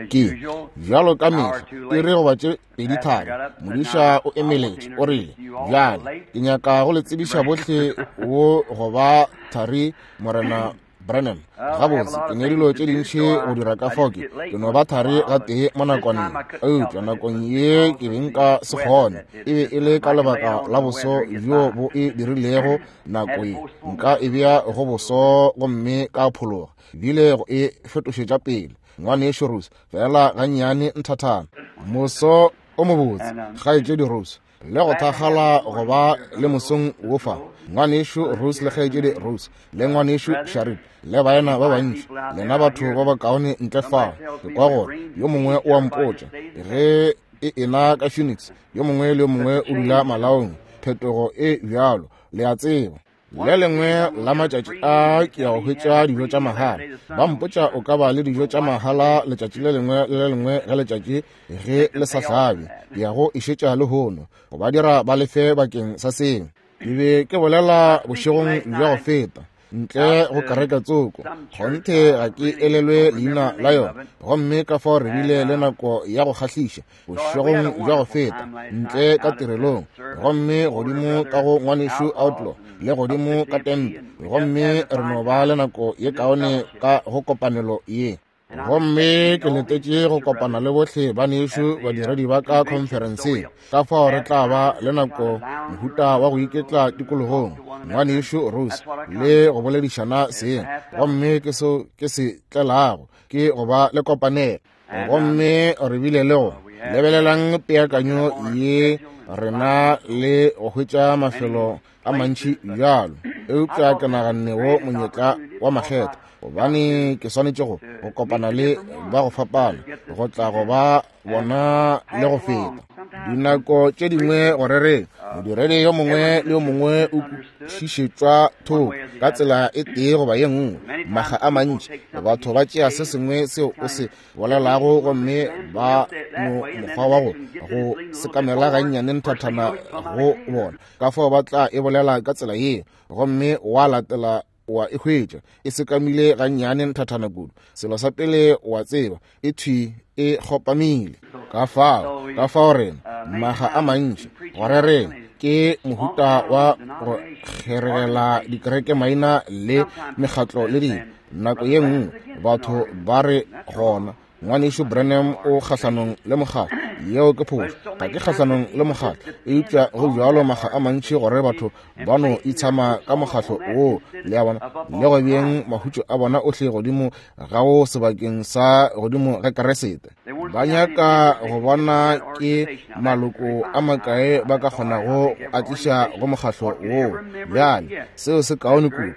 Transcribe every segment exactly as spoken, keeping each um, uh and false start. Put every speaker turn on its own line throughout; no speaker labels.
Ke bjalo ka mehla iri goba tše pedi thari, modiša o emeletše, o rile, bjale ke nyaka go le tsebiša bohle wo go ba thari Morena Branham. Gabotse, ke ne dilo tše dintši go dira ka fao ke ke no ba thari gatee mo nakwaneng, eupša nakong ye ke be nka se kgone. E be e le ka lebaka la boso bjo bo e dirilego nako ye, nka e bea go boso gomme ka phologa, bile go e fetošetša pele. Ngwanešu Rose, fela gannyane nthathana. Moso o mobotse, kgaetšedi Rose, le go thakgala go ba le mosong wo fa. Ngwanešu Rose le kgaetšedi Rose le ngwanešu Sharip le baena ba bantši, lena batho ba bakaone ntle fa. Ke kwa gore yo mongwe o a mpotša ge e ena ka Phoenix, yo mongwe le yo mongwe o dula malaong. Phetogo e bjalo, le a tseba. Le lengwe la matšatši a ke ya go hwetša dijo tša mahala. Ba mpotša o ka ba le dijo tša mahala letšatši le lengwe le le lengwe ge letšatši ge le sa hlabe. Ke ya go išetša lehono go ba dira ba lefe bakeng sa seo. Ke be ke bolela bošegong bja go feta ntle go kereke tsoko, kgonthe ga ke elelwe leina la yona, gomme ka fao re bile le nako ya go kgahliša bošegong bja go feta ntle ka tirelong, gomme godimo ka go ngwanešu Outlaw le godimo ka tente, gomme re no ba le nako ye kaone ka go kopanelo ye. Gomme ke letetše go kopana le bohle banešu badiredi ba ka khonferenseng, ka fao re tla ba le nako mohuta wa go iketla tikologong, ngwanešu Rose, le go boledišana seng. Gomme ke seo ke se tlelago, ke go ba le kopanelo. Gomme re bile le go lebelelang peakanyo ye rena le go hwetša mafelo a mantši bjalo, eupša ke naganne wo monyetla wa makgetho, gobane ke swanetše go go kopana le ba go fapana, go tla go ba bona le go feta. Dinako tše dingwe go rereng, modiredi yo mongwe le yo mongwe o kwešišetšwa thoko ka tsela e tee goba ye nngwe. Makga a mantši batho ba tšea se sengwe seo o se bolelago gomme ba no mokgwa wa go go sekamela gannyane nthathana go bona, ka fao ba tla e bolela ka tsela yeo, gomme wa latela wa e hwetša e sekamile gannyane nthathana kudu. Selo sa pele wa tseba, e thwi e kgopamile. Ka fao ka fao rena maga a mantši go rereng ke mohuta wa go kgeregela dikereke maina le mekgatlo le dilo. Nako ye nngwe batho ba re gona ngwanešu Branham o kgahlanong le mokgatlo. Yeo ke phošo, ga ke kgahlanong le mokgatlo, eupša go bjalo makga a mantši gore batho ba no itshama ka mokgatlo woo, le a bona, le go beeng mahutšo a bona ohle godimo ga wo sebakeng sa godimo ga Keresete. Ba nyaka go bona ke maloko a makae ba ka kgonago a tliša go mokgatlo woo. Bjale seo se kaone kudu,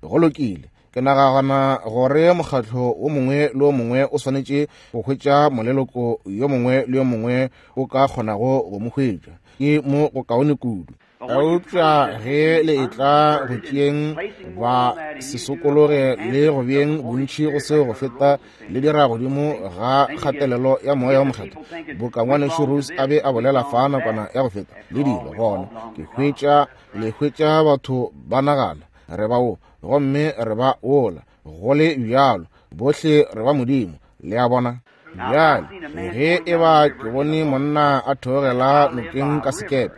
go lokile. Ke nagana gore mokgatlo o mongwe le o mongwe o swanetše go hwetša moleloko yo mongwe le yo mongwe o ka kgonago go mo hwetša, ke mo go kaone kudu. Eupša ge le etla go tšeeng ba se sokologe le go beeng bontši go seo go feta le dira godimo ga kgatelelo ya moya wa mokgethwa, boka ngwanešu Rose a be a bolela fa nakwana ya go feta le dilo, gona ke hwetša le hwetša batho ba nagana re ba wo gomme re ba wola, go le bjalo bohle re ba Modimo, le a bona. Bjale ge e ba ke bone monna a theogela nokeng ka sekepe,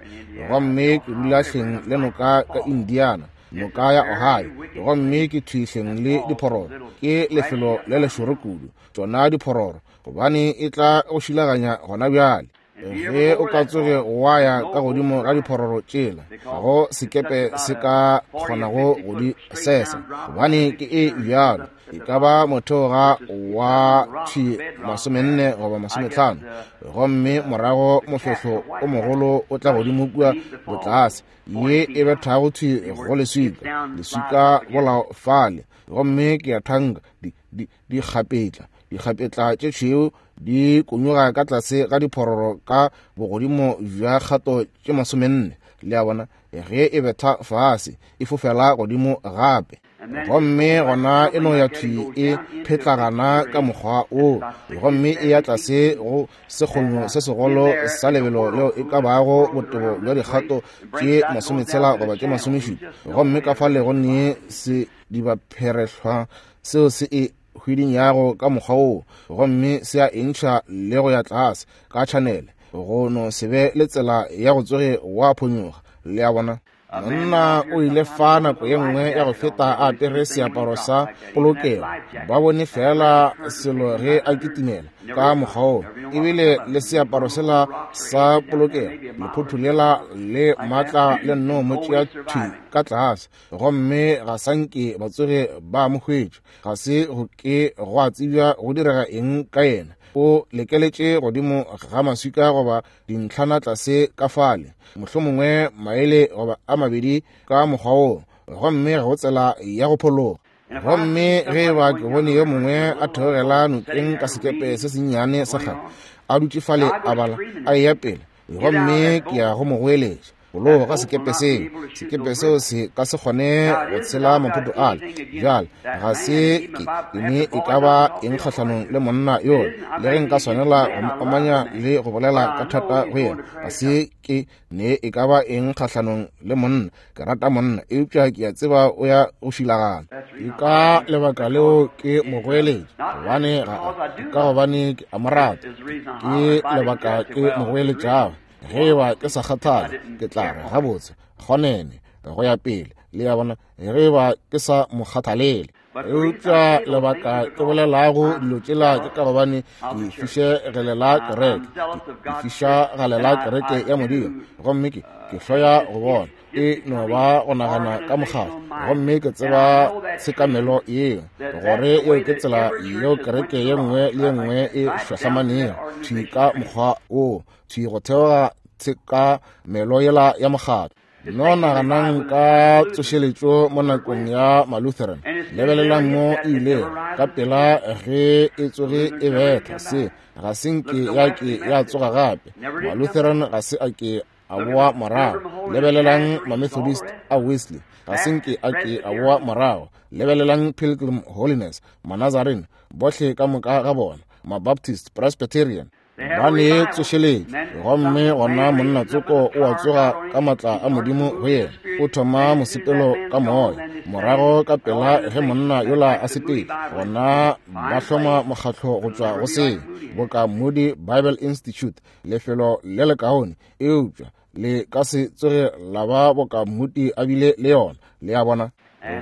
gomme ke dula hleng le noka ka Indiana, noka ya Ohio, gomme ke thwi hleng le diphororo, ke lefelo le lešoro kudu tšona diphororo, gobane e tla go šilaganya gona bjale. Ge o ka tsoge wa ya ka godimo ga diphororo tšela, ga go sekepe se ka kgonago go di sesa, gobane ke e bjalo, e ka ba motheoga wa thwi masomenne goba masometlhano, gomme morago mofehlo o mogolo o tla godimo kua botlase, ye e bethago thwi go leswika, leswika bolao fale, gomme ke a thanka di di dikgapetla dikgapetla tše tšhweu di konyoga ka tlase ga diphororo ka bogodimo bja kgato tše masomenne, le a bona. Ge e betha fase e fofela godimo gape, gomme gona e no ya thwi e phetlagana ka mokgwa wo, gomme e ya tlase go sekgonyo se segolo sa lebelo leo e ka bago botebo bja dikgato tše masometshela goba tše masomešupa, gomme ka fale go ne se dibapherehlwa seo se e hwidinyago ka mokgwa woo, gomme se a entšha le go ya tlase ka tšhanele, go no se be le tsela ya go tsoge wa phonyoga. Le a bona? Monna o ile fa nako ye nngwe ya go feta a apere seaparo sa polokego. Ba bone fela selo ge a kitimela ka mokgwa woo, ebile le seaparo sela sa polokego, lephotho lela le maatla le nno mo tšea thwi ka tlase, gomme ga sa nke ba tsoge ba mo hwetša. Ga se go ke gwa tsebja go direga eng ka yena. O lekeletše godimo ga maswika goba dintlhana tlase ka fale, mohlomongwe maele goba a mabedi ka mokgwa woo, gomme ga go tsela ya go phologa. Gomme ge ba ke bone yo mongwe a theogela nokeng ka sekepe se sennyane sa kgale, a dutše fale a bala a eya pele, gomme ke ya go mo goeletša, bologa sekepe seo, sekepe seo se ka se kgone go tshela maphoto ale. Bjale ga se ke ke ne e ka ba eng kgahlanong le monna yola, le ge nka swanela go mo omanya le go bolela ka thata go yena, ga se ke ne e ka ba eng kgahlanong le monna. Ke rata monna, eupša ke a tseba o ya go šilagana. Ke ka lebaka leo ke mo goeletša, gobane ga ka gobane ke a mo rata. Ke lebaka ke mo goeletšago. Ge ba ke sa kgathale, ke tla re gabotse kgonene go ya pele. Le a bona? Ge ba ke sa mo kgathalele. Eupša lebaka ke bolelago dilo tšela ke ka gobane ke fišegelela kereke, ke fišagalela kereke ya Modimo, gomme ke ke hloya go bona e no ba go nagana ka mokgatlo. Gomme ke tseba tshekamelo yeo, gore yeo ke tsela yeo kereke ye nngwe le ye nngwe e hlahlamanego thwi ka mokgwa woo, thwi go theoga tshekamelo yela ya mokgatlo. No naganang ka tsošeletšo mo nakong ya Malutheran, lebelelang mo e ilego ka pela ge e tsoge e betha se, ga se nke ya ke ya tsoga gape. Malutheran ga se a ke a boa morago. Lebelelang Mamethodist a Wesley, ga se nke a ke a boa morago. Lebelelang Pilgrim Holiness, Manazarene, bohle ka moka ga bona, Mabaptist, Presbyterian, ba ne tsošeletšo. Gomme gona monna tsoko o a tsoga ka maatla a Modimo go yena, o thoma mosepelo ka moya. Morago ka pela ge monna yola a sepele, gona ba hloma mokgatlo go tšwa go seo, boka Moody Bible Institute, lefelo le lekaone, eupša le ka se tsoge la ba boka Moody a bile le yona. Le a bona?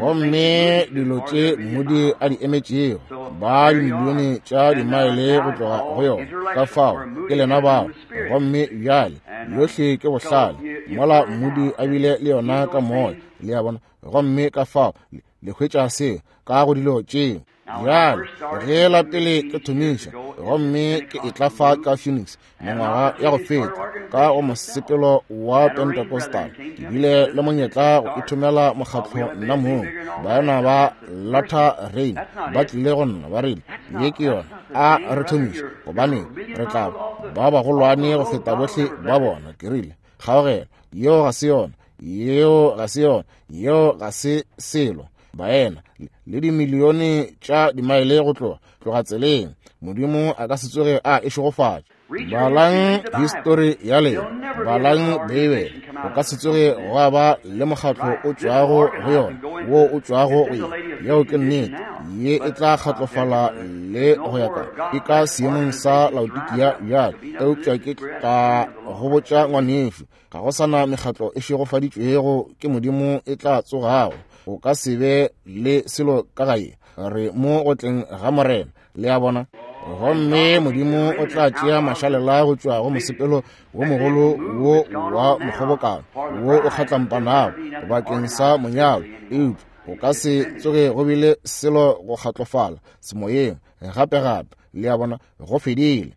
Gomme dilo tše Moody a di emetšego, ba dimilione tša dimaele go tloga go yona. Ka fao ke lena bao. Gomme bjale yohle ke bohlale, mola Moody a bile le yona ka moya. Le a bona? Gomme ka fao le hwetša seo ka go dilo tšeo. Bjale ge la pele ke thomiša, gomme ke e tla fa ka Phoenix mengwaga ya go feta ka go mosepelo wa Pentecostal, ke bile le monyetla go ithomela mokgatlo nna mong. Baena ba Latter Rain ba tlile go nna ba rile, ye ke yona, a re thomiše, gobane re tla ba bagolwane go feta bohle ba bona. Ke rile, kgaogelo, yeo ga se yona, yeo ga se yona, yeo ga se selo. Baena le dimilione tša dimaele go tloga tloga tseleng, Modimo a ka se tsoge a e šegofatša. Balang histori ya lena, balang Beibele, go ka se tsoge gwa ba le mokgatlo o tšwago go yona wo o tšwago go ye. Yeo ke nnete. Ye e tla kgatlofala le go ya ka ke ka seemong sa Laodikia bjale. Eupša ke tla go botša ngwanešu, ga go sana mekgatlo e šegofaditšwego ke Modimo e tla tsogago. Go ka se be le selo ka gae. Re mo go tleng ga Morena. Le a bona? Gomme Modimo o tla tšea mašalela go tšwa go mosepelo wo mogolo wo wa mokgobokano wo o kgatlampanago bakeng sa monyalo. Eupša go ka se tsoge go bile selo go kgatlofala semoyeng gape gape. Le a bona? Go fedile.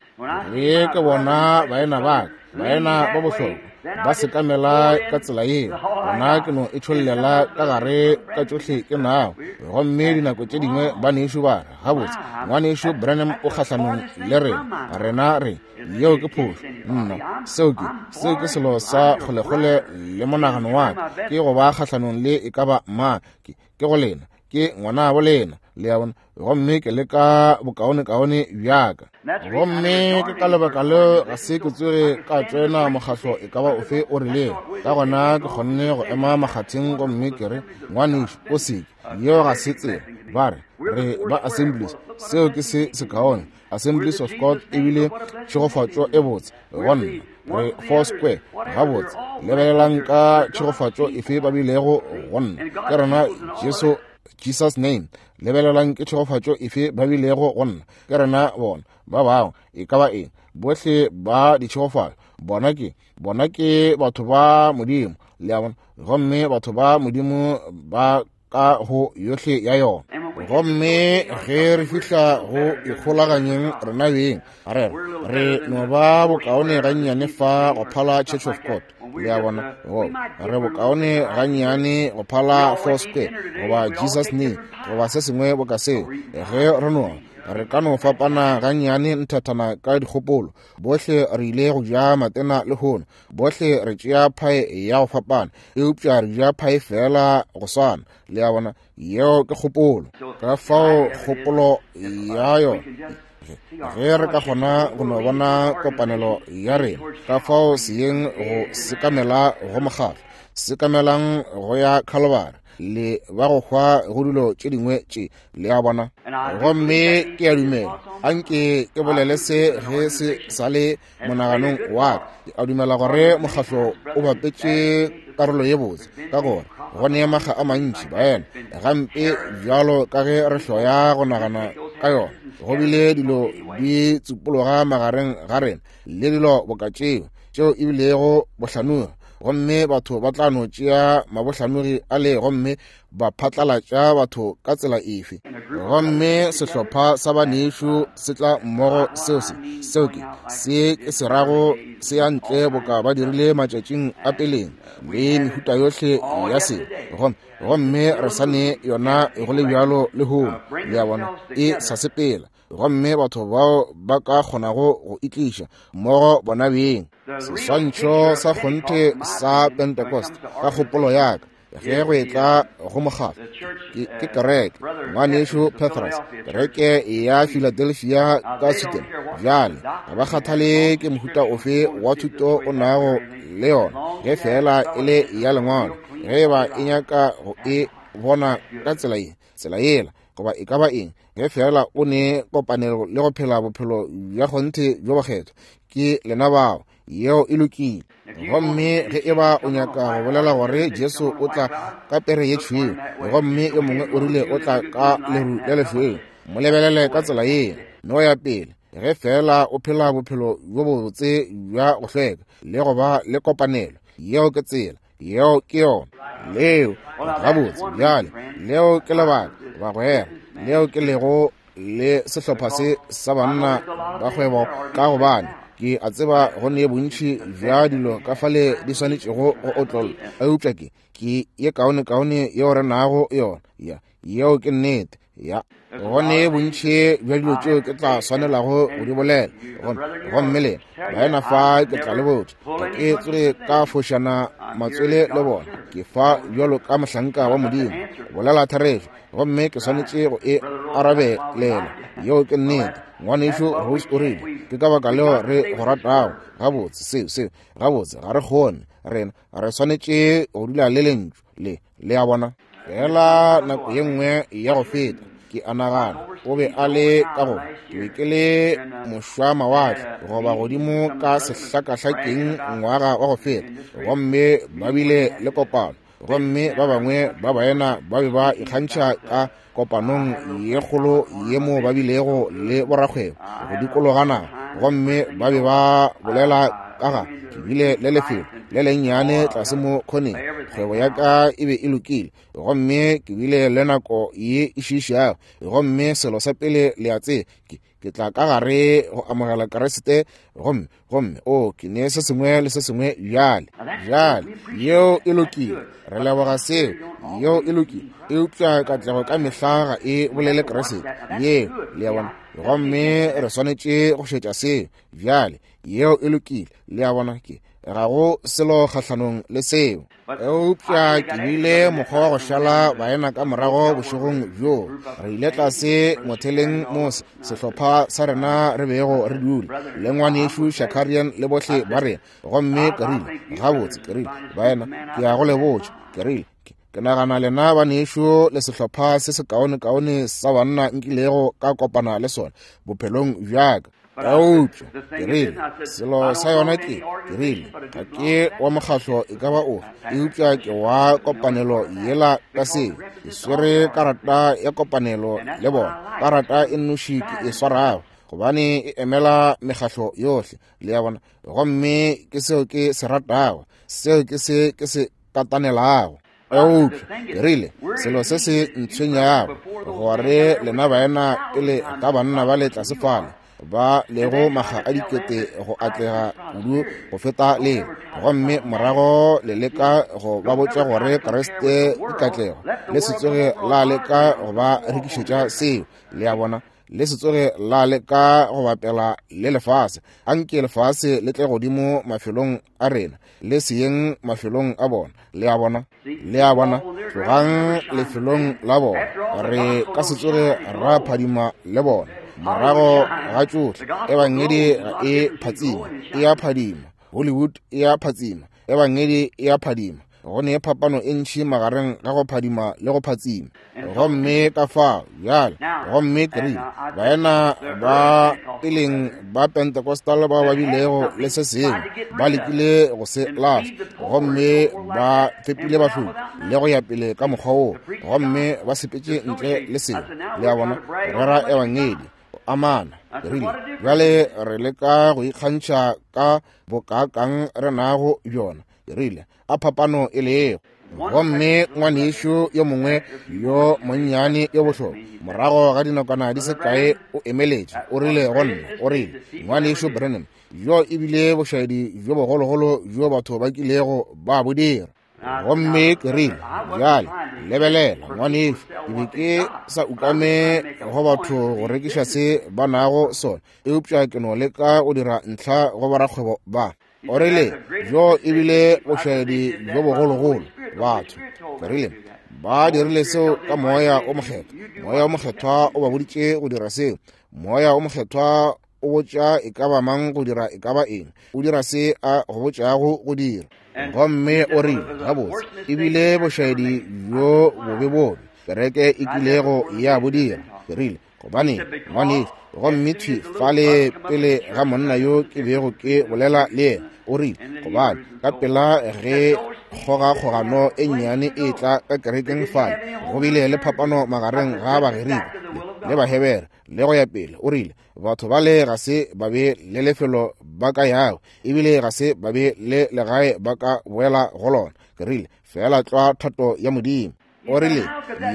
Ge ke bona baena ba ka, baena ba bohlokwa, ba sekamela ka tsela yeo, gona ke no e tšhollela ka gare ka tšohle ke nago. Gomme dinako tše dingwe banešu ba re, gabotse ngwanešu Branham o kgahlanong le rena, rena re, yeo ke phošo. Nna, seo ke seo ke selo sa kgolekgole le monagano wa ka, ke go ba kgahlanong le e ka ba mang, ke ke go lena. Ke ngwanabo lena, le a bona, gomme ke leka bokaonekaone bjaka. Gomme ke ka lebaka leo ga se ke tsoge ka tšoena mokgahlo e ka ba ofe o rilego. Ka gona ke kgonne go ema makgatheng gomme ke re, ngwanešu, o seke, yeo ga se tsela. Ba re, re ba Assemblies, seo ke se sekaone. Assemblies of God ebile tšhegofatšo e botse go nna. Re Four Square, gabotse, lebelelang ka tšhegofatšo efe ba bilego go nna. Ke rena Jesu, Jesus name, lebelelang ke tšhegofatšo efe ba bilego go nna. Ke rena bona, ba bangwe, e ka ba eng, bohle ba ditšhegofatšo. Bona ke, bona ke batho ba Modimo, le a bona, gomme batho ba Modimo ba ka go yohle ya yona. Gomme ge re fihla go ikgolaganyeng rena beng, re re no ba bokaone gannyane fa go phala Church of God, le a bona, re bokaone gannyane go phala Four Square goba Jesus name goba se sengwe boka seo. Ge re no re ka no fapana gannyane nthathana ka dikgopolo, bohle re ile go ja matena lehono, bohle re tšea phae ya go fapana, eupša re ja phae fela go swana, le a bona. Yeo ke kgopolo. Ka fao kgopolo ya yona, ge re ka kgona go no bona kopanelo ya rena, ka fao seyeng go sekamela go mokgahlo, sekamelang go ya Calvary, le ba go hwa go dilo tše dingwe tše, le a bona. Gomme ke a dumela, anke ke bolele se ge se sa le monaganong wa ka, ke a dumela gore mokgahlo o bapetše karolo ye botse, ka gore go ne makga a mantši baena gampe bjalo ka ge re hloya go nagana ka yona, go bile dilo di tsupologa magareng ga rena le dilo boka tšeo tšeo e bilego bohlanogi, gomme batho ba tla no tšea mabohlanogi a le gomme ba phatlalatša batho ka tsela efe. Gomme sehlopha sa banešu se tla mmogo, seo se seo ke se ke se rago se ya ntle boka ba dirile matšatšing a peleng le mehuta yohle ya se, gomme gomme re sa ne yona go le bjalo lehono, le a bona, e sa sepela. Gomme batho bao ba ka kgonago go itliša mmogo bona beng. Seswantšho sa kgonthe sa Pentecost ka kgopolo ya ka, ge go etla go mokgahlo, ke kereke ngwanešu Petrus, kereke ya Philadelphia ka Sweden. Bjale ga ba kgathale ke mohuta ofe wa thuto o nago le yona, ge fela e le ya lengwalo, ge ba e nyaka go e bona ka tsela ye, tsela yela, goba e ka ba eng, ge fela o ne kopanelo le go phela bophelo bja kgonthe bjo bokgethwa, ke lena bao, yeo e lokile. Gomme ge e ba o nyaka go bolela gore Jesu o tla ka pere ye tšhweu, gomme yo mongwe o rile o tla ka leru le lešweu, mo lebelele ka tsela yeo, no ya pele. Ge fela o phela bophelo bjo bobotse bja go hlweka le go ba le kopanelo, yeo ke tsela, yeo ke yona. Leo gabotse bjale, leo ke lebaka bagwera, leo ke lego le sehlopha se sa banna ba kgwebo, ka gobane ke a tseba go ne bontši bja dilo ka fale di swanetšego go otlolla, eupša ke ke ye kaonekaone yeo re nago yona, ya yeo ke nnete. Ya go ne bontši bja dilo tšeo ke tla swanelago go di bolela, gomme lena baena fa ke tla le botša, ga ke tsoge ka fošana matswele le bona. Ke fa bjalo ka mohlanka wa Modimo, bolela therešo, gomme ke swanetše go e arabelela. Yeo ke nnete. Ngwanešu Rose o rile, ke ka baka leo re go ratago. Gabotse seo seo gabotse ga re kgone, rena re swanetše go dula le lentšu le, le a bona. Fela nako ye nngwe ya go feta, ke a nagana o be a le ka go, ke be ke le mošwamawatle goba godimo ka sehlakahlakeng ngwaga wa go feta, gomme ba bile le kopano, gomme ba bangwe ba baena ba be ba ikgantšha ka kopanong ye kgolo ye mo ba bilego le borakgwebo go dikologana, gomme ba be ba bolela ka ga ke bile le lefelo le lennyane tlase mo khoneng, kgwebo ya ka e be e lokile, gomme ke bile le nako ye e šiišago, gomme selo sa pele le a tseba, ke ke tla ka gare go amogela Kriste, gomme gomme o ke ne se sengwe le se sengwe bjale. Bjale yeo e lokile, re leboga seo, yeo e lokile, eupša katlego ka mehla ga e bolele Kriste yeo, le a bona, gomme re swanetše go šetša seo. Bjale yeo e lokile, le a bona, ke Ga go selo kgahlanong le seo. Eupša ke bile mokgwa wa go šala baena ka morago bošegong bjo. Re ile tlase moteleng mo sehlopha sa rena re bego re dula le ngwanešu Shakarian le bohle ba rena. Gomme ke rile, gabotse, ke rile, baena, ke ya go le botša, ke rile, ke nagana lena banešu le sehlopha se sekaonekaone sa banna nkilego ka kopana le sona bophelong bjaka. Eupša ke rile, selo sa yona ke, ke rile, ga ke wa mokgahlo e ka ba ofe, eupša ke wa kopanelo yela ka seo. Ke swere karata ya kopanelo le bona, karata e nnoši ke e swarago, gobane e emela mekgahlo yohle, le ya bona. Gomme ke seo ke se ratago, seo ke se ke se katanelago. Eupša ke rile, selo se se ntshwenyago gore lena baena pele ka banna ba le tlase fale ba lego makga a dikete go atlega kudu go feta lena, gomme morago le leka go ba botša gore Kriste ke katlego, le se tsoge la leka go ba rekišetša seo, le a bona, le se tsoge la leka go bapela le lefase. Anke lefase le tle godimo mafelong a rena, le seyeng mafelong a bona, le a bona, le a bona, tlogang lefelong la bona, re ka se tsoge ra phadima le bona. Morago ga tšohle, ebangedi ga e phatsima, e a phadima. Hollywood e a phatsima, ebangedi e a phadima. Go ne phapano e ntši magareng ga go phadima le go phatsima. Gomme ka fao bjale, gomme ke rile, baena ba peleng ba Pentecostal ba ba bilego le se sengwe, ba lekile go se lahla, gomme ba fepile bahloki le go ya pele ka mokgwa woo, gomme ba sepetše ntle le seo, le a bona, rera ebangedi amana. Ke rile, bjale re leka go ikgantšha ka bokaakang re nago bjona. Ke rile, a phapano e lego. Gomme ngwanešu yo mongwe yo monnyane yo bohlokwa, morago ga dinakwana di se kae o emeletše, o rile go nna, o rile, ngwanešu Branham, yo ebile bošaedi bjo bogologolo bjo batho ba kilego ba bo dira. Gomme ke rile, bjale lebelela ngwanešu, ke be ke sa ukame go batho go rekiša se ba nago sona, eupša ke no leka go dira ntlha go borakgwebo ba. O rile, bjo ebile bošaedi bjo bogologolo batho. Ke rile, ba dirile seo ka moya o mokgethwa. Moya o mokgethwa o ba boditše go dira seo. Moya o mokgethwa o botša e ka ba mang go dira e ka ba eng, o dira se a go botšago go dira. Gomme o rile, gabotse, ebile bošaedi bjo bobe bobe kereke e kilego ya bo dira. Ke rile, gobane ngwanešu, gomme thwi fale pele ga monna yo ke bego ke bolela le yena, o rile, gobane ka pela ge kgogakgogano e nnyane e tla ka kerekeng fale, go bile le phapano magareng ga Bagerika le Bahebere le go ya pele. O rile, batho bale ga se ba be le lefelo ba ka yago, ebile ga se ba be le legae ba ka boela go lona. Ke rile, fela tlwa thato ya Modimo. O rile,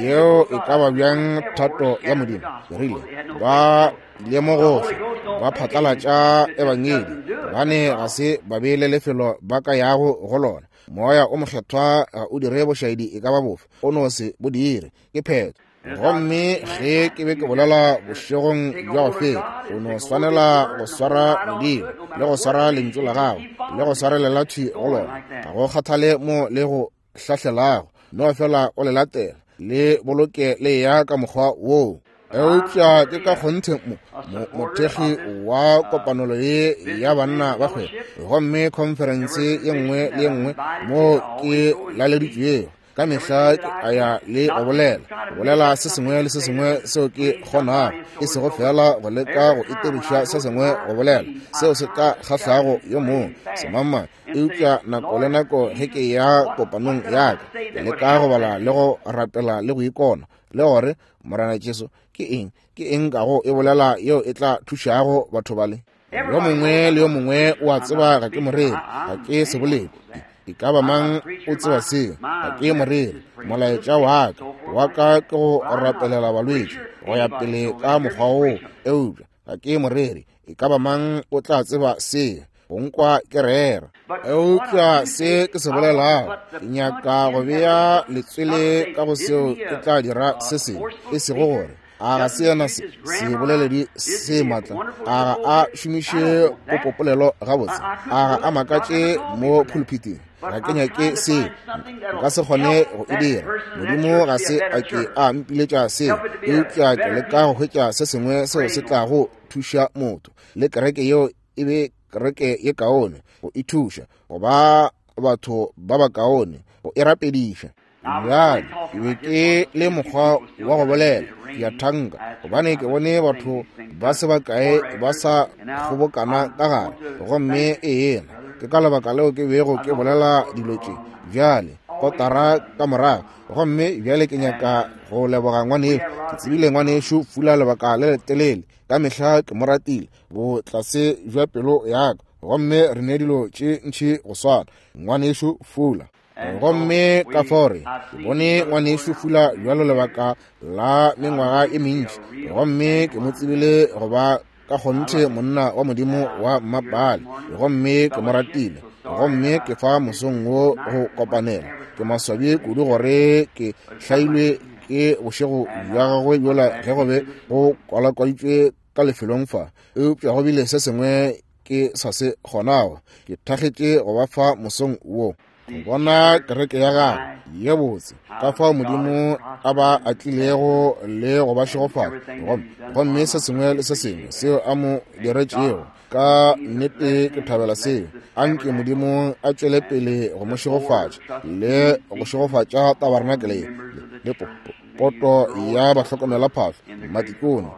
yeo e ka ba bjang thato ya Modimo? Ke rile, ba ile mo gohle ba phatlalatša ebangedi, gobane ga se ba be le lefelo ba ka yago go lona. Moya o mokgethwa ga o dire bošaedi e ka ba bofe, o no se bo dire, ke phetho. Gomme ge ke be ke bolela bošegong bja go feta, o no swanela go swara Modimo le go swara lentšu la gago le go swarelela thwi go lona, ga go kgathale mo le go hlahlelago, no fela o le latela le boloke le ya ka mokgwa woo. Eupša ke ka kgonthe mo mothekgi wa kopanelo ye ya banna ba kgwebo, gomme khonferense ye nngwe le ye nngwe mo ke laleditšwego ka mehla ke a ya le go bolela, go bolela se sengwe le se sengwe seo ke kgonago, e sego fela go leka go itiriša se sengwe go bolela seo se ka kgahlago yo mongwe semangmang. Eupša nako le nako ge ke ya kopanong ya ka, ke leka go bala le go rapela le go ikona le gore Morena Jesu ke eng, ke eng ka go e bolela yeo e tla thušago batho bale. Yo mongwe le yo mongwe o a tseba ga ke moreri, ga ke seboledi, e ka ba mang o tseba seo, ga ke moreri. Molaetša wa ka wa ka ke go rapelela balwetši go ya pele ka mokgwa woo, eupša ga ke moreri, e ka ba mang o tla tseba seo, go nkwa ke rera. Eupša se ke se bolelago, ke nyaka go bea letswele ka go seo ke tla dira se sengwe, e sego gore A ga se yena seboleledi se maatla? A ga a šomiše popopolelo gabotse? A ga a makatše mo pulpiting? Ga ke nyake seo, nka se kgone go e dira. Modimo ga se a ke a mpiletša seo, eupša ke leka go hwetša se sengwe seo se tlago thuša motho le kereke yeo e be kereke ye kaone, go e thuša go ba batho ba bakaone, go e rapediša. Bjale ke be ke le mokgwa wa go bolela, ke a thanka, gobane ke bone batho ba se bakae ba sa kgobokana ka gare, gomme ena ke ka lebaka leo ke bego ke bolela dilo tše bjale kotara ka morago. Gomme bjale ke nyaka go leboga ngwanešu. Ke tsebile ngwanešu Fula lebaka le letelele, ka mehla ke mo ratile botlase bja pelo ya ka, gomme re ne dilo tše ntši go swana, ngwanešu Fula. Gomme ka fore ke bone ngwanešu Fula bjalo lebaka la mengwaga e mentši, gomme ke mo tsebile go ba ka kgonthe monna wa Modimo wa mmapale, gomme ke mo ratile. Gomme ke fa mosong wo go kopanela. Ke maswabi kudu gore ke hlailwe ke bošego bja gagwe bjola ge go be go kwalakwaditšwe ka lefelong fa, eupša go bile se sengwe ke sa se kgonago. Ke thakgetše go ba fa mosong wo go bona kereke ya gagwe ye botse, ka fao Modimo a ba atlilego le go ba šegofatša, gomme se sengwe le se sengwe seo a mo diretšego. Ka nnete ke thabela seo. Anke Modimo a tšwele pele go mo šegofatša le go šegofatša tabarenakele le poto ya bahlokomelaphahlo, matikone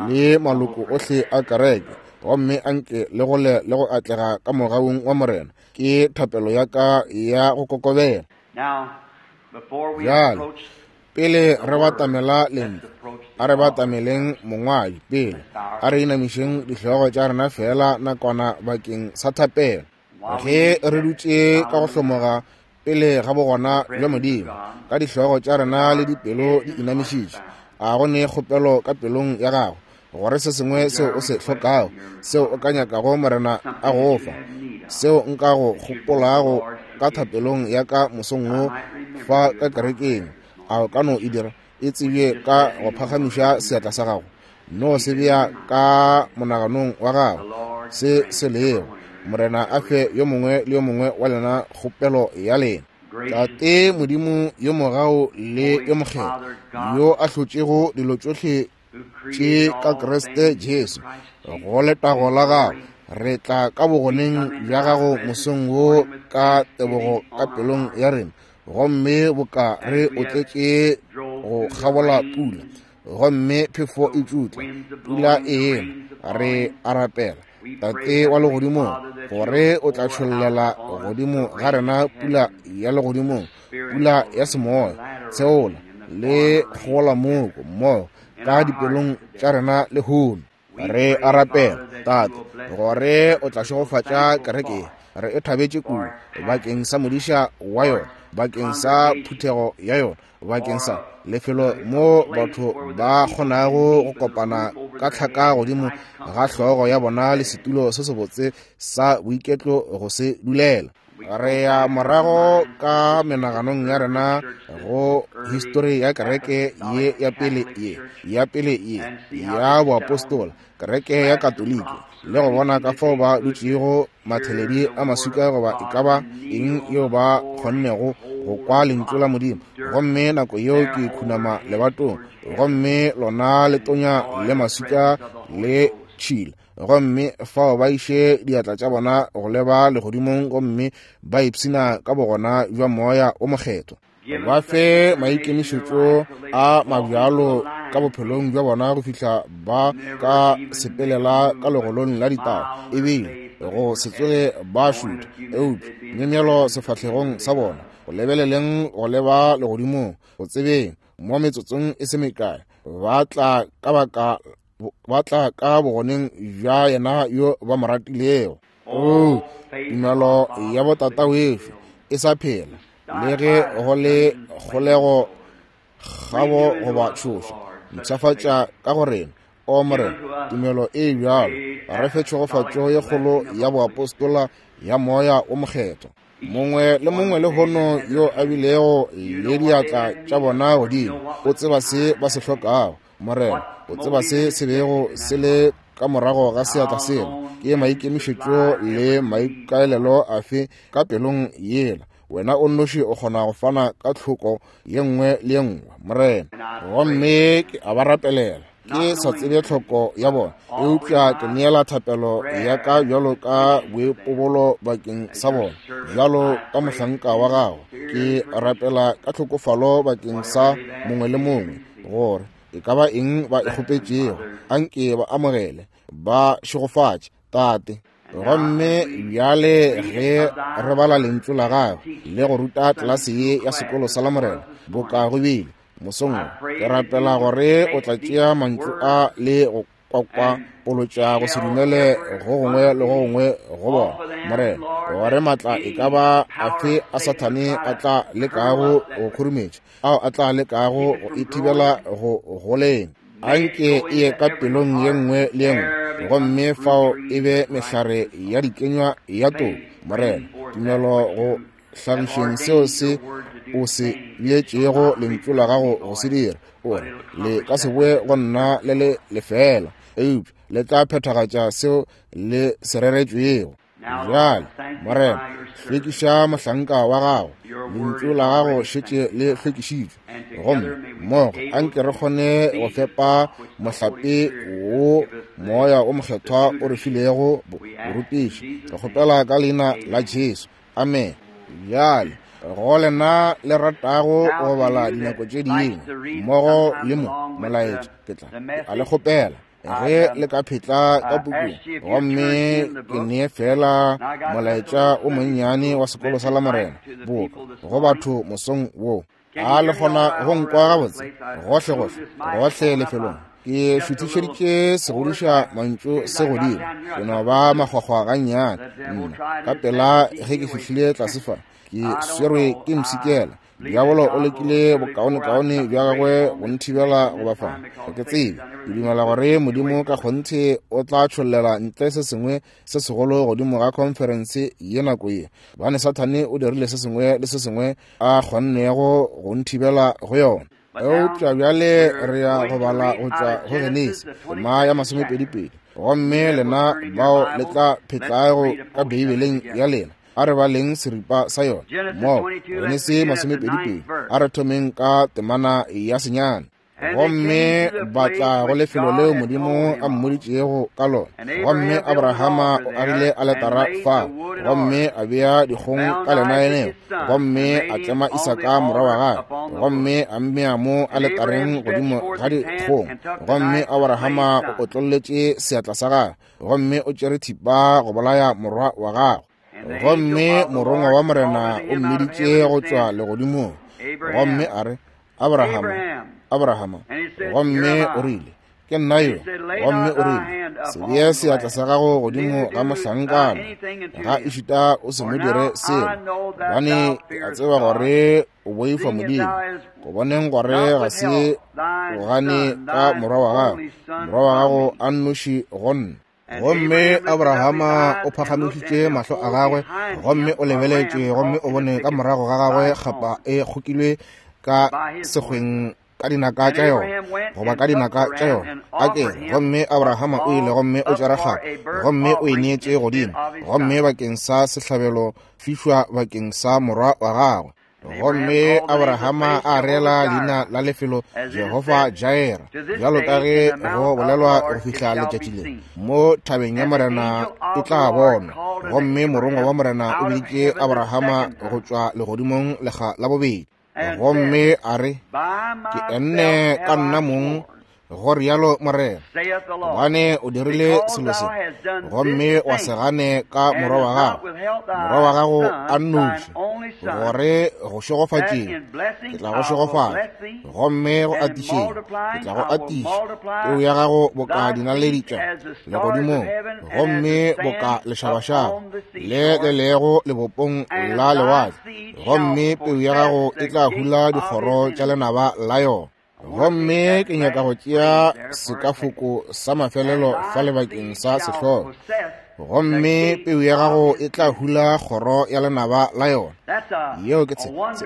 le maloko ohle a kereke, gomme anke le gole le go atlega ka mogaung wa Morena. Ke thapelo ya ka ya go kokobela. Bjale pele re batamela lentšu, a re batameleng mongwadi pele. A re inamišeng dihlogo tša rena fela nakwana bakeng sa thapelo. Ge re dutše ka go hlomoga pele ga bogona bja Modimo, ka dihlogo tša rena le dipelo di inamišitše, a go ne kgopelo ka pelong ya gago gore se sengwe seo o se hlokago, seo o ka nyakago Morena a go fa, seo nka go gopolago ka thapelong ya ka mosong wo fa ka kerekeng, a o ka no e dira e tsebje ka go phagamiša seatla sa gago. No se bea ka monaganong wa gago se se lego. Morena a fe yo mongwe le yo mongwe wa lena kgopelo ya lena. Tate Modimo yo mogau le yo mokgethwa, yo a hlotšego dilo tšohle tše ka Kriste Jesu, go letago la gago, re tla ka bogoneng bja gago mosong wo ka tebogo ka pelong ya rena, gomme boka re otletše go kgabola pula, gomme phefo e tšutla, pula e ena. Re a rapela, Tate wa legodimong, gore o tla tšhollela godimo ga rena pula ya legodimong, pula ya semoya, tsheola le kgola moko mmogo ka dipelong tša rena lehono. Re a rapela, Tate, gore o tla šegofatša kereke. Re e thabetše kudu bakeng sa modiša wa yona, bakeng sa phuthego ya yona, bakeng sa lefelo mo batho ba kgonago go kopana ka tlhaka godimo ga hlogo ya bona le setulo se sebotse sa boiketlo go se dulela. Re ya morago ka menaganong ya rena go histori ya kereke ye ya pele ye ya pele ye ya boapostola, kereke ya Katoliki, le go bona ka fao ba dutšego matheledi a maswika goba e ka ba eng yeo ba kgonnego go kwa lentšu la Modimo. Gomme nako yeo ke khunama lebatong, gomme lona le tonya le maswika le tšhila, gomme fao ba iše diatla tša bona go leba legodimong, gomme ba ipshina ka bogona bja Moya o Mokgethwa. Ba fe maikemišetšo a mabjalo ka bophelong bja bona go fihla ba ka sepelela ka legolong la ditaba, ebile go se tsoge ba šutha, eupša myemyelo sefahlegong sa bona, go lebeleleng go leba legodimong, go tsebeng mo metsotsong e se mekae ba tla ka baka ba tla ka bogoneng bja yena yo ba mo ratilego. O tumelo ya botata wešo e sa phela, le ge go le kgolego, kgabo goba tšhošo. Mpshafatša ka go rena, o Morena, tumelo e bjalo. Re fe tšhegofatšo ye kgolo ya boapostola ya Moya o Mokgethwa. Mongwe le mongwe lehono yo a bilego le diatla tša bona godimo, o tseba se ba se hlokago. Morena, o tseba se se bego se le ka morago ga seatla sela, ke maikemišetšo le maikaelelo afe ka pelong yela. Wena o nnoši o kgona go fana ka tlhoko ye nngwe le ye nngwe, Morena. Gomme ke a ba rapelela, ke sa tsebe tlhoko ya bona, eupša ke neela thapelo ya ka bjalo ka boipobolo bakeng sa bona, bjalo ka mohlanka wa gago. Ke rapela ka tlhokofalo bakeng sa mongwe le mongwe, gore e ka ba eng ba e kgopetšego, anke ba amogele, ba šegofatše, Tate. Gomme bjale ge re bala lentšu la gago le go ruta tlelase ye ya sekolo sa Lamorena, boka go bile mosong wo, ke rapela gore o tla tšea mantšu a le go kwakwapolotša go se dumele go gongwe le go gongwe go bona, Morena, gore matla e ka ba afe a Sathane a tla lekago go khurumetša, ao a tla lekago go e thibela go goleng, anke e ye ka pelong ye nngwe le ye nngwe, gomme fao e be mehlare ya dikenywa ya toko, Morena, tumelo go hlagišeng seo se o se beetšego lentšu la gago go se dira. O re le ka se boe go nna le le lefela, eupša le tla phethagatša seo le se reretšwego. Bjale, Morena, hlwekiša mohlanka wa gago, lentšu la gago šetše le hlwekišitšwe, gomme mmogo anke re kgone go fepa mohlape wo Moya o Mokgethwa o re filego borutiši. Re kgopela ka leina la Jesu, amen. Bjale go lena le ratago go bala dinako tše dingwe mmogo le mo molaetša, ke tla a le kgopela ge le ka phetla ka pukung, gomme ke nee fela molaetša o monnyane wa sekolo sa Lamorena boka go batho mosong wo. A le kgona go nkwa gabotse gohle gohle gohle lefelong? Ke šuthišeditše segodiša mantšu se godimo, ke no ba makgwakgwa gannyane nna ka pela ge ke fihlile tlase fa, ke swerwe ke mpshikela. Diabolo o lekile bokaonekaone bja gagwe go nthibela go ba fa. Ga ke tsebe, ke dumela gore Modimo ka kgonthe o tla tšhollela ntle se sengwe se segolo godimo ga khonferense ye nako ye, gobane Sathane o dirile se sengwe le se sengwe a kgonnego go nthibela go yona. Eupša bjale re ya go bala go tšwa go Genesi tema ya masomepedipedi, gomme lena bao le tla phetlago ka Beibeleng ya lena, a re baleng seripa sa yona mo Genesi masomepedipedi. A re thomeng ka temana ya senyane. Gomme ba tla go lefelo leo Modimo a mmoditšego ka lona. Gomme Abrahama o agile aletara fao, gomme a bea dikgong ka lenaeneo, gomme a tlema Isaka morwa wa gagwe, gomme a mmea mo aletareng godimo ga dikgong. Gomme Abrahama o otlolletše seatla sa gagwe, gomme o tšere thipa go bolaya morwa wa gagwe. Gomme morongwa wa Morena o mmiditše go tšwa legodimong, gomme a re, Abrahama, Abrahama. Gomme o rile, ke nna yo. Gomme o rile, se bee seatla sa gago godimo ga mohlankana, ga ešita o se mo dire selo, gobane ke a tseba gore o boifa Modimo, go boneng gore ga se o gane ka morwa wa gago, morwa wa gago a nnoši go nna. Gomme Abrahama o phagamišitše mahlo a gagwe, gomme o lebeletše, gomme o bone ka morago ga gagwe kgapa e kgokilwe ka sekgweng ka dinaka tša yona, goba ka dinaka tša yona a kere. Gomme Abrahama o ile gomme o tšere kgapa, gomme o e neetše godimo, gomme bakeng sa sehlabelo fišwa bakeng sa morwa wa gagwe. Gomme Abrahama a reela leina la lefelo Jehofa Jaira, bjalo ka ge go bolelwa go fihla letšatši le, mo thabeng ya Morena e tla bonwa. Gomme morongwa wa Morena o biditše Abrahama go tšwa legodimong lekga la bobedi, gomme a re, ke enne ka nna mong, go rialo Morena, gobane o dirile selo se, gomme wa se gane ka morwa wa gago, morwa wa gago a nnoši, gore go šegofatšeng ke tla go šegofatša, gomme go atišeng ke tla go atiša peu ya gago boka dinaledi tša legodimong, gomme boka lešabašaba le le lego lebopong la lewatle, gomme peu ya gago e tla hula dikgoro tša lenaba la yona. Gomme ke nyaka go tšea sekafoko sa mafelelo fa lebakeng sa sehlogo. Gomme peu ya gago e tla hula kgoro ya lenaba la yona. Yeo ke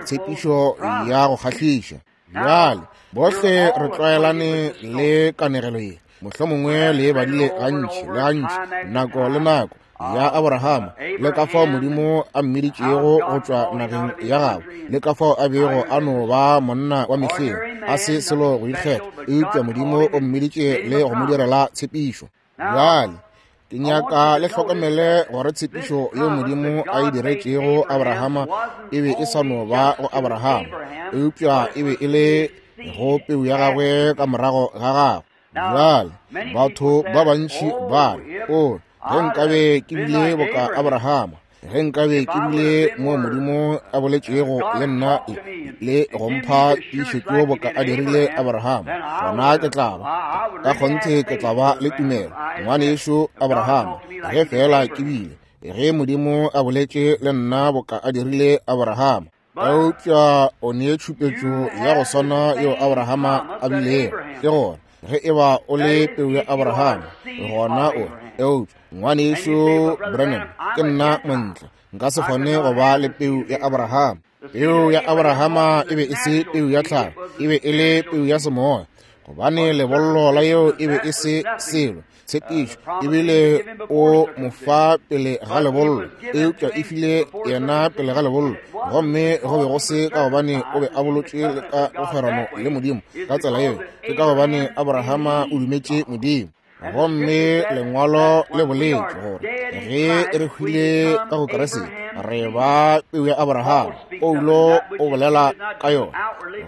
tshepišo ya go kgahliša. Bjale bohle re tlwaelane le kanegelo ye, mohlomongwe le e badile gantši le gantši, nako le nako, ya Abrahama, le ka fao Modimo a mmiditšego go tšwa nageng ya gabo, le ka fao a bego a no ba monna wa mehleng, a se selo go ikgetha, eupša Modimo o mmiditše le go mo direla tshepišo. Bjale ke nyaka le hlokomele gore tshepišo yeo Modimo a e diretšego Abrahama e be e sa no ba go Abrahama, eupša e be e le go peu ya gagwe ka morago ga gagwe. Bjale batho ba bantši ba re, o, ge nkabe ke bile boka Abrahama, ge nkabe ke bile mo Modimo a boletšego le nna le go mpha tiišetšo boka a dirile Abrahama, gona ke tla ba ka kgonthe ke tla ba le tumelo, ngwanešo Abrahama, ge fela ke bile, ge Modimo a boletše le nna boka a dirile Abrahama. Eupša o nee tšhupetšo ya go swana yeo Abrahama a bilego, ke gore ge e ba o le peu ya Abrahama, gona o, eupša ngwanešo Branham, ke nna montle, nka se kgone go ba le peu ya Abrahama. Peu ya Abrahama e be e se peu ya tlhago, e be e le peu ya semoya, gobane lebollo la yeo e be e se selo. Tshepišo ebile o mo fa pele ga lebollo, eupša e file yena pele ga lebollo, gomme go be go se ka gobane o be a bolotšwe le ka kgwerano le Modimo ka tsela yeo, ke ka gobane Abrahama o dumetše Modimo. Gomme lengwalo le boletše gore ge re hwile ka go Kriste re ba peu ya Abrahama. Paulo o bolela ka yona,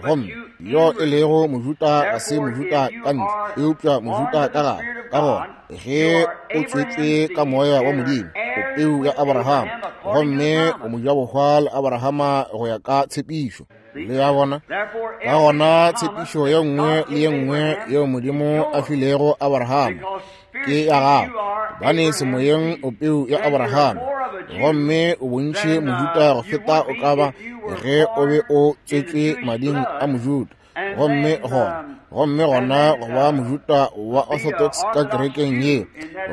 gomme yo e lego Mojuda ga se Mojuda ka ntle, eupša Mojuda ka gare. Ka gona ge o tswetšwe ka moya wa Modimo, o peu ya Abrahama, gomme o mojabohwa le Abrahama go ya ka tshepišo. Le ya bona? Ka gona tshepišo ye nngwe le ye nngwe yeo Modimo a filego Abrahama ke ya gago, gobane semoyeng o peu ya Abrahama, gomme o bontši Mojuda go feta o ka ba ge o be o tswetšwe mading a Mojuda. Gomme gona, gomme gona go ba Mojuda wa Orthodox ka kerekeng ye,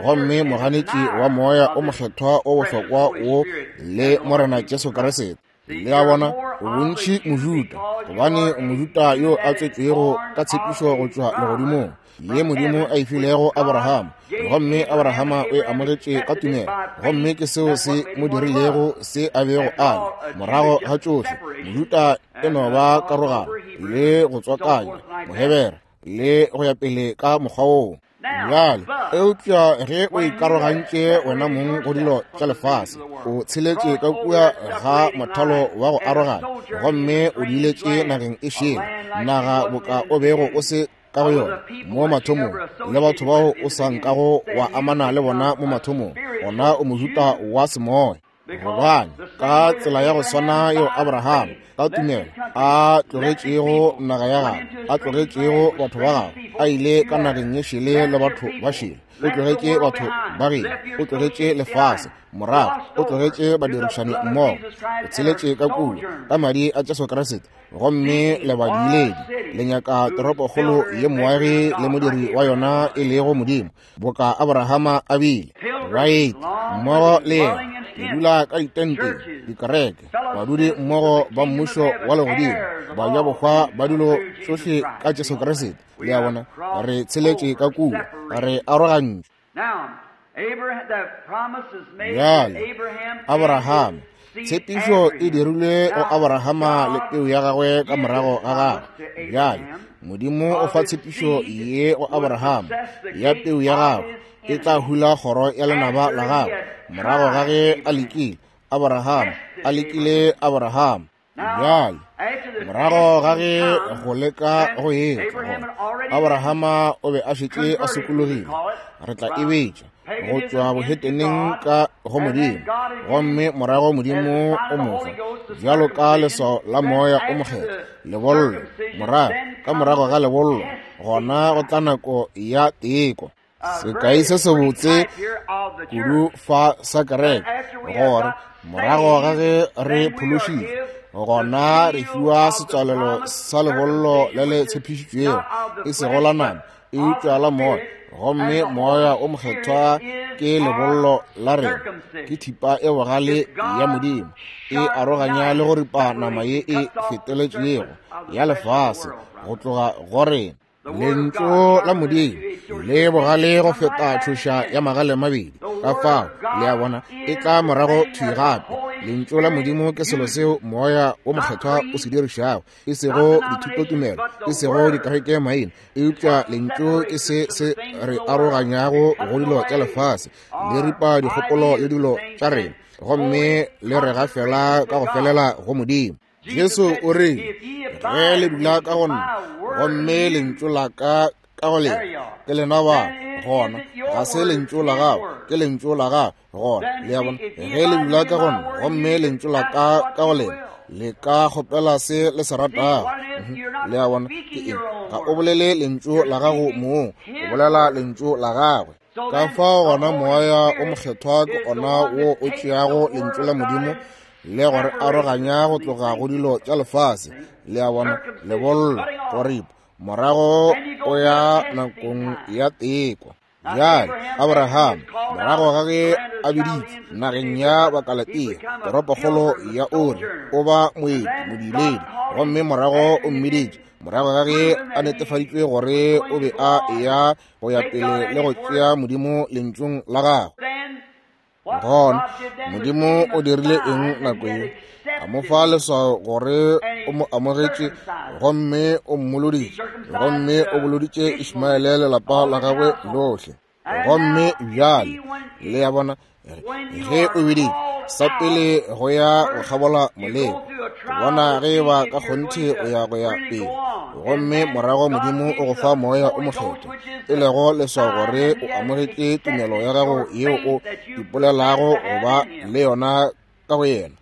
gomme moganetši wa moya o mokgethwa o bohlokwa wo le Morena Jesu Kriste. Le a bona, o bontši Mojuda, gobane o Mojuda yo a tswetšwego ka tshepišo go tšwa legodimong, ye Modimo a e filego Abrahama, gomme Abrahama o e amogetše ka tumelo, gomme ke seo se mo dirilego se a bego a le. Morago ga tšohle, Mojuda e no ba karogano le go tswakanya Mohebere le go ya pele ka mokgwa woo. Bjale, eupša ge o ikarogantše wena mong go dilo tša lefase, o tsheletše ka kua ga mothalo wa go arogana, gomme o diiletše nageng e šele, naga boka o bego o se ka go yona mo mathomong, le batho bao o sa nkago wa amana le bona mo mathomong, gona o Mojuda wa semoya. Gobane ka tsela ya go swana yeo Abrahama ka tumelo a tlogetšego naga ya gagwe, a tlogetšego batho ba gagwe, a ile ka nageng ye šele le batho ba šele, o tlogetše batho ba geno, o tlogetše lefase morago, o tlogetše badirišani mmogo, o tsheletše ka kua ka madi a Jesu Kriste, gomme le badiiledi le nyaka toropokgolo ye moagi le modiri wa yona e lego Modimo, boka Abrahama a bile. Baeti mmogo le yena le dula ka ditenteng, dikereke, badudi mmogo ba mmušo wa legodimo, bajabohwa ba dilo tšohle ka Jesu Kriste. Le a bona, re tsheletše ka kua, re arogantšwe. Bjale Abrahama, tshepišo e dirilwe go Abrahama le peu ya gagwe ka morago ga gagwe. Bjale Modimo o fa tshepišo ye go Abrahama ya peu ya gagwe e tla hula kgoro ya lenaba la gagwe, morago ga ge a lekile Abrahama, a lekile Abrahama. Bjale morago ga ge go leka go etla gona, Abrahama o be a šetše a sokologile, re tla e betša go tšwa boheteneng ka go Modimo, gomme morago Modimo o mo fa bjalo ka leswao la moya o mokgethwa, lebollo. Morago ka morago ga lebollo gona go tla nako ya teko. Sekai se sebotse kudu fa sa kereke, gore morago ga ge re phološitšwe, gona re fiwa setswalelo sa lebollo le le tshepišitšwego, e sego la nama, eupša la moya, Gomme Moya o Mokgethwa ke lebollo la rena, ke thipa e bogale ya Modimo, e aroganya le go ripa nama ye e feteletšego ya lefase go tloga go rena. Lentšu la Modimo le bogale go feta tšhoša ya magale mabedi. Ka fao, le a bona, e tla morago thwi gape. Lentšu la Modimo ke selo seo Moya o Mokgethwa o se dirišago, e sego dithutotumelo, e sego dikereke maina, eupša lentšu ke se se re aroganyago go dilo tša lefase, le ripa dikgopolo le dilo tša rena, gomme le re gafela ka go felela go Modimo. Jesu o rile, ge le dula ka go nna, gomme lentšu la ka ka go lena, ke lena ba gona, ga se lentšu la gago, ke lentšu la gago gona. Le a bona, ge le dula ka go nna, gomme lentšu la ka ka go lena, le ka kgopela se le se ratago. Le a bona, ke eng? Ga o bolele lentšu la gago mong, o bolela lentšu la gagwe. Ka fao gona Moya o Mokgethwa ke ona wo o tšeago lentšu la Modimo le gore aroganya go tloga go dilo tša lefase. Le a bona, lebollo, go ripa, morago o ya nakong ya teko. Bjale Abraham, morago ga ge a biditšwe nageng ya Bakalatea, toropokgolo ya Uri, o ba moeti modiledi, gomme morago o mmiditše morago ga ge a netefaditšwe gore o be a eya go ya pele le go tšea Modimo lentšung la gagwe. Gona Modimo o dirile eng nako ye? A mo fa leswao gore o mo amogetše, gomme o mmoloditše, gomme o boloditše Ishmaele le lapa la gagwe lohle. Gomme bjale le a bona, ge o biditše sa pele go ya go kgabola moleko, go bona ge ba ka kgonthe o ya go ya pele, gomme morago Modimo o go fa Moya o Mokgethwa, e lego leswao gore o amogetše tumelo ya gago yeo o ipolelago go ba le yona ka go yena.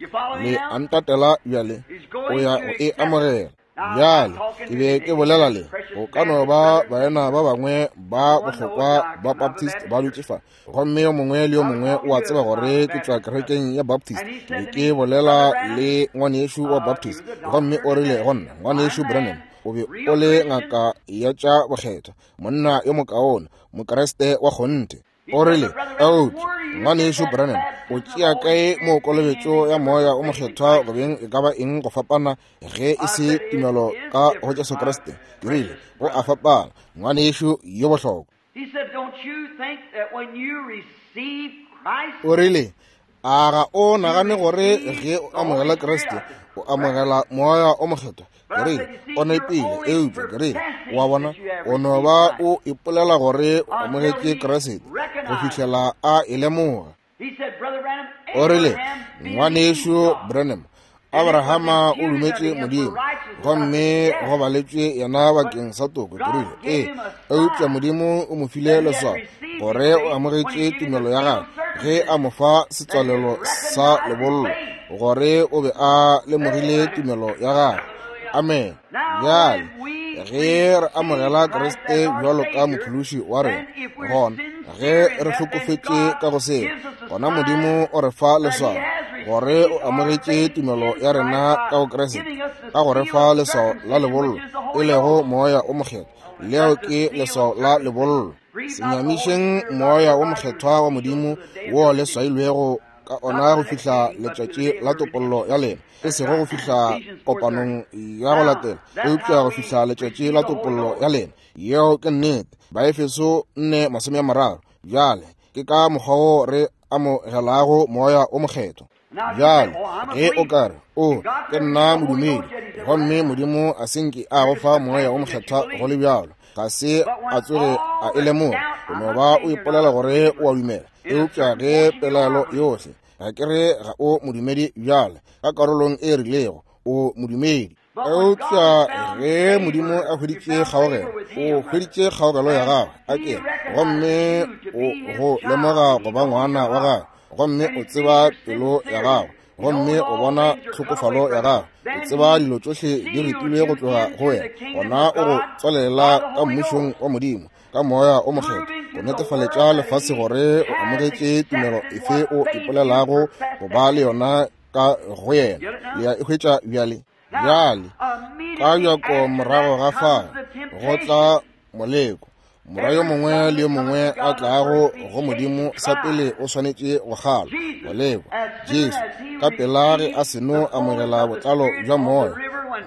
Le a ntatela bjale, o ya go e amogela. Bjale ke be ke bolela le go ka no ba baena ba bangwe ba bohlokwa ba Baptist ba dutše fa, gomme yo mongwe le yo mongwe o a tseba gore ke tšwa kerekeng ya Baptist. Ke be ke bolela le ngwanešu wa Baptist, gomme o rile go nna, ngwanešu Branham, o be o le ngaka ya tša bokgethwa, monna yo mokaone, Mokreste wa kgonthe. O rile, eupša ngwanešu Branham, o tšea kae mo kolobetšo ya Moya o Mokgethwa go beng e ka ba eng go fapana ge e se tumelo ka go Jesu Kriste? Ke rile, go a fapana, ngwanešu yo bohlokwa. O rile, a ga o nagane gore ge o amogela Kriste o amogela Moya o Mokgethwa? Ke rile, o nepile, eupša ke rile, wa bona, o no ba o ipolela gore o amogetše Kriste go fihlela a e lemoga. O rile, ngwanešu Branham, Abrahama o dumetše Modimo, gomme go baletšwe yena bakeng sa toko. Ke rile, ee, eupša Modimo o mo file leswao gore o amogetše tumelo ya gagwe ge a mo fa setswalelo sa lebollo, gore o be a lemogile tumelo ya gagwe. Amen. Bjale ge re amogela Kriste bjalo ka mophološi wa rena, gona ge re hlokofetše ka go seo, gona Modimo o re fa leswao gore o amogetše tumelo ya rena ka go Kriste, ka go re fa leswao la lebollo, e lego Moya o Mokgethwa. Leo ke leswao la lebollo. Se nyamišeng Moya o Mokgethwa wa Modimo wo le swailwego ka ona go fihla letšatši la topollo ya lena, e sego go fihla kopanong ya go latela, eupša go fihla letšatši la topollo ya lena. Yeo ke nnete. Baefeso nne masome a mararo. Bjale ke ka mokgwa wo re amogelago Moya o Mokgethwa. Bjale ge o ka re, o ke nna modumedi, gomme Modimo a se nke a go fa Moya o Mokgethwa go le bjalo, ga se a tsoge a e lemoga, o no ba o ipolela gore o a dumela. Eupša ge pelaelo yohle, ga ke re ga o modumedi bjale, ka karolong e rilego o modumedi. Eupša ge Modimo a hweditše kgaogelo, o hweditše kgaogelo ya gagwe, a ke gomme o go lemoga go ba ngwana wa gagwe, gomme o tseba pelo ya gagwe, gomme o bona tlhokofalo ya gagwe, o tseba dilo tšohle di ripilwe go tloga go wena, gona o go tswalela ka mmušong wa Modimo ka Moya o Mokgethwa, go netefaletša lefase gore o amogetše tumelo efe o ipolelago go ba le yona ka go yena. Le a e hwetša bjale? Bjale ka bjako morago ga fao go tla moleko, Morwa yo mongwe le yo mongwe a tlago go Modimo sa pele o swanetše go kgalwa, go lekwa. Jesu ka pela ge a seno amogela botlalo bja moya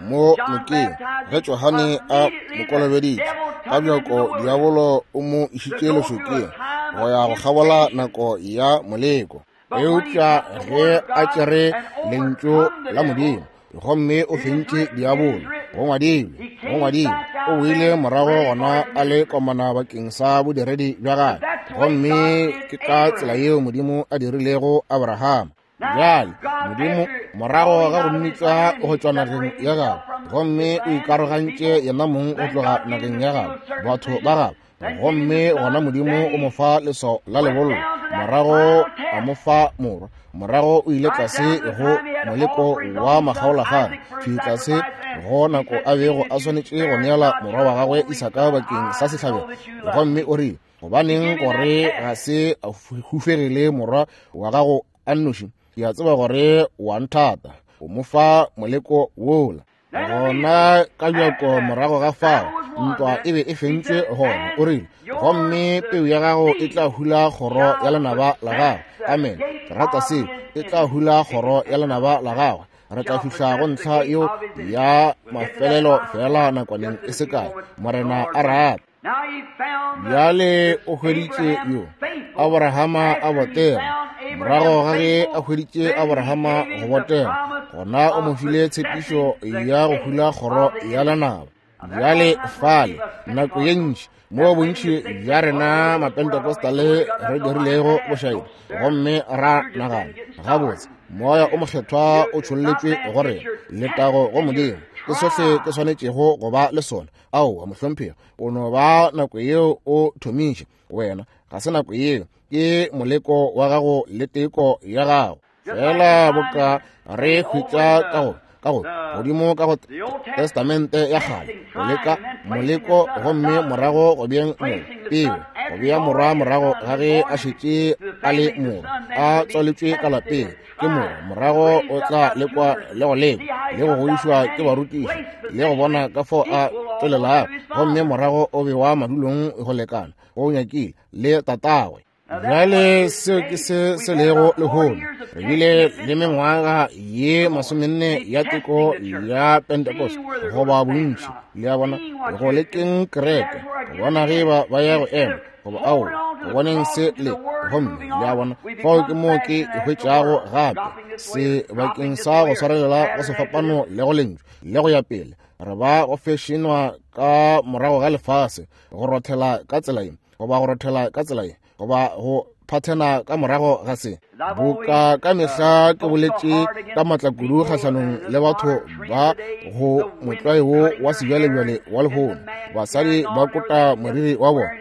mo nokeng, ge Johane a mo kolobeditše, ka bjako diabolo o mo išitše lešokeng go ya go kgabola nako ya moleko. Eupša ge a tšere lentšu la Modimo gomme o fentše diabolo, go ngwadilwe, go ngwadilwe, o boile morago gona a le komana bakeng sa bodiredi bja gagwe. Gomme ke ka tsela yeo Modimo a dirilego Abrahama. Bjale Modimo morago ga go mmitša go tšwa nageng ya gagwe, gomme o ikarogantše yena mong go tloga nageng ya gagwe, batho ba gagwe, gomme gona Modimo o mo fa leswao la lebollo, morago a mo fa morwa, morago o ile tlase go moleko wa makgaolakgang, thwi tlase go nako a bego a swanetše go neela morwa wa gagwe Isaka bakeng sa sehlabelo. Gomme o rile, gobaneng gore ga se a hufegile morwa wa gago a nnoši? Ke a tseba gore wa nthata. O mo fa moleko wola. Gona ka bjako morago ga fao ntwa e be e fentšwe gona. O rile, gomme peu ya gago e tla hula kgoro ya lenaba la gagwe. Amen. Ke rata seo. E tla hula kgoro ya lenaba la gagwe. Re tla fihla go ntlha yeo ya mafelelo fela nakwaneng e se kae, Morena a rata. Bjale o hweditše yo Abrahama a botega. Morago ga ge a hweditše Abrahama go botega, gona o mo file tshepišo ya go hula kgoro ya lenaba. Bjale fale nako ye ntši mo bontši bja rena Mapentecostale re dirilego bošaedi, gomme ra nagana, gabotse moya o mokgethwa o tšholletšwe go rena, letago go Modimo, ke sohle ke swanetšego go ba le sona. Aowa mohlomphegi, o no ba nako yeo o thomiše wena, ga se nako yeo, ke moleko wa gago le teko ya gago. Fela boka re hwetša ka go ka go godimo ka go Testamente ya kgale, go leka moleko, gomme morago go beeng mo peo, go bea morwa morago ga ge a šetše a le morwa, a tswaletšwe ka lapeng ke morwa, morago o tla lekwa le go lekwa le go godišwa ke barutiši le go bona ka fao a tswelelago, gomme morago o bewa madulong go lekana go nyakile le tatagwe. Bjale seo ke se se lego lehono. Re bile le mengwaga ye masomenne ya teko ya Pentecost goba bontši, le a bona, go lekeng kereke, go bona ge ba ba ya go ema goba aowa, go boneng se le, gomme le a bona, fao ke moo ke e hwetšago gape se bakeng sa go swarelela go sefapano le go lentšu le go ya pele. Re ba go fešenwa ka morago ga lefase, go rothela ka tsela ye goba go rothela ka tsela ye goba go phathena ka morago ga se. Boka ka mehla ke boletše ka matla kudu kgahlanong le batho ba go motlwae wo wa sebjalebjale wa lehono. Basadi ba kota moriri wa bona,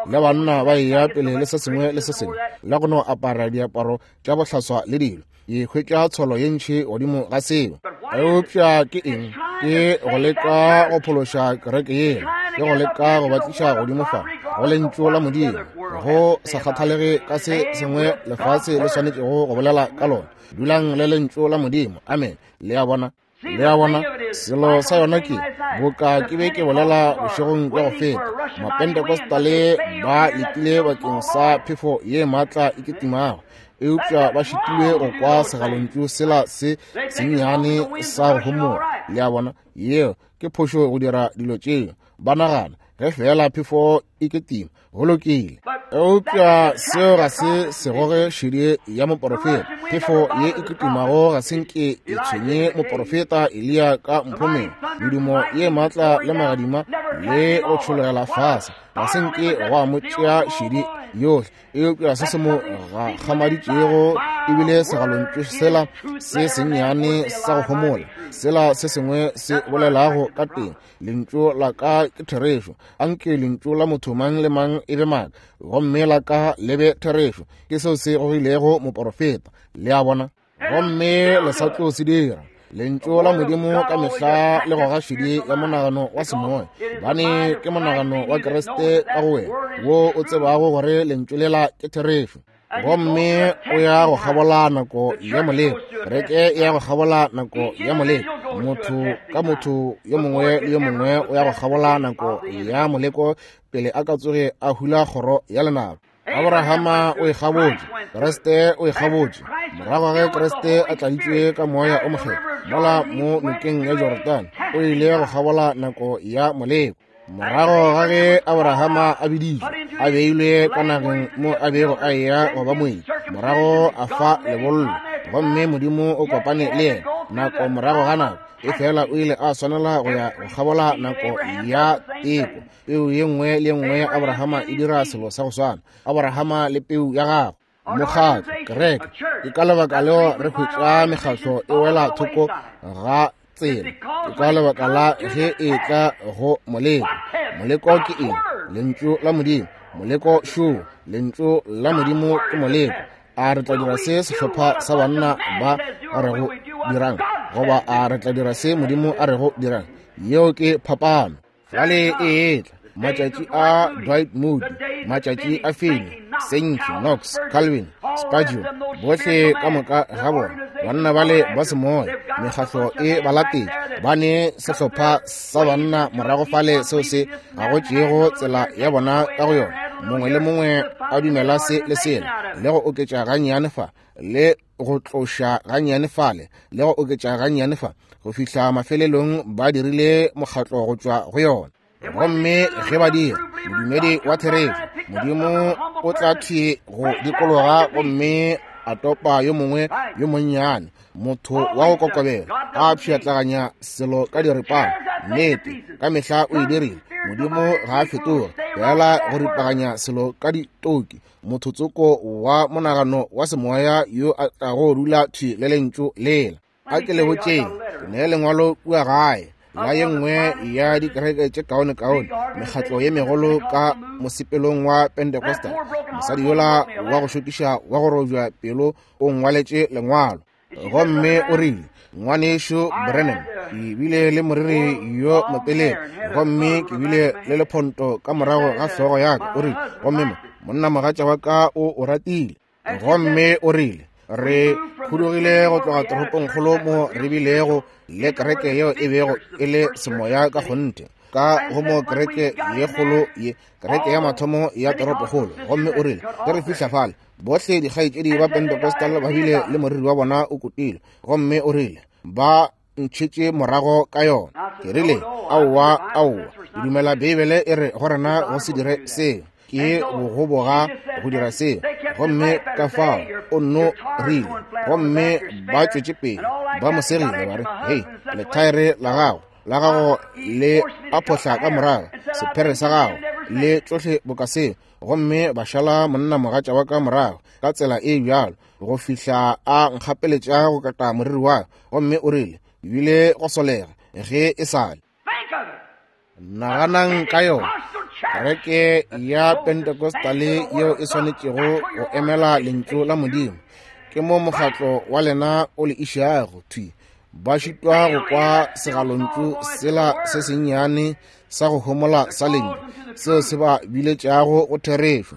le banna ba eya pele le se sengwe le se sengwe, le go no apara diaparo tša bohlaswa le dilo. Ke hwetša tsholo ye ntši godimo ga seo. Eupša ke eng? Ke go leka go phološa kereke yela, ke go leka go ba tliša godimo fa go lentšu la Modimo, go sa kgathalege ka se sengwe lefase le swanetšego go bolela ka lona. Dulang le lentšu la Modimo. Amen. Le a bona, le a bona, selo sa yona ke boka ke be ke bolela bošegong bja go feta, Mapentecostale ba letile bakeng sa phefo ye maatla e kitimago, eupša ba šitilwe go kwa segalontšu sela se sennyane sa go homola. Le a bona, yeo ke phošo go dira dilo tšeo. Ba nagana ge fela phefo e ketima go lokile, eupša seo ga se se goge šedi ya moporofeta. Phefo ye e kitimago ga se nke e tshwenye moporofeta Eliya ka mphomeng. Medumo ye maatla le magadima le go tšhologela fase ga se nke go a mo tšea šedi yohle, eupša se se mo gakgamaditšego ebile segalontšu sela se sennyane sa go homola, sela se sengwe se bolelago ka teng, lentšu la ka ke therešo, anke lentšu la motho mang le mang e be maaka, gomme la ka le be therešo. Ke seo se gogilego moporofeta. Le a bona, gomme le sa tlo se dira. Lentšu la Modimo ka mehla le goga šedi ya monagano wa semoya, bane ke monagano wa Kriste ka go wena, wo o tsebago gore lentšu lela ke therešo. Gomme o ya go kgabola nako ya moleko, kereke e ya go kgabola nako ya moleko. Motho ka motho yo mongwe le yo mongwe o ya go kgabola nako ya moleko pele a ka tsoge a hula kgoro ya lenaba. Abrahama o e kgabotše, Kriste o e kgabotše. Morago ge Kriste a tladitšwe ka moya o mokgethwa mola mo nokeng ya Jorodane, o ile go kgabola nako ya moleko. Morago ga ge Abrahama a biditšwe, a beilwe ka nageng mo a bego a eya go ba moeti, morago a fa lebollo, gomme Modimo o kopane le yena nako morago ga nako. Efela o ile a swanela go ya go kgabola nako ya teko. Peu ye nngwe le ye nngwe ya Abrahama e dira selo sa go swana. Abrahama le peu ya gagwe, mokgatlo, kereke. Ke ka lebaka leo re hwetša mekgatlo e wela thoko ga tsela. Ke ka lebaka la ge e tla go moleko. Moleko ke eng? Lentšu la Modimo. Moleko šo, lentšu la Modimo ke moleko. A re tla dira se sehlopha sa banna ba a rego dirang, goba a re tla dira se Modimo a rego dirang? Yeo ke phapano. Fale e etla matšatši a Dwight Moody, matšatši a Finney, Sankey, Knox, Calvin, Spurgeon, bohle ka moka ga bona banna bale ba semoya, mekgatlo e ba latetše. Ba ne sehlopha sa banna morago fale seo se gagotšego tsela ya bona ka go yona. Mongwe le mongwe a dumela se le sela, le go oketša gannyane fa, le go tloša gannyane fale, le go oketša gannyane fa, go fihla mafelelong ba dirile mokgatlo go tšwa go yona. Gomme ge ba dira, modumedi wa therešo, Modimo o tla thwi go dikologa gomme a topa yo mongwe yo monnyane, motho wa go kokobela, a pšhatlaganya selo ka diripana. Nnete, ka mehla o e dirile. Modimo ga a fetoge, fela go ripaganya selo ka ditoki. Motho tsoko wa monagano wa semoya yo a tlago dula thwi le lentšu lela. A ke le botšeng, ke ne lengwalo kua gae la ye nngwe ya dikereke tše kaone-kaone, mekgatlo ye megolo ka mosepelong wa Pentecostal. Mosadi yola wa go šokiša wa go robja pelo o ngwaletše lengwalo, gomme o rile, Ngwanešu Branham, ke bile le moriri yo motelele, gomme ke bile le lephonto ka morago ga hlogo ya ka. O rile, gomme mo monna mogatša wa ka o o ratile. Gomme o rile, re khudugile go tloga toropongkgolo mo re bilego le kereke yeo e bego e le semoya ka kgonthe, ka go mo kereke ye kgolo ye, kereke ya mathomo ya toropokgolo. Gomme o rile, ge re fihla fale, bohle dikgaetšedi ba Pentecostal ba bile le moriri wa bona o kutile. Gomme o rile, ba ntšhetše morago ka yona. Ke rile, aowa, aowa, ke dumela Beibele e re go rena go se dire seo, ke bogoboga go dira seo. Gomme ka fao o nno rile, gomme ba tšwetše pele ba mo segile, ba re, hei, lethaere la gago la gago le a phohla ka morago, sephere sa gago le tšohle boka seo. Gomme ba šala monna mogatša wa ka morago ka tsela e bjalo go fihla a nkgapeletša go kata moriri wa ka. Gomme o rile, ebile go solega ge e sale. Naganang ka yona. Kereke ya Pentecostale yeo e swanetšego go emela lentšu la Modimo, ke mo mokgatlo wa lena o le išago thwi. Ba šitwa go kwa segalontšu sela se sennyane sa go homola sa lentšu seo se ba biletšago go therešo.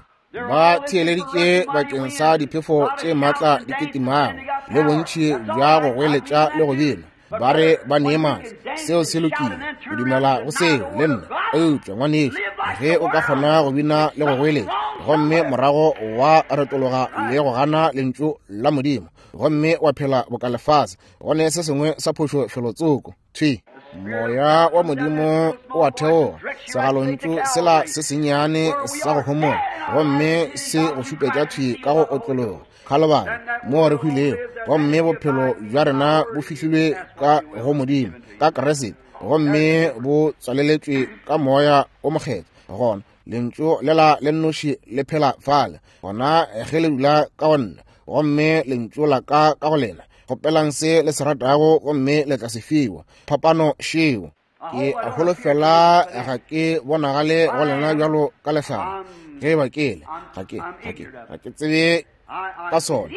Ba theeleditše bakeng sa diphefo tše matla di kitimago le bontši bja go goeletša le go bina, ba re ba nee maatla. Seo se lokile, o dumela go seo le nna. Eupša ngwanešu, ge o ka kgona go bina le go goeletša, gomme morago wa retologa le go gana lentšu la Modimo, gomme wa phela boka lefase, go ne se sengwe sa phošo felotsoko. Thwi moya wa Modimo o a theoga, segalontšu sela se sennyane sa go homola, gomme se go šupetša thwi ka go otlologa Khalibari mo re hwilego, gomme bophelo bja rena bo fihlilwe ka go Modimo ka Kriste, gomme bo tswaleletšwe ka moya o mokgethwa. Gona lentšu lela le nnoši le phela fale, gona ge le dula ka go nna, gomme lentšu la ka ka go lena, kgopelang se le se ratago gomme le tla se fiwa. Phapano šeo. Ke a holofela ga ke bonagale go lena bjalo ka lehlare. Ge ba ke le, ga ke, ga ke, ga ke tsebe ka sona.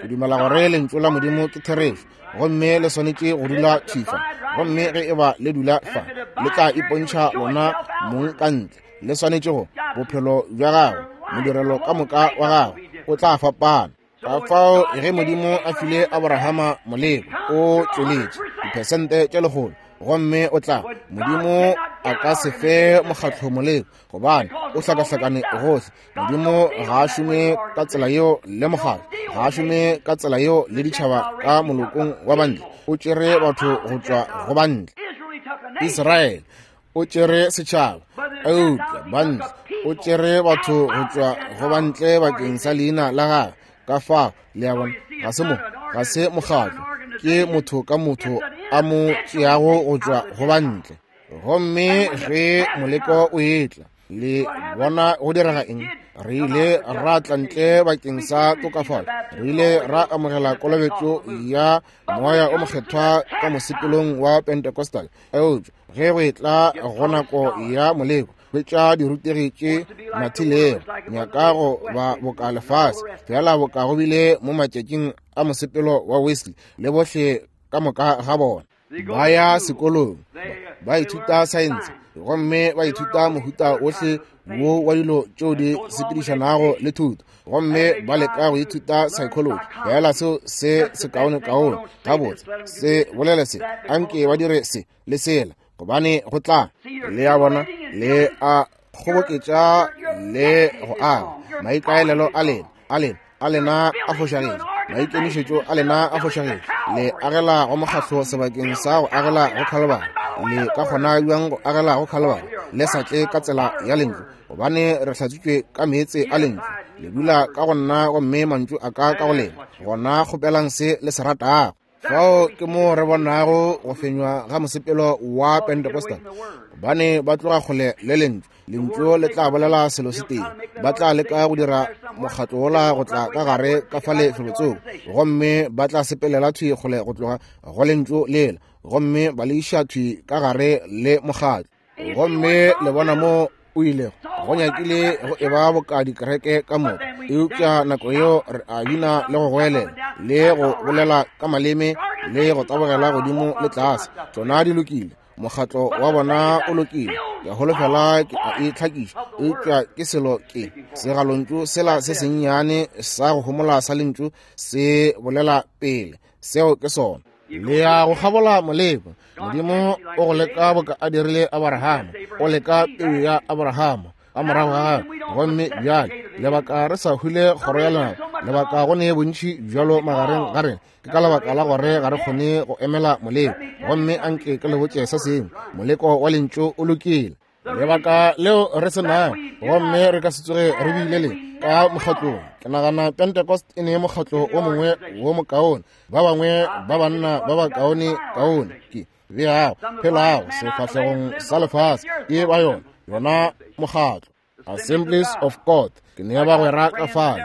Ke dumela gore lentšu la Modimo ke therešo, gomme le swanetše go dula thwi fa. Gomme ge e ba le dula fa, le tla ipontšha lona mong ka ntle. Le swanetše go bophelo bja gago, modirelo ka moka wa gago o tla fapana. Ka fao ge Modimo a file Abrahama moleko, o tšweletše Diphesente tše lekgolo. Gomme o tla, Modimo a ka se fe mokgatlo moleko, gobane o hlakahlakane gohle. Modimo ga a šome ka tsela yeo le mokgatlo, ga a šome ka tsela yeo le ditšhaba ka molokong wa bantle. O tšere batho go tšwa go bantle. Israele o tšere setšhaba, eupša bantle o tšere batho go tšwa go bantle bakeng sa leina la gagwe. Ka fao le a bona, ga se mo, ga se mokgatlo, ke motho ka motho a mo tšeago go tšwa go bantle. Gomme ge moleko o etla, le bona go direga eng? Re ile ra tla ntle bakeng sa tokafalo, re ile ra amogela kolobetšo ya moya o mokgethwa ka mosepelong wa Pentecostal. Eupša ge go etla go nako ya moleko, hwetša dirutegi tše mathilego, nyaka go ba boka lefase, fela boka go bile mo matšatšing a mosepelo wa Wesley le bohle ka moka ga bona. Ba ya sekolong, ba ithuta saense, gomme ba ithuta mohuta ohle wo wa dilo tšeo di sepedišanago le thuto, gomme ba leka go ithuta psychology. Fela seo se sekaonekaone gabotse se bolele se, anke ba dire se le sela, gobane go tla. Le a bona, le a kgoboketša le go aga. Maikaelelo a lena, a lena, a lena a fošagetše, maikemišetšo a lena a fošagetše. Le agela go mokgatlo sebakeng sa go agela go Calvary. Le ka kgona bjang go agela go Calvary le sa tle ka tsela ya lentšu? Gobane re hlatswitšwe ka meetse a lentšu. Le dula ka go nna gomme mantšu a ka ka go lena, gona kgopelang se le se ratago. Fao ke mo re bonago go fenywa ga mosepelo wa Pentecostal, gobane ba tloga kgole le lentšu. Lentšu le tla bolela selo se tee, ba tla leka go dira mokgatlo wola go tla ka gare ka fale felotsoko, gomme ba tla sepelela thwi kgole go tloga go lentšu lela, gomme ba le iša thwi ka gare le mokgatlo. Gomme le bona mo o ilego go nyakile go eba boka dikereke ka moka, eupša nako yeo re a bina le go goelela le go bolela ka maleme le go tabogela godimo le tlase. Tšona di lokile, mokgatlo wa bona o lokile, ke a holofela ke a e tlhakiša, eupša ke selo ke segalontšu sela se sennyane sa go homola sa lentšu se bolela pele. Seo ke sona. Le ya go kgabola moleko. Modimo o go leka boka a dirile Abrahama, o leka peu ya Abrahama ka morago ga gagwe. Gomme bjale lebaka re sa hwile kgoro ya lenaba, lebaka go ne bontši bjalo magareng ga rena, ke ka lebaka la gore ga re kgone go emela moleko. Gomme anke ke le botše se sengwe, moleko wa lentšu o lokile. Lebaka leo re se nago, gomme re ka se tsoge re bile le ka mokgatlong. Ke nagana Pentecost e ne mokgatlo o mongwe wo mokaone, ba bangwe ba banna ba bakaone kaone ke beago phelago sefahlegong sa lefase ke ba yona yona mokgatlo Assemblies of God. Ke ne bagwera ka fale,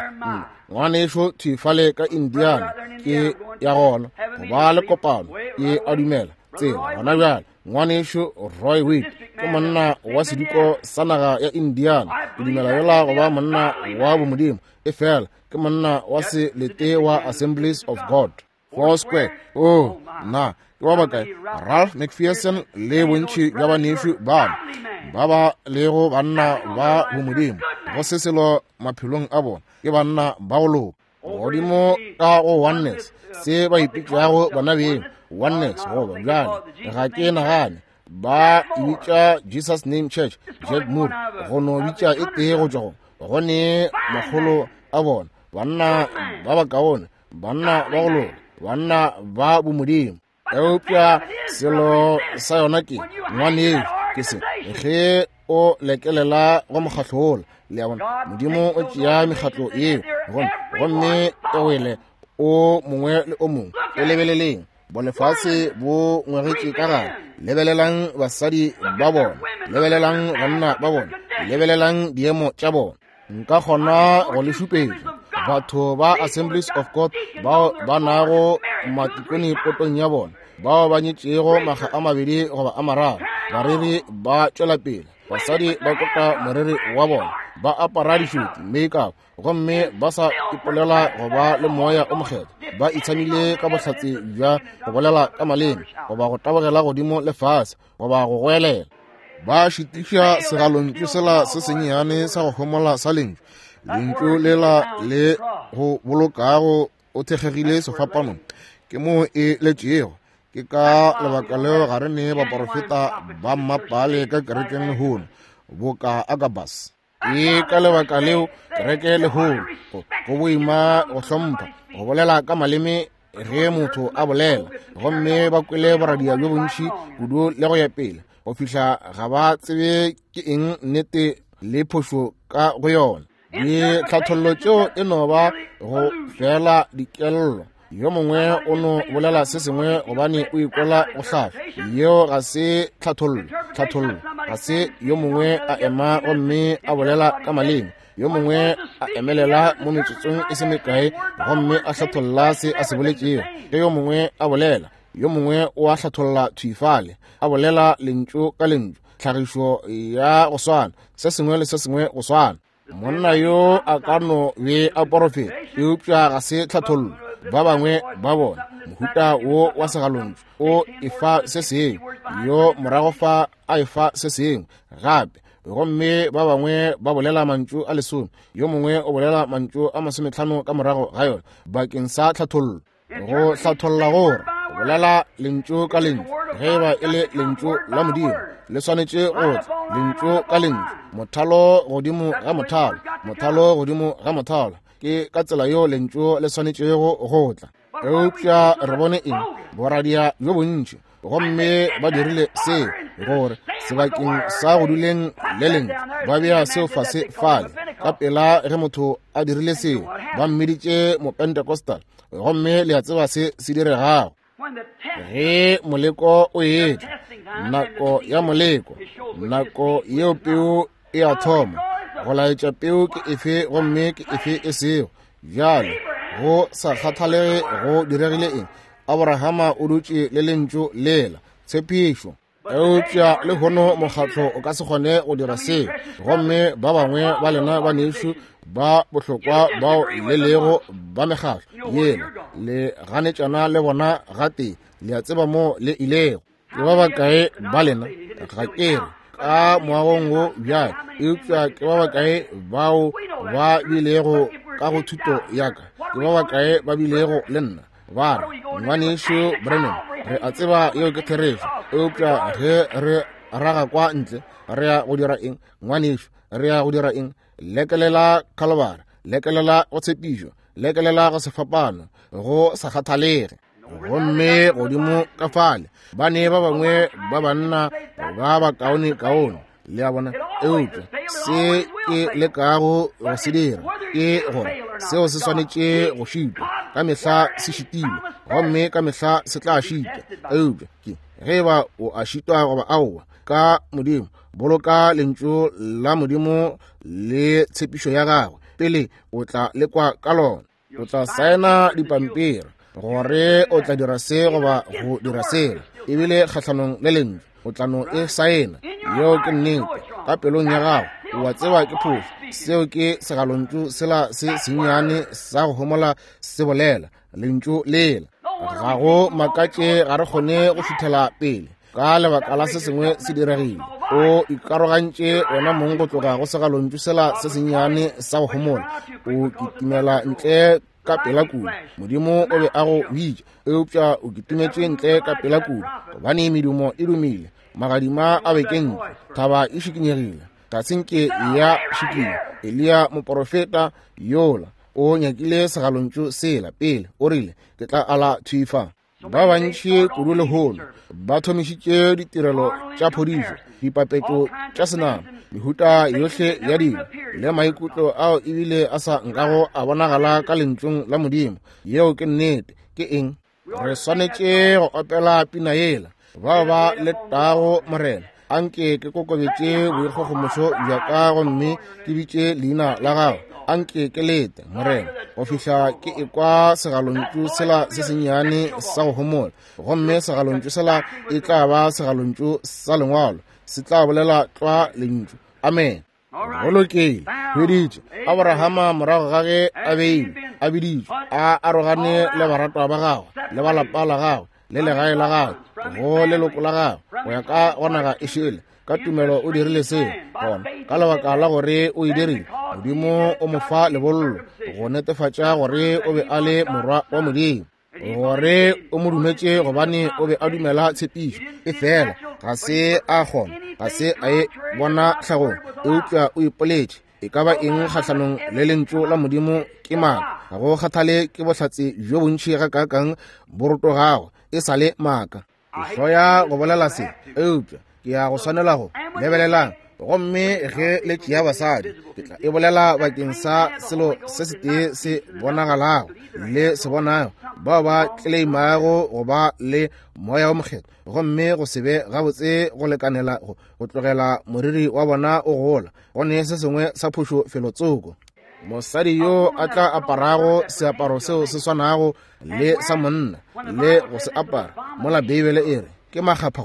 ngwanešo thwi fale ka Indiana ke ya gona go ba le kopano, ke a dumela tsela gona bjale. Ngwanešo Roy Witt ke monna wa sediko sa naga ya Indiana, ke dumela yola go ba monna wa bomodimo, e fela ke monna wa selete wa Assemblies of God. Four Square, oh na ke ba bakae? Ralph McPherson le bontši bja banešu bana ba ba lego banna ba bomodimo, go se selo maphelong a bona, ke banna ba go loka. Godimo ka go oneness, se ba ipitšago bona beng oneness, goba bjale ga ke nagane ba e bitša Jesus Name Church, Jack Moore go no bitša e tee go tšwa go go ne makgolo a bona, banna ba bakaone, banna ba go loka, banna ba bomodimo. Eupša selo sa yona ke ngwanešo ke se, ge o lekelela go mokgatlo wola, le a bona, Modimo o tšea mekgatlo yeo gomme e wele o mongwe le o mongwe. O lebeleleng bolefase bo ngwegetše ka gare, lebelelang basadi ba bona, lebelelang banna ba bona, lebelelang diemo tša bona. Nka kgona go le šupetša batho ba Assemblies of God bao ba nago matikone potong ya bona, bao ba nyetšego makga a mabedi goba a mararo. Bareri ba tšwela pele, basadi ba kota moreri wa bona, ba apara dišuti makeup, gomme ba sa ipolela go ba le moya o mokgethwa. Ba itshamile ka bohlatse bja go bolela ka maleme goba go tabogela godimo le fase goba go goelela. Ba šitiša segalontšu sela se sennyane sa go homola sa lentšu, lentšu lela le go bolokago o thekgegile sefapanong. Ke moo e letšego, Ke ka lebaka leo ga re ne baporofeta ba mmapale ka kerekeng lehono, boka Agabus. Ke ka lebaka leo kereke lehono go, go boima go hlompha, go bolela ka maleme ge motho a bolela, gomme ba kwele boradia bjo bontši kudu le go ya pele, go fihla ga ba tsebe ke eng nnete le phošo ka go yona. Ditlhathollo tšeo e no ba go fela dikello. Yo mongwe o no bolela se sengwe gobane o ikwela go hlahlwa. Yeo ga se tlhathollo. Tlhathollo ga se yo mongwe a ema gomme a bolela ka maleme, yo mongwe a emelela mo metsotsong e se mekae gomme a hlatholla se a se boletšego. Ge yo mongwe a bolela, yo mongwe o a hlatholla thwifale, a bolela lentšu ka lentšu, tlhagišo ya go swana, se sengwe le se sengwe go swana. Monna yo a ka no be a porofeta, eupša ga se tlhathollo. Ba bangwe ba bona mohuta wo wa segalontšu o efa se sengwe, yo morago fa a efa se sengwe gape, gomme ba bangwe ba bolela mantšu a lesome, yo mongwe o bolela mantšu a masometlhano ka morago ga yona bakeng sa tlhathollo. Go hlatholla gore go bolela lentšu ka lentšu, ge e ba e le lentšu la Modimo, le swanetše go tla lentšu ka lentšu, mothalo godimo ga mothalo, mothalo godimo ga mothalo. Ke ka tsela yeo lentšu le swanetšego go tla. Eupša re bone eng? Boradia bjo bontši, gomme ba dirile seo gore sebakeng sa go duleng le lentšu ba bea seo fase fale. Ka pela ge motho a dirile seo, ba mmiditše Mopentecostal, gomme le a tseba se se diregago. Ge moleko o etla, nako ya moleko, nako yeo peu e a thoma go laetša peu ke efe gomme ke efe e sego. Bjale go sa kgathalege go diregile eng, Abrahama o dutše le lentšu lela, tshepišo. Eupša lehono mokgatlo o ka se kgone go dira seo, gomme ba bangwe ba lena banešu ba bohlokwa bao le lego ba mekgatlo yela le ganetšana le bona gatee, le a tseba mo le ilego. Ke ba bakae ba lena, ga ke re ka moagong wo bjale, eupša ke ba bakae bao ba bilego ka go thuto ya ka, ke ba bakae ba bilego le nna ba re, ngwanešu Branham, re a tseba yeo ke therešo, eupša ge re raga kwa ntle re ya go dira eng? Ngwanešu, re ya go dira eng? Lekelela Calvary, lekelela go tshepišo, lekelela go sefapano, go sa kgathalege. Gomme godimo ka fale ba ne ba bangwe ba banna ba bakaone kaone, le a bona. Eupša se ke lekago go se dira ke gore seo se swanetše go šitwa, ka mehla se šitilwe, gomme ka mehla se tla šitwa. Eupša ke ge e ba o a šitwa goba aowa, ka Modimo boloka lentšu la Modimo le tshepišo ya gagwe pele o tla lekwa ka lona. O tla saena dipampiri gore o tla dira se goba go dira sela, ebile kgahlanong le lentšu o tla no e saena. Yeo ke nnete. Ka pelong ya gago o a tseba ke phošo. Seo ke segalontšu sela se sennyane sa go homola se bolela lentšu lela. Ga go makatše ga re kgone go šuthela pele ka lebaka la se sengwe se diregile. O ikarogantše wena mong go tloga go segalontšu sela se sennyane sa go homola, o kitimela ntle ka pela kudu. Modimo o be a go bitša, eupša o kitimetše ntle ka pela kudu, gobane medumo e dumile, magadima a bekentše, thaba e šikinyegile, ga se nke ya šikinya. Eliya moporofeta yola o nyakile segalontšu sela pele, o rile, ke tla ala thwi fa. Ba bantši kudu lehono ba thomišitše ditirelo tša phodišo, dipapetšo tša senama, mehuta yohle ya dilo le maikutlo ao ebile a sa nkago a bonagala ka lentšung la Modimo. Yeo ke nnete. Ke eng? Re swanetše go opela pina yela, bao ba letago Morena, anke ke kokobetše boikgogomošo bja ka gomme ke bitše leina la gago. Anke ke lete, Morena, go fihla ke ekwa segalontšu sela se sennyane sa go homola, gomme segalontšu sela e tla ba segalontšu sa lengwalo, se tla bolela tlwa lentšu. Amen. Go lokile. Hweditše Abrahama morago ga ge a beilwe, a biditšwe, a arogane le baratwa ba gagwe le ba lapa la gagwe le legae la gagwe go leloko la gagwe go ya ka go naga e šele. Ka tumelo o dirile seo, gona ka lebaka la gore o e dirile, Modimo o mo fa lebollo go netefatša gore o be a le morwa wa Modimo. Gore o mo dumetše gobane o be a dumela tshepišo, efela ga se a kgona, ga se a e bona tlhagong, eupša o ipoletše e ka ba eng kgahlanong le lentšu la Modimo ke maaka. Ga go kgathale ke bohlatse bjo bontši gakaakang bo rotogago, e sa le maaka. Ke hloya go bolela se, eupša ke ya go swanela go lebelelang. Gomme ge le tšea basadi, ke tla e bolela bakeng sa selo se setee se bonagalago le se bonago, bao ba tleleimago go ba le moya wo mokgethwa, gomme go se be gabotse go lekanela go, go tlogela moriri wa bona o gola, go ne se sengwe sa phošo felotsoko. Mosadi yo a tla aparago seaparo seo se swanago le sa monna le go se apara, mola Beibele e re ke makgapha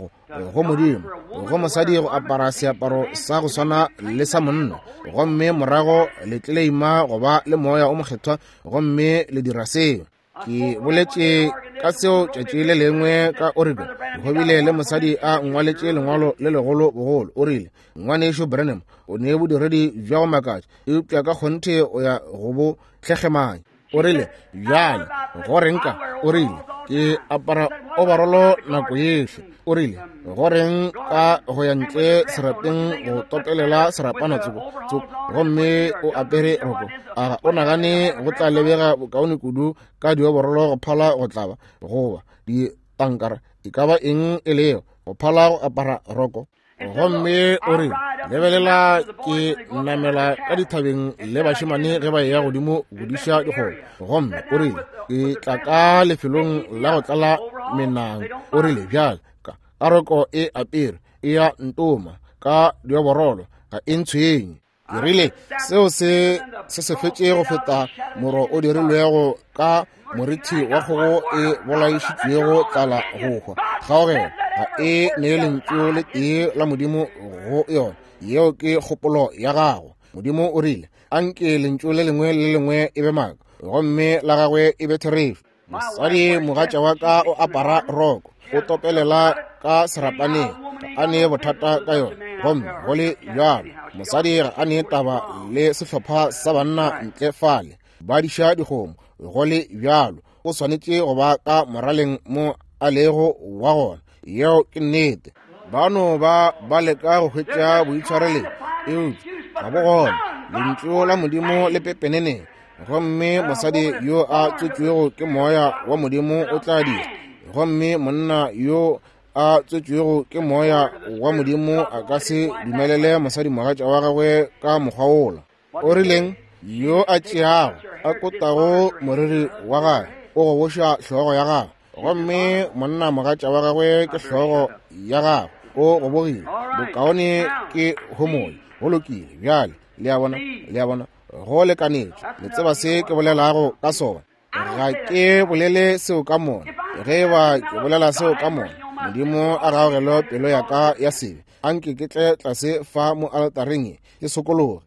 go Modimo go mosadi go apara seaparo sa go swana le sa monna, gomme morago le tleleima go ba le moya o mokgethwa gomme le dira seo. Ke boletše ka seo tšatši le lengwe ka Oregon. Go bile le mosadi a ngwaletše lengwalo le legolo bogolo. O rile, Ngwanešu Branham, o ne bodiredi bja go makatša, eupša ka kgonthe o ya go bo tlhekgemanya. O rile, bjale go reng ka? O rile, ke apara obarolo nako yohle. O rile, go reng ka go ya ntle serapeng go topelela serapana tsoko tsoko, gomme o apere roko? A o nagane go tla lebega bokaone kudu ka dioborolo go phala go tlaba goba ditankara e ka ba eng e lego, go phala go apara roko? Gomme o rile, lebelela, ke namela ka dithabeng le bašemane ge ba eya godimo go diša dikgomo. Gomme o rile, ke tla ka lefelong la go tlala menang. O rile, bjale ka roko e apere e ya ntoma ka dioborolo, ga e ntshwenye. Ke rile, seo se se se fetše go feta moro o dirilwego ka morithi wa kgogo e bolaišitšwego tlala go hwa. Kgaogelo ga e nee lentšu le tee la Modimo go yona. Yeo ke kgopolo ya gago. Modimo o rile, anke lentšu le lengwe le lengwe e be maaka, gomme la gagwe e be therešo. Mosadi mogatša wa ka o apara roko, o topelela ka serapaneng, ga a ne bothata ka yona. Gomme go le bjalo, mosadi ga a ne taba le sehlopha sa banna ntle fale ba diša dikgomo. Go le bjalo, o swanetše go ba ka moraleng mo a lego wa gona. Yeo ke nnete. Ba no ba ba leka go hwetša boitshwareleng, eupša ga bo gona. Lentšu la Modimo le pepeneneng, gomme mosadi yo a tswetšwego ke moya wa Modimo o tla dira. Gomme monna yo a tswetšwego ke moya wa Modimo a ka se dumelele mosadi mogatša wa gagwe ka mokgwa wola. O rileng? Yo a tšeago a kotago moriri wa gagwe o goboša hlogo ya gagwe, gomme monna mogatša wa gagwe ke hlogo ya gagwe o gobogile. Bokaone ke homola. Go lokile. Bjale le a bona, le a bona, go lekanetše. Le tseba se ke bolelago ka sona. Ga ke bolele seo ka mona. Ge e ba ke bolela seo ka mona, Modimo a gaogele pelo ya ka ya sebe. Anke ke tle tlase fa mo altareng ye ke sokologe.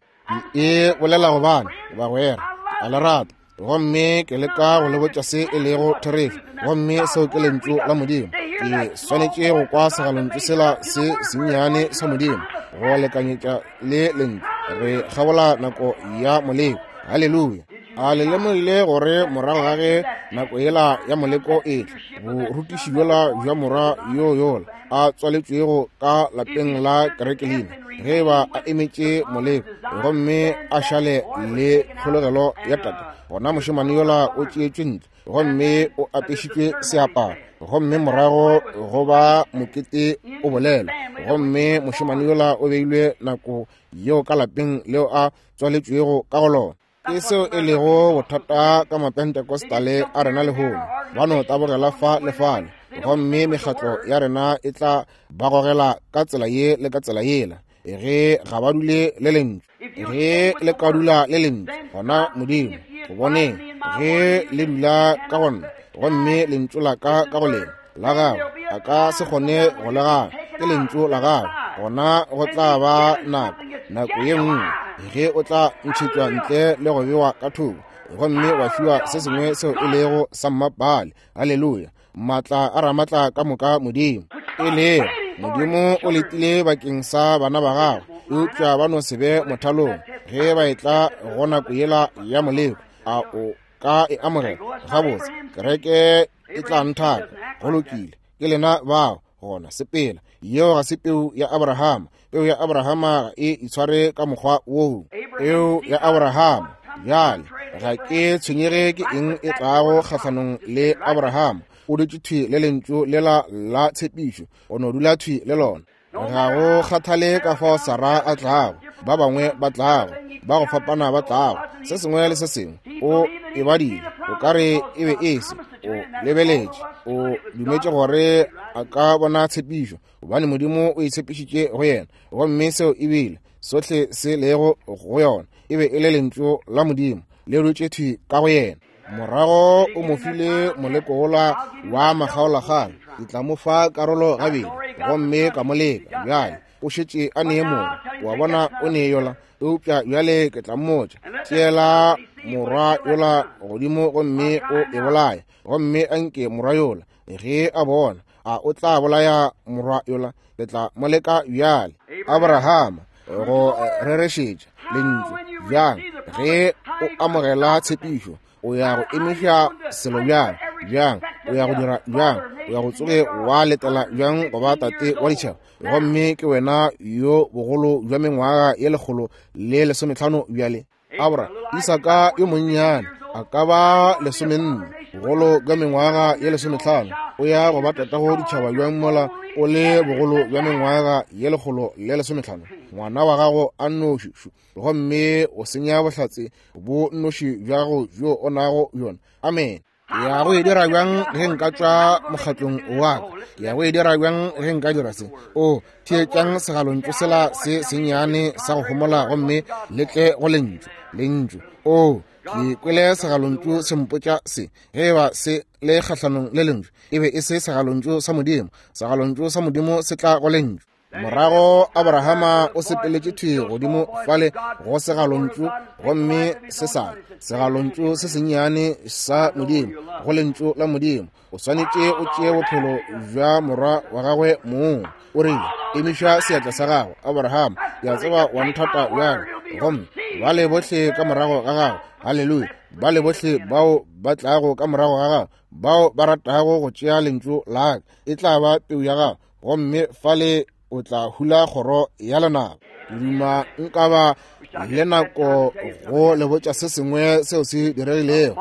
E bolela gobane bagwera a le rata, gomme ke leka go le botša se e lego therešo, gomme seo ke lentšu la Modimo. Ke swanetše go kwa segalontšu sela se sennyane sa Modimo go lekanyetša le lentšu. Re kgabola nako ya moleko. Haleluya. A le lemogile gore morago ga ge nako yela ya moleko e tla, borutiši bjola bja morwa yo yola a tswaletšwego ka lapeng la kerekelina, ge ba a emetše moleko gomme a šale le kgologelo ya tate, gona mošemane yola o tšeetšwe ntle gomme o apešitšwe seaparo, gomme morago go ba mokete o bolela, gomme mošemane yola o beilwe nako yeo ka lapeng leo a tswaletšwego ka go lona. Ke seo e lego bothata ka mapentecostale a rena lehono. Ba no tabogela fa le fale, gomme mekgatlo ya rena e tla ba gogela ka tsela ye le ka tsela yela. Ge ga ba dule le lentšu, ge le ka dula le lentšu, gona Modimo go boneng ge le dula ka go nna, gomme lentšu la ka ka go lena la gagwe a ka se kgone go le gana, ke lentšu la gagwe, gona go tla ba nako nako ye nngwe ge o tla ntšhetšwa ntle le go bewa ka thoko, gomme wa fiwa se sengwe seo e lego sa mmapale. Haleluya. Maatla a ramatla ka moka Modimo. E lego Modimo o letile bakeng sa bana ba gagwe, eupša ba no se be mothalong ge ba etla go nako yela ya moleko. A o ka e amogela, gabotse, kereke e tla nthaka. Go lokile, ke lena bao gona, sepela. Yeo ga se peu ya Abrahama. Peu ya Abrahama ga e itshware ka mokgwa woo. Peu ya Abrahama bjale, ga ke tshwenyege ke eng e tlago kgahlanong le Abrahama. O dutše thwi le lentšu lela la tshepišo, o no dula thwi le lona. Ga go kgathale ka fao Sarah a tlago, ba bangwe ba tlago, ba go fapana ba tlago, se sengwe le se sengwe, o e badile, o ka re e be e se, o lebeletše, o dumetše gore a ka bona tshepišo, gobane Modimo o e tshepišitše go yena, gomme seo e bile sohle se lego go yona, e be e le lentšu la Modimo le dutše thwi ka go yena. Morago o mo file moleko wola wa makgaolakgang, ke tla mo fa karolo gabedi, gomme ka mo leka. Bjale o šetše a nee morwa, wa bona, o nee yola, eupša bjale ke tla mmotša, tšeela morwa yola godimo gomme o e bolaye, gomme anke morwa yola ge a bona, a o tla bolaya morwa yola, ke tla mo leka bjale. Abrahama go rerešetša lentšu bjang, ge o amogela tshepišo, o ya go emiša selo bjang, bjang, o ya go dira bjang, o ya go tsoge wa letela bjang go ba tate wa ditšhaba, gomme ke wena yo bogolo bja mengwaga ye lekgolo le lesometlhano bjale. Abra, Isaka yo monnyane a ka ba lesomenne, bogolo bja mengwaga ye lesometlhano, o ya go ba tatago ditšhaba bjang mola o le bogolo bja mengwaga ye lekgolo le lesometlhano, ngwana wa gago a nnoši, gomme o senya bohlatse bo nnoši bja gago bjo o nago bjona. Amen. Ke ya go e dira bjang ge nka tšwa mokgatlong wa ka? Ke ya go e dira bjang ge nka dira se? O theetšang segalontšu sela se sennyane sa go homola, gomme le tle go lentšu, lentšu. O ke kwele segalontšu se mpotša se, ge e ba se le kgahlanong le lentšu, e be e se segalontšu sa Modimo. Segalontšu sa Modimo se tla go lentšu. Morago Abrahama o sepeletše thwi godimo fale go segalontšu, gomme se sa segalontšu se sennyane sa Modimo, go lentšu la Modimo. O swanetše o tšee bophelo bja morwa wa gagwe mong. O rile, emiša seatla sa gago, Abrahama, ke a tseba wa nthata bjale, gomme bale bohle ka morago ga gago, haleluya, bale bohle bao ba tlago ka morago ga gago, bao ba ratago go tšea lentšu la ka, e tla ba peu ya gago, gomme fale o tla hula kgoro ya lenaba. Ke duma nka ba le nako go le botša se sengwe seo se diregilego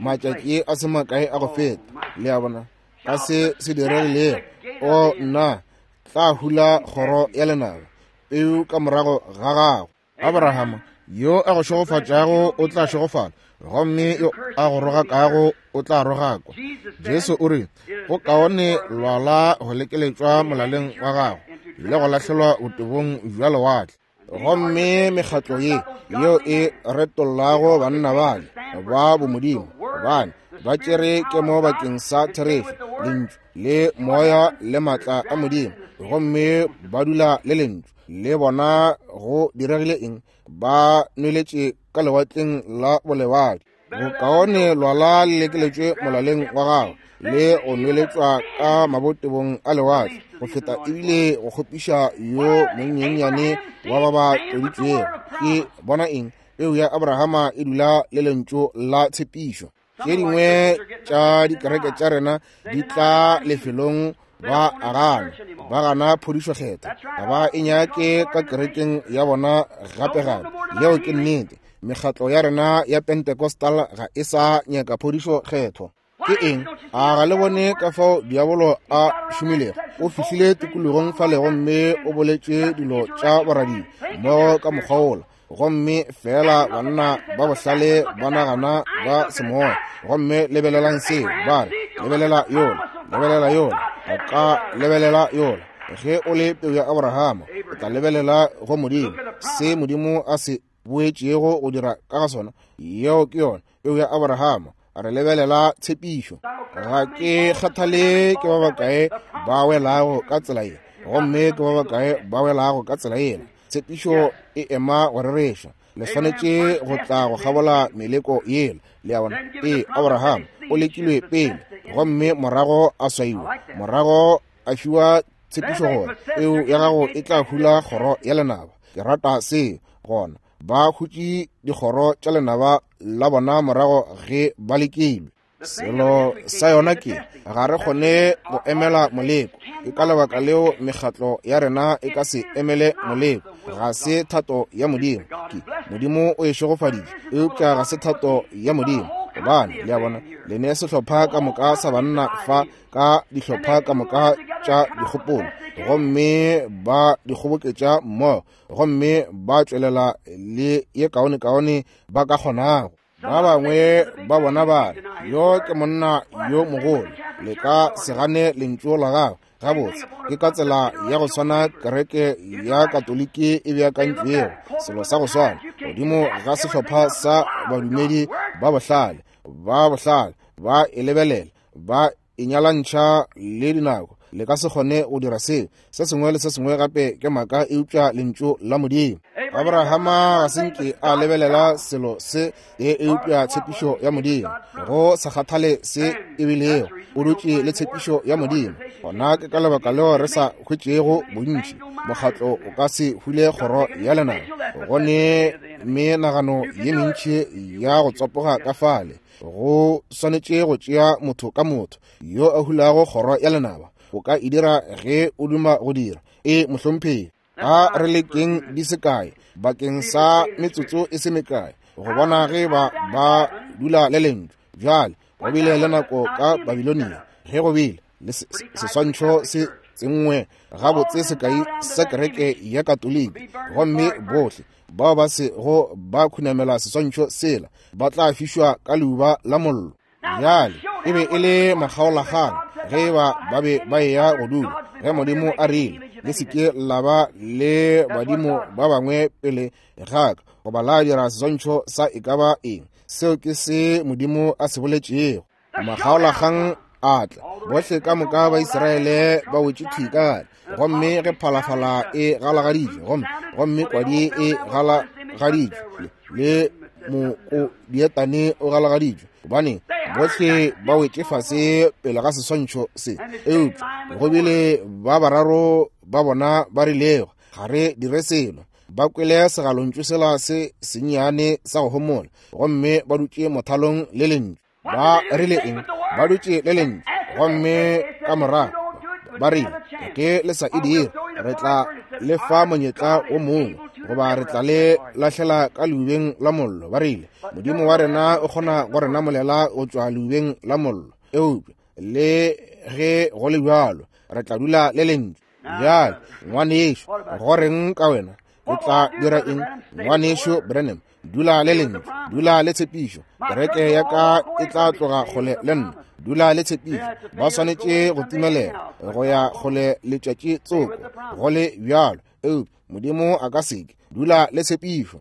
matšatši a se makae a go feta, le a bona, ka se se diregilego. O nna, tla hula kgoro ya lenaba, peu ka morago ga gago. Abrahama, yo a go šegofatšago o tla šegofala, gomme yo a go rogakago o tla rogakwa. Jesu o re, go kaone lwala go lekeletšwa molaleng wa gago le go lahlelwa botebong bja lewatle. Gomme mekgatlo ye yeo e retollago banna bale ba bomodimo, gobane ba tšere kemo bakeng sa therešo, lentšu le moya le maatla a Modimo, gomme ba dula le lentšu le bona. Go diregile eng? Ba nweletše ka lewatleng la bolebadi. Bokaone lwala le lekeletšwe molaleng wa gago le go nweletšwa ka mabotebong a lewatle, go feta ebile go kgopiša yo monyenyane wa ba ba tloditšwego. Ke bona eng? Peu ya Abrahama e dula le lentšu la tshepišo. Tše dingwe tša dikereke tša rena di tla lefelong ba agana, ba gana phodišo kgetho, ga ba e nyake ka kerekeng ya bona gape gape. Yeo ke nnete. Mekgatlo ya rena ya Pentecostal ga e sa nyaka phodišo kgetho. Ke eng? A ga le bone ka fao diabolo a šomilego? O fihlile tikologong fale gomme o boletše dilo tša boradile mmogo ka mokgwa wola, gomme fela banna ba bohlale ba nagana ba semoya, gomme lebelelang seo, ba re, lebelela yola, lebelela yola, o ka lebelela yola. Ge o le peu ya Abrahama, o tla lebelela go Modimo, se Modimo a se boetšego go dira ka ga sona. Yeo ke yona peu ya Abrahama. Re lebelela tshepišo. Ga ke kgathale ke ba bakae ba welago ka tsela ye, gomme ke ba bakae ba welago ka tsela yela. Tshepišo e ema go rereša. Le swanetše go tla go kgabola meleko yela. Le a bona? Ee, Abraham o lekilwe pele, gomme morago a swaiwa, morago a fiwa tshepišo gore peu ya gago e tla hula kgoro ya lenaba. Ke rata seo. Gona Ba hutše dikgoro tša lenaba la bona morago ge ba lekilwe. Selo sa yona ke ga re kgone go emela moleko. Ke ka lebaka leo mekgatlo ya rena e ka se emele moleko. Ga se thato ya Modimo. Ke Modimo o e šegofaditše, eupša ga se thato ya Modimo. Gobane le a bona, le ne sehlopha ka moka sa banna fa ka dihlopha ka moka tša dikgopolo, gomme ba di kgoboketša mmogo, gomme ba tšwelela le ye kaonekaone ba ka kgonago. Ba bangwe ba bona ba re, yo ke monna yo mogolo, le ka se gane lentšu la gagwe. Gabotse, ke ka tsela ya go swana kereke ya Katoliki e beakantšwego, selo sa go swana, godimo ga sehlopha sa badumedi ba bohlale, ba bohlale, ba e lebelela, ba e nyalantšha le dinako. Le ka se kgone go dira seo. Se sengwe le se sengwe gape ke maaka eupša lentšu la Modimo. Abrahama ga se nke a lebelela selo se e eupša tshepišo ya Modimo. Go sa kgathale se e bilego, o dutše le tshepišo ya Modimo. Gona ke ka lebaka leo re sa hwetšego bontši. Mokgatlo o ka se hule kgoro ya lenaba. Go ne menagano ye mentši ya go tsopoga ka fale. Go swanetše go tšea motho ka motho yo a hulago kgoro ya lenaba. O ka e dira ge o duma go dira. E mohlomphegi, a re lekeng di se kae bakeng sa metsotso e se mekae go bona ge ba ba dula le lentšu. Bjale go bile le nako ka Babilonia ge go bile le seswantšho se tsenngwe gabotse sekai sa kereke ya Katoliki, gomme bohle bao ba se go ba khunamela seswantšho sela ba tla fišwa ka leuba la mollo. Bjale e be e le makgaolakgang ge ba ba be ba eya go dula, ge Modimo a rile, le se ke la ba le badimo ba bangwe pele ga ka, goba la dira seswantšho sa e ka ba eng. Seo ke se Modimo a se boletšego. Makgaolakgang a tla, bohle ka moka ba Israele ba wetše thwi ka gare, gomme ge phalafala e galagaditšwe, gomme gomme kwadi e galagaditšwe, le mokodietane o galagaditšwe, gobane bohle ba wetše fase pele ga seswantšho se. Eupša go bile ba bararo ba bona ba rilego, ga re dire selo. Ba kwele segalontšu sela se sennyane sa go homola, gomme ba dutše mothalong le lentšu. Ba rile eng? Ba dutše le lentšu, gomme ka morago ba rile, ge le sa e dire, re tla le fa monyetla o mongwe, goba re tla le lahlela ka leubeng la mollo. Ba rile, Modimo wa rena o kgona go re namolela go tšwa leubeng la mollo, eupša le ge go le bjalo re tla dula le lentšu. Bjale ngwanešo, go reng ka wena? O tla dira eng? Ngwanešo Branham, dula le lentšu, dula le tshepišo. Kereke ya ka e tla tloga kgole le nna. Dula le tshepišo. Ba swanetše go timelela go ya kgole letšatši tsoko, go le bjalo, eupša Modimo a ka seke. Dula le tshepišo.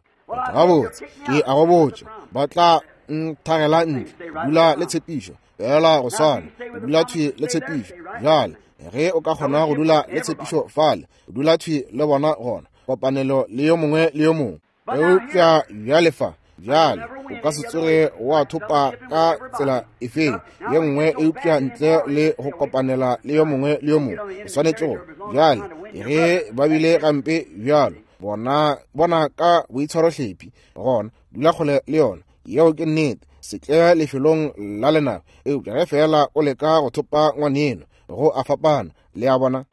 Gabotse, ke a go botša, ba tla nthagela ntle. Dula le tshepišo, fela go swana, dula thwi le tshepišo. Bjale ge o ka kgona go dula le tshepišo fale, dula thwi le bona gona, kopanelo le yo mongwe le yo mongwe. Eupša bjale fa, bjale o ka se tsoge wa thopa ka tsela efeng ye nngwe eupša ntle le go kopanela le yo mongwe le yo mongwe. O swanetše go. Bjale ge ba bile gampe bjalo, bona bona ka boitshwarohlephi, gona dula kgole le yona. Yeo ke nnete. Se tle lefelong la lenaba, eupša ge fela o leka go thopa ngwaneno, go a fapana. Le a bona?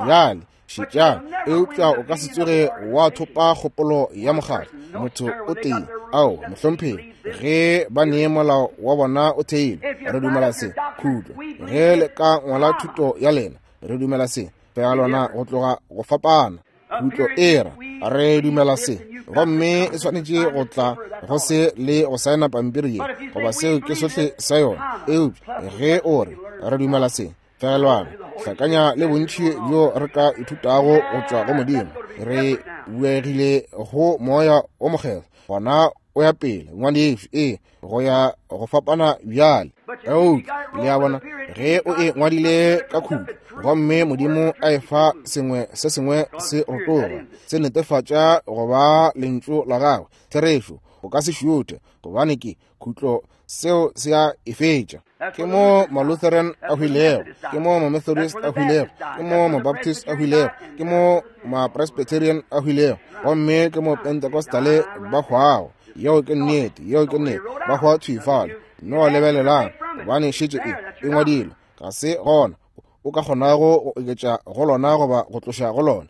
Bjale šetšang, eupša o ka se tsoge wa thopa kgopolo ya mokgatlo motho o tee. Ao, mohlomphegi, ge ba nee molao wa bona o theilwe, re dumela se. Khutlo, ge le ka ngwala thuto ya lena, re dumela se. Fela lona go tloga go fapana. Khutlo era, re dumela se, gomme e swanetše go tla go se le go saena pampiri ye, goba seo ke sohle sa yona. Eupša ge o re re dumela se, fegelwana hlakanya le bontši bjo re ka ithutago go tšwa go Modimo. Re buegile go moya o mokgethwa, gona o ya pele ngwanešo, ee, go ya go fapana bjale. Eupša le a bona, ge o e ngwadile ka khutlo, gomme Modimo a e fa sengwe se sengwe se rotoga, se netefatša go ba lentšu la gagwe therešo, O ka se šuthe, gobane ke khutlo, seo se a e fetša. Ke mo ma-Lutheran a hwilego, ke mo ma-Methodist a hwilego, ke mo ma-Baptist a hwilego, ke mo ma-Presbyterian a hwilego, gomme ke mo Pentecostale ba hwago. Yeo ke nnete, yeo ke nnete, ba hwa thwi fale. No lebelelang, gobane šetše e e ngwadilwe, ga se gona o ka kgonago go oketša go lona goba go tloša go lona.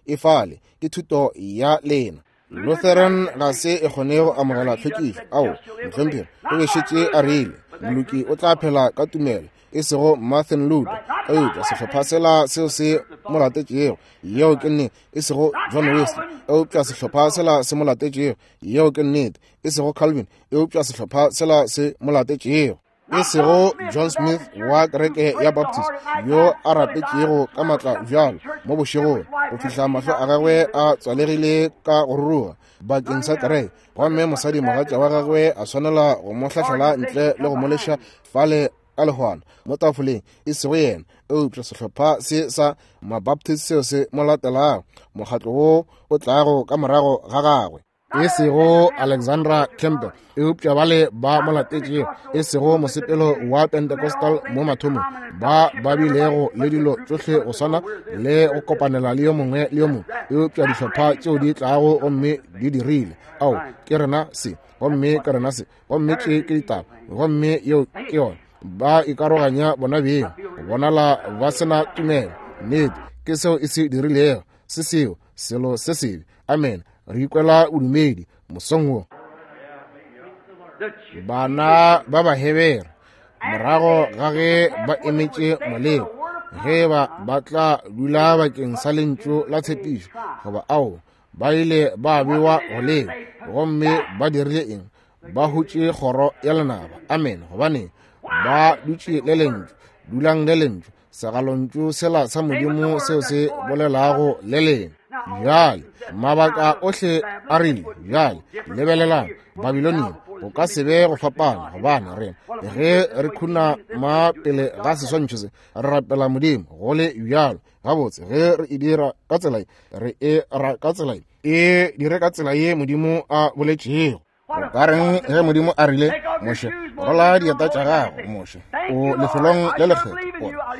E fale, ke thuto ya lena. Lutheran ga se e kgone go amogela tlhwekišo. Ao, mohlomphegi, o be šetše a rile moloki o tla phela ka tumelo, e sego Martin Luther, eupša sehlopha sela seo se mo latetšego. Yeo ke nnete. E sego John Wesley, eupša sehlopha sela se mo latetšego. Yeo ke nnete. E sego Calvin, eupša sehlopha sela se mo latetšego. E sego John Smith wa kereke ya Baptist, yo a rapetšego ka matla bjalo mo bošegong go fihla mahlo a gagwe a tswalegile ka go ruruga bakeng sa kereke, gomme mosadi mogatša wa gagwe a swanela go mo hlahlela ntle le go mo leša fale ka lehwana mo tafoleng. E sego yena, eupša sehlopha se sa Mabaptist seo se mo latelago, mokgatlo wo o tlago ka morago ga gagwe. E sego Alexandra Campbell, eupša bale ba mo latetšego. E sego mosepelo wa Pentecostal mo mathomong, ba ba bilego le dilo tšohle go swana le go kopanela le yo mongwe le yo mongwe, eupša dihlopha tšeo di tlago gomme di dirile, ao ke rena se, gomme ke rena se, gomme tše ke ditaba, gomme yeo ke yona. Ba ikaroganya bona beng, go bonala ba sena tumelo. Nnete ke seo e se dirilego, se seo selo se sebe. Amen. Re ikwela bodumedi mosong wo. Bana ba Bahebere, morago ga ge ba emetše moleko, ge ba ba tla dula bakeng sa lentšu la tshepišo, goba ao, ba ile ba bewa go leo, gomme ba dirile eng? Ba hutše kgoro ya lenaba. Amen. Gobane ba dutše le lentšu, dulang le lentšu, segalontšu sela sa Modimo seo se bolelago le lena. Bjale mabaka ohle a rile, bjale lebelelang Babilonia, go ka se be go fapana, gobane rena ge re khuna ma pele ga seswantšho se, re rapela Modimo go le bjalo. Gabotse, ge re e dira ka tsela ye, re e ra ka tsela ye, e dire ka tsela ye Modimo a boletšego. O ka reng ge Modimo a rile, Moshe, rola dieta tša gago, Moshe, o lefelong le lekgethwa.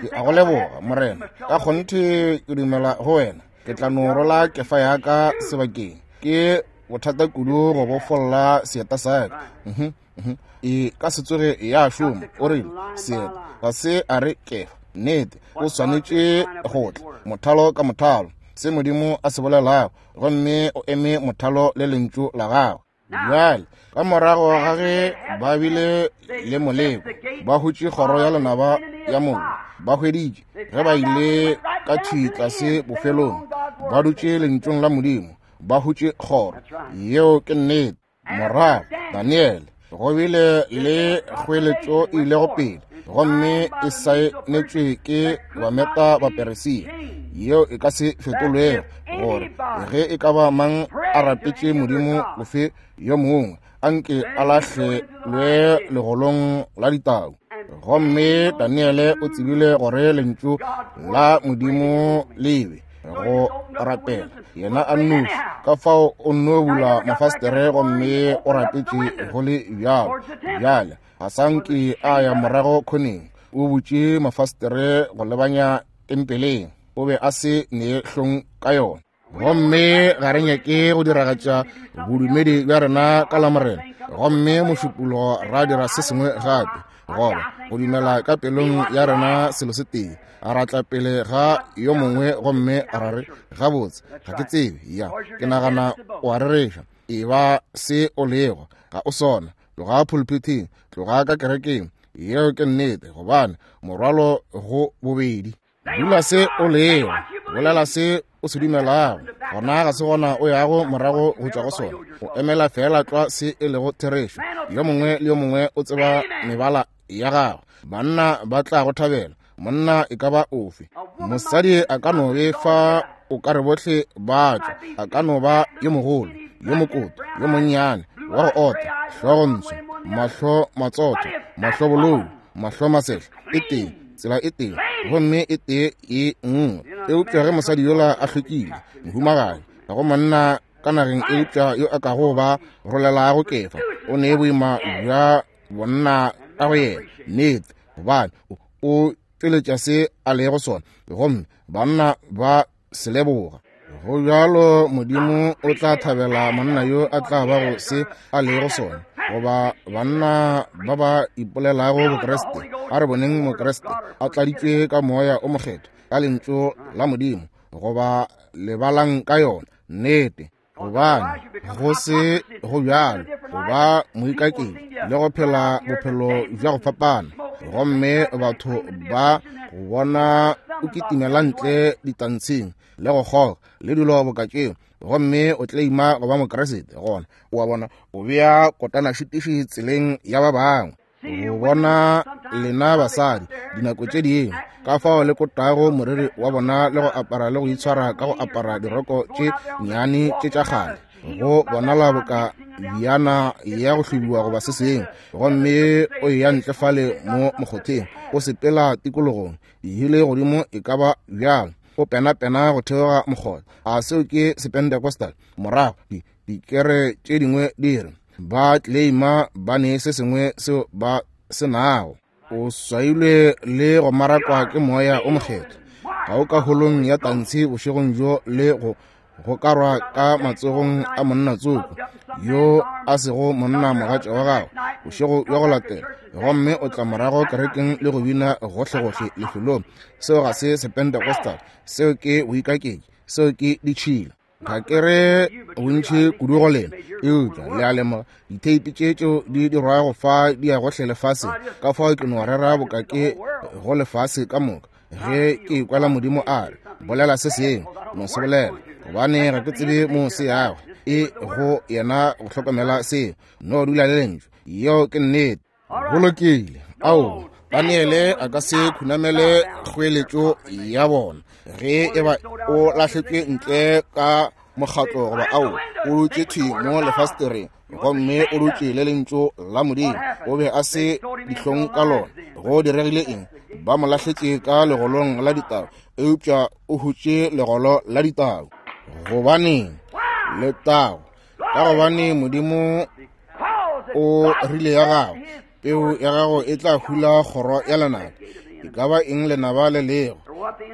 Ke a go leboga, Morena, ka kgonthe ke dumela go wena. Ke tla no rola kefa ya ka sebakeng. Ke bothata kudu go bofolla seeta sa ka. Mhm, mhm. E ka se tsoge ya šoma. O rile seeta ga se a re kefa. Nnete, o swanetše go tla mothalo ka mothalo, se Modimo a se bolelago, gomme o eme mothalo le lentšu la gagwe. Bjale ka morago ga ge ba bile le moleko, ba hutše kgoro ya lenaba ya mollo, ba hweditše ge ba ile ka thwi tlase bofelong, ba dutše lentšung la Modimo, ba hutše kgoro. Yeo ke nnete. Morago Daniele, go bile le kgoeletšo e ilego pele, gomme e saenetšwe ke Bameta Baperesia, yeo e ka se fetolwego, gore ge e ka ba mang a rapetše modimo ofe yo mongwe, anke a lahlelwe legolong la ditau. Gomme Daniele o tsebile gore lentšu la Modimo le be go rapela yena a nnoši, ka fao o nno bula mafastere gomme o rapetše go le bjalo. Bjale ga sa nke a ya morago khoneng, o butše mafastere go lebanya tempeleng, o be a se ne hlong ka yona. Gomme ga re nyake go diragatša bodumedi bja rena ka Lamorena, gomme mošupologo ra dira se sengwe gape, goba go dumela ka pelong ya rena selo se tee, ra tla pele ga yo mongwe gomme ra re, gabotse, ga ke tsebe, ya ke nagana o a rereša. E ba se o lego, ga o sona. Tloga pulpiteng, tloga ka kerekeng. Yeo ke nnete, gobane morwalo go bobedi. Dula se o lego, bolela se o se dumelago, gona ga se gona o yago morago go tšwa go sona. O emela fela tlwa se e lego therešo. Yo mongwe le yo mongwe o tseba mebala ya gagwe. Banna ba tla go thabela, monna e ka ba ofe. Mosadi a ka no be fa o ka re bohle ba tšwa, a ka no ba yo mogolo, yo mokoto, yo monnyane, wa go ota, hlogo ntsho, mahlo matsotho, mahlo bolou, mahlo masehla, e tee, tsela e tee, gomme e tee e nngwe. Eupša ge mosadi yola a hlwekile, mohumagadi, ga go monna ka nageng eupša yo a kago ba rolelago kefa. O ne boima bja bonna ka go yena, nnete, gobane o tšweletša se a lego sona, gomme banna ba se leboga. Go bjalo Modimo o tla thabela monna yo a tla bago se a lego sona, goba banna ba ba ipolelago Bokriste. A re boneng Mokriste a tladitšwe ka Moya o Mokgethwa, ka lentšu la Modimo, goba lebalang ka yona, nnete. Gobane go se go bjalo go ba moikaketši le go phela bophelo bja go fapana, gomme batho ba go bona o kitimela ntle ditantsheng le go kgoga le dilo boka tšeo, gomme o tleima go ba Mokriste. Gona o a bona o bea kotanašitiši tseleng ya ba bangwe. Go bona lena basadi dinako tše dingwe ka fao le kotago moriri wa bona le go apara le go itshwara ka go apara diroko tše nnyane tše tša kgale, go bonala boka bjana ya go hlobiwa goba se sengwe, gomme o ya ntle fale mo mokgotheng, o sepela tikologong dihile godimo e ka ba bjalo, o penapena go theoga mokgotha. A seo ke Sepentecostal? Morago dikere tše dingwe di re ba tleima ba ne se sengwe seo ba se nago. O swailwe le go marakwa ke Moya o Mokgethwa. Ga o ka holong ya tantshi bošegong bjo le go gokarwa ka matsogong a monna tsoko yo a sego monna mogatša wa gago bošego bja go latela, gomme o tla morago kerekeng le go bina gohlegohle lefelong. Seo ga se Sepentecostal, seo ke boikaketši, seo ke ditšhila. Ga ke re bontši kudu go lena, eupša le a lemoga ditheipi tše tšeo di dirwago fa di ya gohle lefaseng. Ka fao ke no rera boka ke go lefase ka moka. Ge ke ikwela Modimo a re bolela se sengwe, no se bolela, gobane ga ke tsebe mo se yago. E go yena go hlokomela seo, no dula le lentšu. Yeo ke nnete. Go lokile. Ao, Daniele a ka se khunamele kgoeletšo ya bona. Ge e ba o lahletšwe ntle ka mokgatlo goba ao, o dutše thwi mo lefastereng gomme o dutše le lentšu la Modimo, o be a se dihlong ka lona. Go diregile eng? Ba mo lahletše ka legolong la ditau, eupša o hutše legolo la ditau. Gobaneng? Letago. Ka gobane Modimo o rile ya gago, peu ya gago e tla hula kgoro ya lenaba. E ka ba eng lenaba le lego,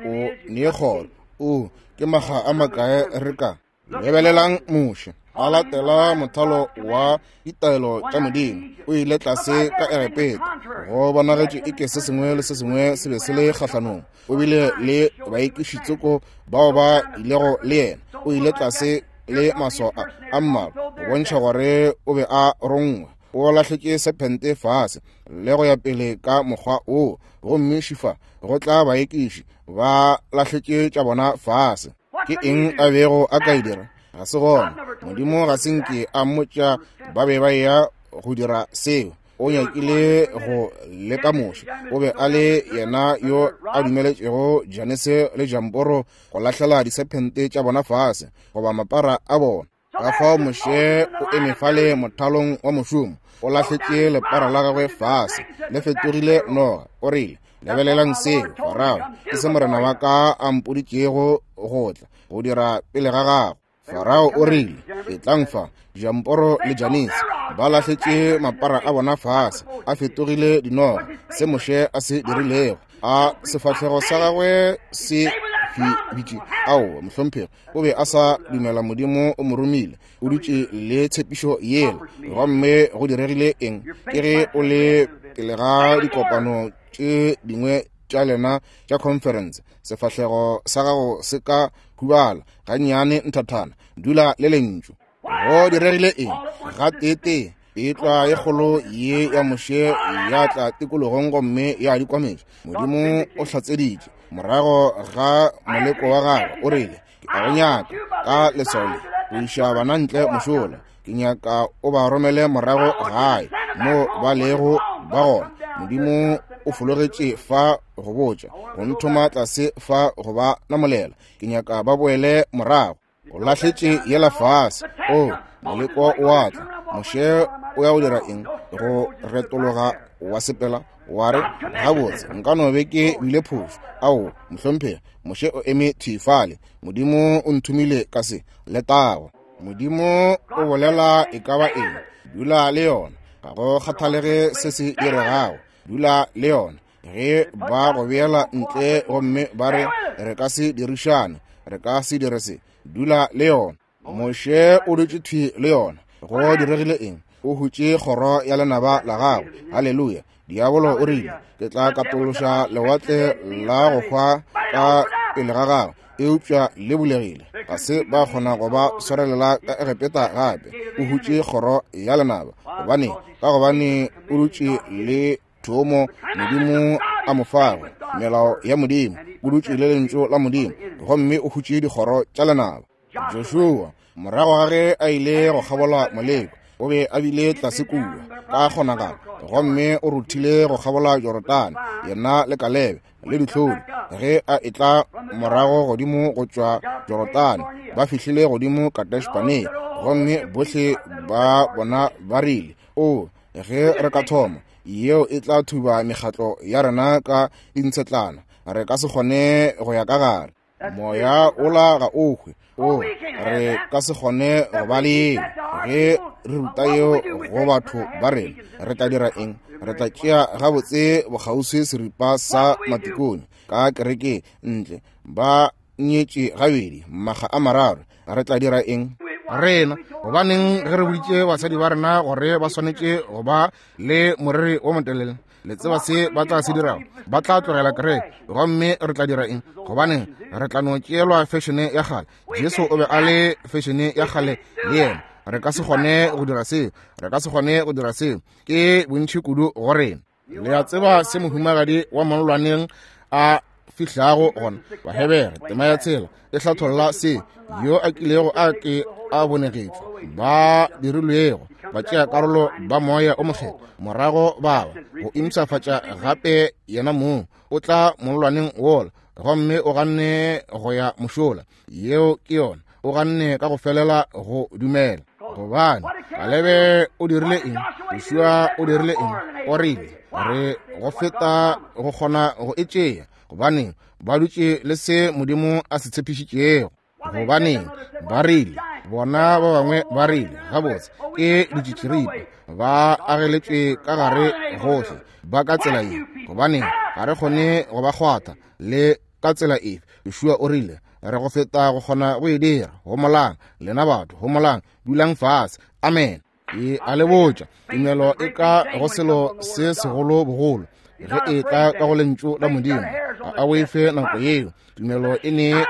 o ne kgoro. O ke makga a makae re ka lebelelang Moshe a latela mothalo wa ditaelo tša Modimo. O ile tlase ka Egepeta, go bonagetše eke se sengwe le se sengwe se be se le kgahlanong. O bile le baekišitsoko bao ba ilego le yena. O ile tlase le maswao a mmalwa go bontšha gore o be a rongwe. O lahletše sephente fase le go ya pele ka mokgwa wo, gomme šifa go tla baekiši ba lahletše tša bona fase. Ke eng a bego a ka e dira? Ga se gona. Modimo ga se nke a mmotša ba be ba ya go dira seo. O nyakile go leka Moshe. O be a le yena yo a dumeletšego Janese le Jamboro go lahlela disephente tša bona fase goba mapara a bona. Ka fao Moshe o eme fale mothalong wa mošomo, o lahletše lepara la gagwe fase, le fetogile noga. O rile, lebelelang seo, Farao, ke se morena wa ka a mpoditšego go tla go dira pele ga gago. Farao o rile, etlang fa, Jamporo le Janese ba lahletše mapara a bona fase, a fetogile dinoga. Se Moshe a se dirilego, a sefahlego sa gagwe se bitše. Ao, mohlomphegi, o be a sa dumela Modimo o mo romile. O dutše le tshepišo yela, gomme go diregile eng? Ke ge o le pele ga dikopano tše dingwe tša lena tša conference, sefahlego sa gago se ka hubala gannyane nthathana. Dula le lentšu. Go diregile eng? Gateetee petlwa ye kgolo ye ya Moshe ya tla tikologong gomme ya dikwametša. Modimo o hlatseditše morago ga moleko wa gagwe. O rile, ke a go nyaka ka leswao le go iša bana ntle mošola. Ke nyaka o ba romele morago gae mo ba lego ba gona. Modimo o fologetše fa go botša, go nthoma tlase fa go ba namolela. Ke nyaka ba boele morago. O lahletše yela fase. O moleko o a tla. Moshe o ya go dira eng? Go retologa wa sepela wa re, gabotse nka no be ke bile phošo. Ao, mohlomphegi, Moshe o eme thwi fale. Modimo o nthomile ka se. Letago. Modimo o bolela e ka ba eng, dula le yona. Ga go kgathalege se se diregago, dula le yona. Ge ba go beela ntle gomme ba re re ka se dirišane, re ka se dire se, dula le yona. Moshe o dutše thwi le yona. Go diregile eng? O hutše kgoro ya lenaba la gagwe. Haleluya. Diabolo o rile, ke tla katološa lewatle la go hwa ka pele ga gagwe, eupša le bulegile. Ga se ba kgona go ba swarelela ka Egepeta gape. O hutše kgoro ya lenaba. Gobane, ka gobane o dutše le thomo Modimo a mo fago, melao ya Modimo, o dutše le lentšu la Modimo, gomme o hutše dikgoro tša lenaba. Joshua, morago ga ge a ile go kgabola moleko, o be a bile tlase kua ka kgonagalo, gomme o ruthile go kgabola Jorodane, yena le Kalebe le dihlodi. Ge a etla morago godimo go tšwa Jorodane, ba fihlile godimo Kadesh Barnea, gomme bohle ba bona ba rile, o, ge re ka thoma, yeo e tla thuba mekgatlo ya rena ka dintshetlana, re ka se kgone go ya ka gare. Moya ola ga o hwe. O, re ka se kgone go ba le yeo. Ge re ruta yeo go batho ba rena, re tla dira eng? Re tla tšea gabotse bokgauswi seripa sa matikone ka kerekeng ntle, ba nyetše gabedi makga a mararo. Re tla dira eng? Rena, gobaneng ge re boditše basadi ba rena gore ba swanetše go ba le moriri wo motelele? Le tseba se ba tla se dirago? Ba tla tlogela kereke. Gomme re tla dira eng? Gobaneng re tla no tšeelwa fešene ya kgale. Jesu o be a le fešene ya kgale le yena. Re ka se kgone go dira seo. Re ka se kgone go dira seo. Ke bontši kudu go rena. Le a tseba se mohumagadi wa mollwaneng a fihlago gona? Bahebere tema ya tshela e hlatholla se yo a kilego a ke a bonegetšwe, ba dirilwego ba tšea karolo ba moya o mokgethwa, morago ba ba go impshafatša gape yena mong. O tla mollwaneng wola gomme o ganne go ya mošola. Yeo ke yona. O ganne ka go felela go dumela. Gobane Kalebe o dirile eng? Joshua o dirile eng? O rile re go feta go kgona go e tšea, gobane ba dutše le se Modimo a se tshepišitšego. Gobaneng ba rile, bona ba bangwe ba rile, gabotse ke ditšitširipa, ba ageletšwe ka gare gohle, ba ka tsela ye. Gobaneng ga re kgone go ba kgwatha le ka tsela efe? Joshua o rile re go feta go kgona go e dira. Homolang lena batho, homolang, dulang fase. Amen. E a le botša, tumelo e ka go selo se segolo bogolo ge e tla ka go lentšu la Modimo. Ga a boife nako yeo. Tumelo e ne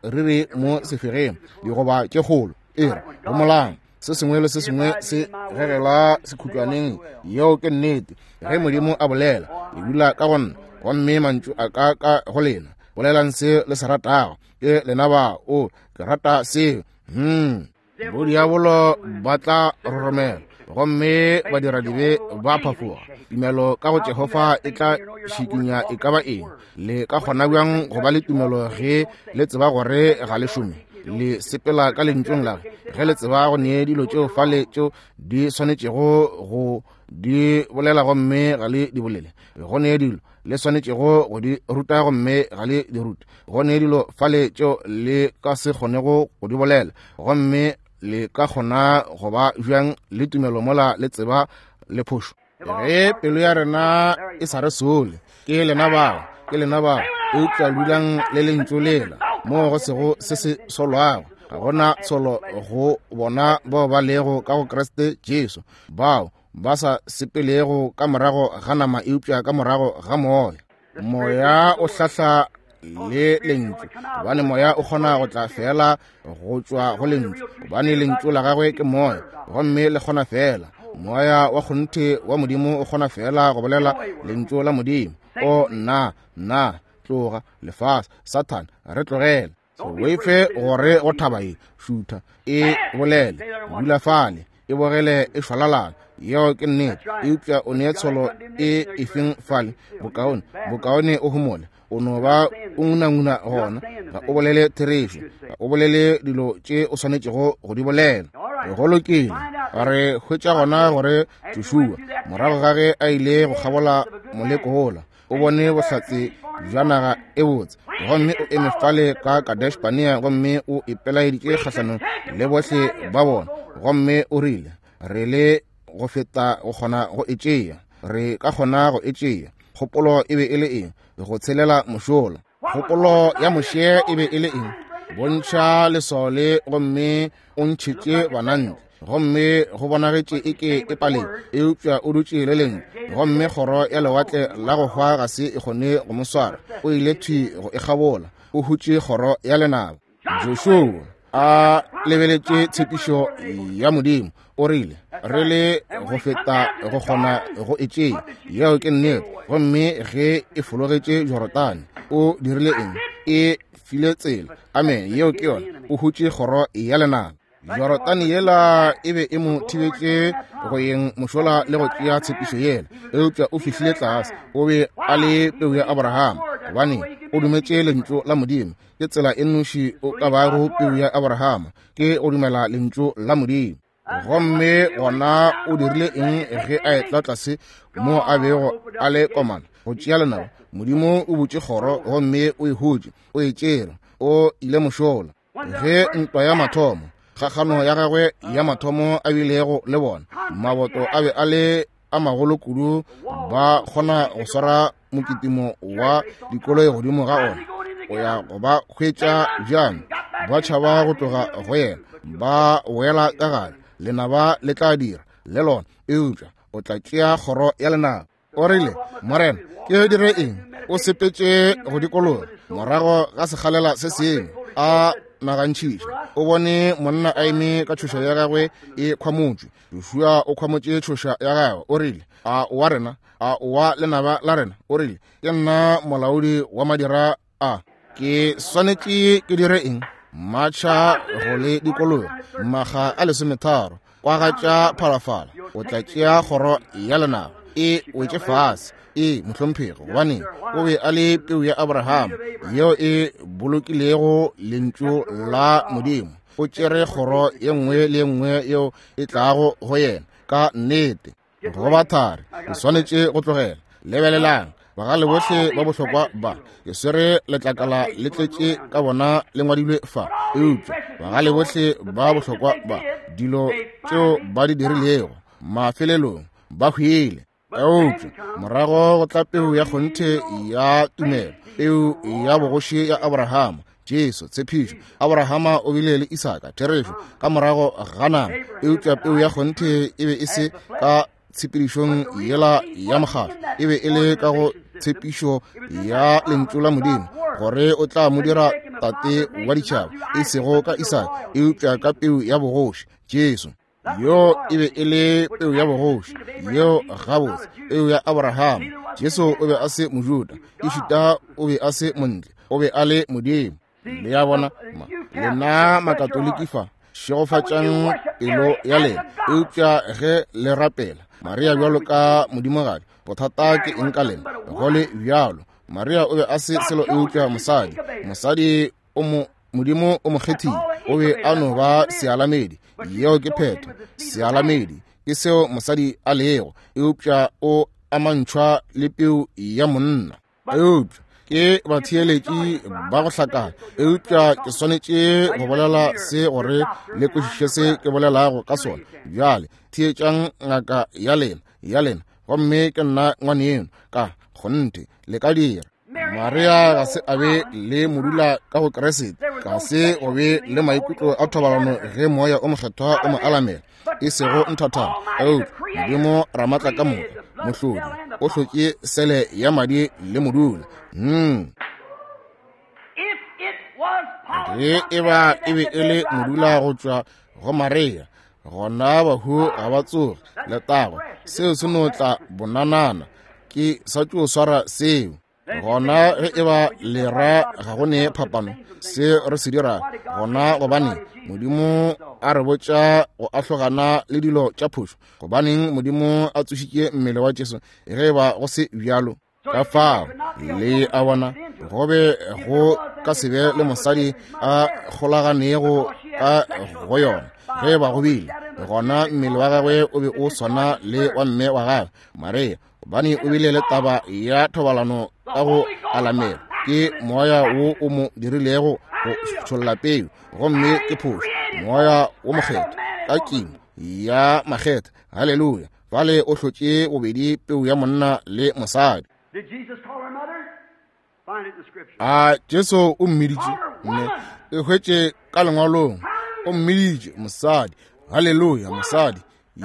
meriri mo sefegeng, digoba tše kgolo. E re homolang, se sengwe le se sengwe se gegela sekhutlwaneng. Yeo ke nnete. Ge Modimo a bolela, le dula ka go nna, gomme mantšu a ka ka go lena. Bolelang se le se ratago. Ke lena ba, o, ke rata seo. Hmm. Bodiabolo ba tla roromela, gomme badiradibe ba phafoga. Tumelo ka go Jehofa e tla šikinya e ka ba eng. Le ka kgona bjang go ba le tumelo ge le tseba gore ga le šome? Le sepela ka lentšong la ge le tseba go nee dilo tšeo fale tšeo di swanetšego go di bolela gomme ga le di bolele. Go nee dilo le swanetšego go di ruta gomme ga le di rute. Go nee dilo fale tšeo le ka se kgonego go di bolela, gomme le ka kgona go ba bjang le tumelo mola le tseba le phošo? Ge pelo ya rena e sa re sole, ke lena bao, ke lena bao, eupša dulang le lentšu lela moo go sego se se solwago. Ga gona tsholo go bona bao ba lego ka go Kriste Jesu, bao ba sa sepelego ka morago ga nama eupša ka morago ga moya. Moya o hlahla le lentšu, gobane moya o kgona go tla fela go tšwa go lentšu, gobane lentšu la gagwe ke moya, gomme le kgona fela. Moya wa kgonthe wa Modimo o kgona fela go bolela lentšu la Modimo. O nna, nna, tloga, lefase, Satan, re tlogele. Se boife gore go thaba e, šutha, e bolele, dula fale, e bogele e šwalalana. Yeo ke nnete. Eupša o ne tsholo e efeng fale? Bokaone, bokaone o homole. O no ba o ngunanguna gona. Ga o bolele therešo, ga o bolele dilo tše o swanetšego go di bolela. Go lokile. Re hwetša gona gore Joshua, morago ga ge a ile go kgabola moleko wola, O bone bohlatse bja naga e botse, gomme o eme fale ka Kadesh Barnea gomme o ipelaeditše kgahlanong le bohle ba bona, gomme o rile, re le go feta go kgona go e tšea, re ka kgona go e tšea. Kgopolo e be e le eng? Go tshelela mošola. Kgopolo ya Moshe e be e le eng? Bontšha leswao le gomme o ntšhetše bana ntle. Gomme go bonagetše eke e paleng, eupša o dutše le lengwe, gomme kgoro ya lewatle la go hwa ga se e kgone go mo swara. O ile thwi go e kgabola, o hutše kgoro ya lenaba. Joshua a lebeletše tshepišo ya Modimo, o rile, re le go feta go kgona go e tšea. Yeo ke nnete. Gomme ge e fologetše Jorodane, o dirile eng? E file tsela. Amen. Yeo ke yona. O hutše kgoro ya lenaba. Jorodane yela e be e mo thibetše go yeng mošola le go tšea tshepišo yela, eupša o fihlile tlase. O be a le peu ya Abrahama, gobane o dumetše lentšu la Modimo. Ke tsela e nnoši o ka bago peu ya Abrahama, ke go dumela lentšu la Modimo. Gomme gona o dirile eng ge a etla tlase mo a bego a le komana go tšea lenaba? Modimo o butše kgoro gomme o e hutše, o e tšere, o ile mošola. Ge ntwa ya mathomo, kgakgano ya gagwe ya mathomo a bilego le bona, maboto a be a le a magolo kudu, ba kgona go swara mokitimo wa dikoloi godimo ga ona. O ya go ba hwetša bjang? Ba tšhaba go tloga go yena, ba wela ka gare. Lenaba le tla dira le lona, eupša o tla tšea kgoro ya lenaba. O rile, Morena, ke dire eng? O sepetše go dikologa morago ga sekgalela se sengwe, a nagantšhiša. O bone monna a eme ka tšhoša ya gagwe e khwamotšwe. Joshua o khwamotše tšhoša ya gagwe. O rile, a wa rena, a wa lenaba la rena. O rile, ke nna molaodi wa madira a, ke swanetše ke dire eng? Matšha go le dikologa maga a lesometharo, kwagatša phalafala, o tla tšea kgoro ya lenaba. E wetše fase. E mohlomphegi, gobane o be a le peu ya Abrahama yeo e bolokilego lentšu la Modimo. O tšere kgoro ye nngwe le ye nngwe yeo e tlago go yena ka nnete. Go ba thari, ke swanetše go tlogela. Lebelelang, bagale bohle ba bohlokwa ba, ke swere letlakala le tletše ka bona le ngwadilwe fa, eupša bagale bohle ba bohlokwa ba, dilo tšeo ba di dirilego mafelelong ba hwile. Eupša morago go tla peu ya kgonthe ya tumelo, peu ya bogoši ya Abrahama, Jesu, tshepišo. Abrahama o bile le Isaka, therešo, ka morago ga nama, eupša peu ya kgonthe e be e se ka tshepedišong yela ya mokgatlo, e be e le ka go tshepišo ya lentšu la Modimo, gore o tla mo dira tate wa ditšhaba, e sego ka Isaka, eupša ka peu ya bogoši, Jesu. Yo e be e le peu ya bogoši, yeo gabotse peu ya Abrahama. Jesu o be a se Mojuda, ešita o be a se montle, o be a le Modimo. Le ya bona, lena Makatoliki fa, šegofatšang pelo ya lena, eupša ge le rapela Maria bjalo ka modimogadi, bothata ke eng ka lena? Go le bjalo, Maria o be a se selo eupša mosadi. Mosadi o mo Modimo o mo kgethile, o be a no ba sealamedi. Yeo ke phetho. Sealamedi ke seo mosadi a lego, eupša o amantšhwa le peu ya monna. Eupša ke batheeletši ba go hlakana, eupša ke swanetše go bolela se gore le kwešiše se ke bolelago ka sona. Bjale theetšang ngaka ya lena, ya lena, gomme ke nna ngwaneno, ka kgonthe le ka dira. Maria ga se a be le modula ka go Kriste, ga se go be le maikutlo a thobalano ge moya o mokgethwa o mo alamela, e sego nthathana. Eupša Modimo Ramatla ka moka, mohlodi, o hlotše sele ya madi le modula. Hmm. Ge e ba e be e le modula go tšwa go Maria, gona bahu ga ba tsoge. Letago, seo se no tla bonanana. Ke sa tšo swara seo. Gona ge e ba lera ga go ne phapano se re se dira gona, gobane Modimo a re botša go ahlogana le dilo tša phošo. Gobaneng Modimo a tsošitše mmele wa Jesu ge e ba go se bjalo? Ka fao le a bona, go be go ka se be le mosadi a kgolaganego ka go yona. Ge e ba go bile, gona mmele wa gagwe o be o swana le wa mme wa gagwe Maria, Gobane o bile le taba ya thobalano ka go alamela. Ke moya wo o mo dirilego go tšholla peu, gomme ke phošo. Moya wo mokgethwa ka kimo ya makgetha. Haleluya. Fale o hlotše bobedi peu ya monna le mosadi. A Jesu o mmiditše mme e hwetše ka lengwalong. O mmiditše mosadi. Haleluya, mosadi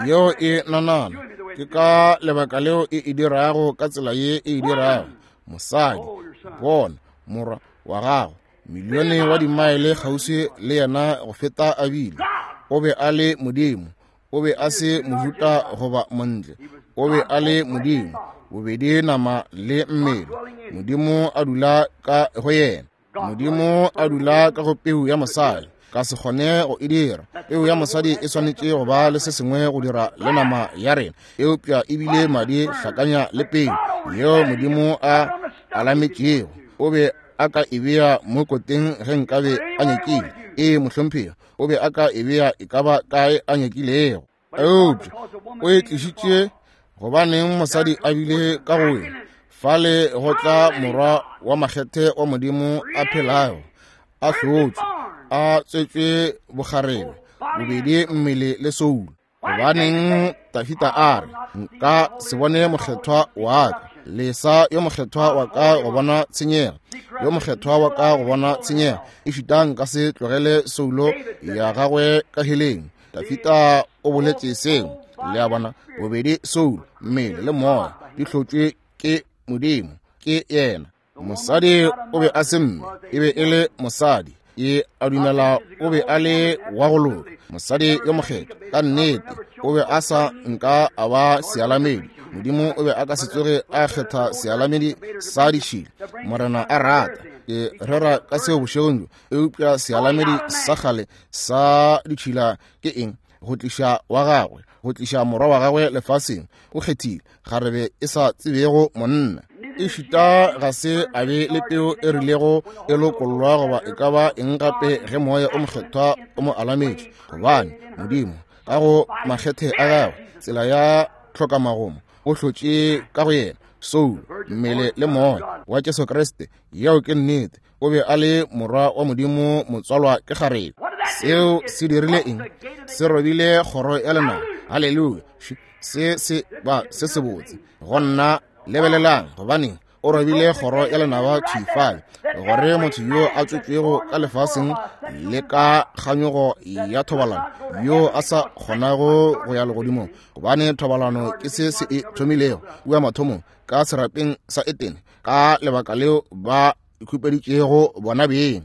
yeo e nanana. Ke ka lebaka leo e e dirago ka tsela ye e e dirago. Mosadi, bona morwa wa gago, milione wa dimaele kgauswi le yena go feta a bile. O be a le Modimo. O be a se Mojuta goba montle. O be a le Modimo, bobedi nama le mmele. Modimo a dula ka go yena. Modimo a dula ka go peu ya mosadi. Ka se kgone go e dira. Peu ya mosadi e swanetše go ba le se sengwe go dira le nama ya rena, eupša ebile madi hlakanya le peu yeo Modimo a alametšego. O be a ka e bea mo koteng ge nkabe a nyakile. Ee, mohlomphegi, o be a ka e bea e ka ba kae a nyakilego. Eupša o e tlišitše gobaneng mosadi a bile ka go wena. Fale go tla morwa wa makgethe wa Modimo a phelago, a hlotšwe, a tswetšwe bogarebe, bobedi mmele le soulo. Gobaneng Dafita a re, nka se bone mokgethwa wa ka, lesa yo mokgethwa wa ka go bona tshenyego, yo mokgethwa wa ka go bona tshenyego, ešita nka se tlogele soulo ya gagwe ka heleng. Dafita o boletše seo. Le a bona, bobedi soulo, mmele le moya di hlotšwe ke Modimo, ke yena. Mosadi o be a se mme, e be e le mosadi. E a dumela o be a le wa go loka, mosadi yo mokgethwa ka nnete. O be a sa nka a ba sealamedi. Modimo o be a ka se tsoge a kgetha sealamedi sa ditšhila. Morena a rata, ke rera ka seo bošegong bjo. Eupša sealamedi sa kgale sa ditšhila ke eng? Go tliša wa gagwe, go tliša morwa wa gagwe lefaseng. O kgethile kgarebe e sa tsebego monna. Ešita ga se a be le peo e rilego e lokollwa goba e ka ba eng gape ge moya o mokgethwa o mo alametše. Gobane Modimo ka go makgethe a gagwe, tsela ya tlhokamagomo, o hlotše ka go yena soulo, mmele le moya wa Jesu Kriste. Yeo ke nnete. O be a le morwa wa Modimo, motswalwa ke kgarebe. Seo se dirile eng? Se robile kgoro ya lenaba. Haleluya. Se se ba se se botse go nna. Lebelelang, gobaneng o robile kgoro ya lenaba thwi fale, gore motho yo a tswetšwego ka lefaseng le ka kganyogo ya thobalano, yo a sa kgonago go ya legodimong, gobane thobalano ke se se e thomilego kua mathomong ka serapeng sa Etene, ka lebaka leo ba ikhupeditšego bona beng.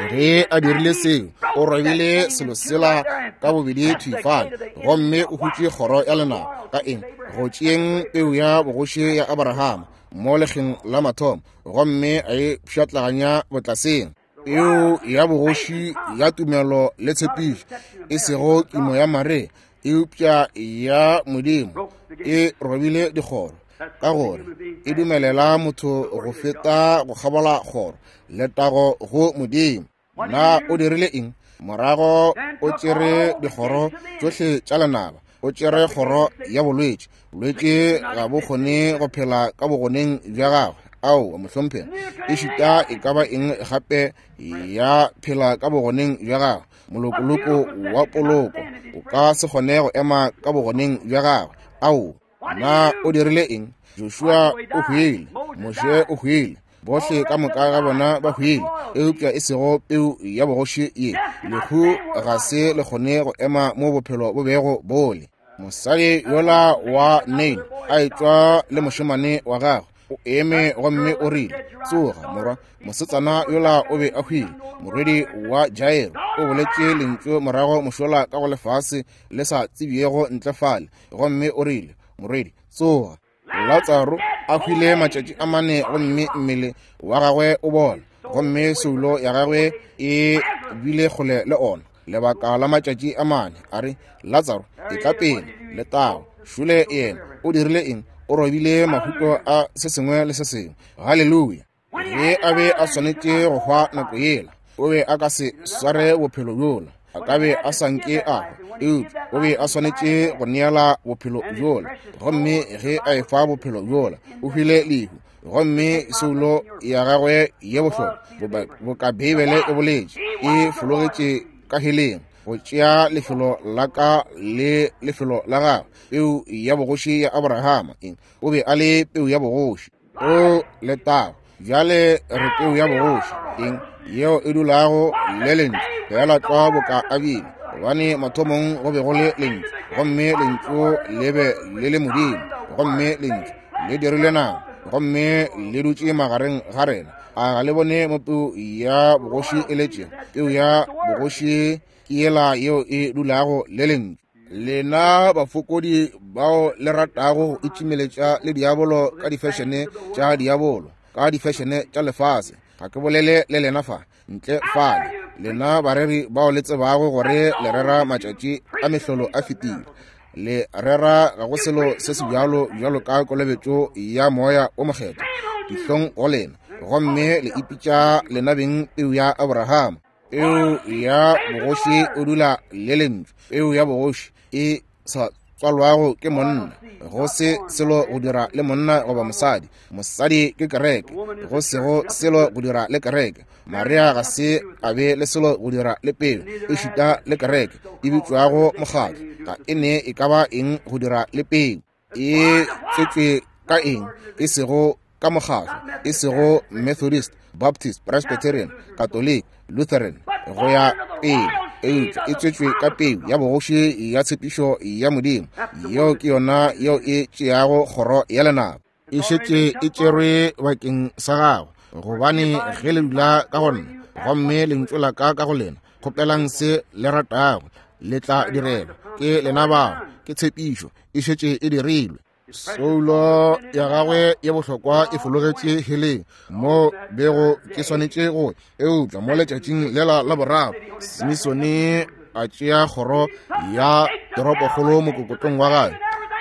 Ge a dirile seo, o robile selo sela ka bobedi thwi fale, gomme o hutše kgoro ya lenaba ka eng? Go tšeeng peu ya bogoši ya Abrahama mo lekgeng la mathomo, gomme a e pšhatlaganya botlaseng. Peu ya bogoši ya tumelo le tshepišo, e sego kimo ya Maria, eupša ya Modimo, e robile dikgoro, ka gore e dumelela motho go feta go kgabola kgoro. Letago go Modimo. Na o dirile eng? Morago o tšere dikgoro tšohle tša lenaba. O tšere kgoro ya bolwetši. Bolwetši ga bo kgone go phela ka bogoneng bja gagwe. Aowa, mohlomphegi. Ešita e ka ba eng gape ya phela ka bogoneng bja gagwe. Molokoloko wa poloko o ka se kgone go ema ka bogoneng bja gagwe. Aowa. Na o dirile eng? Joshua o hwile, Moshe o hwile, bohle ka moka ga bona ba hwile, eupša e sego peu ya bogoši ye. Lehu ga se le kgone go ema mo bophelo bo bego bole. Mosadi yola wa Nain a etšwa le mošemane wa gagwe, o eme gomme o rile, tsoga morwa. Mosetsana yola o be a hwile. Morwedi wa Jairo o boletše lentšu morago mošola ka go lefase le sa tsebjego ntle fale, gomme o rile, morwedi, tsoga. Latsaro a hwile matšatši a mane, gomme mmele wa gagwe o bola, gomme soulo ya gagwe e bile kgole le ona lebaka la matšatši a mane. A re, Latsaro, etla pele. Letago. Šule yena o dirile eng? O robile mahuto a se sengwe le se sengwe. Haleluya. Ge a be a swanetše go hwa nako yela, o be a ka se sware bophelo bjola. A ka be a sa nke a hwa. Eupša o be a swanetše go neela bophelo bjola, gomme ge a efa bophelo bjola, o hwile lehu. Gomme soulo ya gagwe ye bohlokwa, boka Beibele e boletše, e fologetše ka heleng go tšea lefelo la ka le lefelo la gagwe. Peu ya bogoši ya Abrahama, eng? O be a le peu ya bogoši. O letago. Bjale re peu ya bogoši, eng? Yeo e dulago le lentšu, fela tlwa boka a bile. Gobane mathomong go be go le lentšu, gomme lentšu le be le le Modimo, gomme lentšu le dirile nama, gomme le dutše magareng ga rena. A ga le bone mo peu ya bogoši e letšego? Peu ya bogoši ke yela yeo e dulago le lentšu. Lena bafokodi bao le ratago go itšimeletša le diabolo ka difešene tša diabolo, ka difešene tša lefase, ga ke bolele le lena fa ntle fale. Lena bareri bao le tsebago gore le rera matšatši a mehlolo a fetile, le rera ga go selo se se bjalo bjalo ka kolobetšo ya moya o mokgethwa, dihlong go lena, gomme le ipitša lena beng peu ya Abrahama. Peu ya bogoši o dula le lentšu. Peu ya bogoši e sa tswalwago ke monna, go se selo go dira le monna goba mosadi. Mosadi ke kereke, go sego selo go dira le kereke. Maria ga se a be le selo go dira le peu, e šita le kereke e bitšwago mokgatlo, ga e ne e ka ba eng go dira le peu. E tswetšwe ka eng? E sego ka mokgatlo, e sego Methodist, Baptist, Presbyterian, Catholic, Lutheran, go ya pele. Eupša e tswetšwe ka peu ya bogoši ya tshepišo ya Modimo. Yeo ke yona yeo e tšeago kgoro ya lenaba. E šetše e tšerwe bakeng sa gago, gobane ge le dula ka go nna, gomme lentšu la ka ka go lena, kgopelang se le ratago, le tla direlwa. Ke lena bao, ke tshepišo, e šetše e dirilwe. Soulo ya gagwe ye bohlokwa e fologetše heleng mo bego ke swanetše go, eupša mo letšatšing lela la boraro, Simisone a tšea kgoro ya toropokgolo mokokotlong wa gagwe.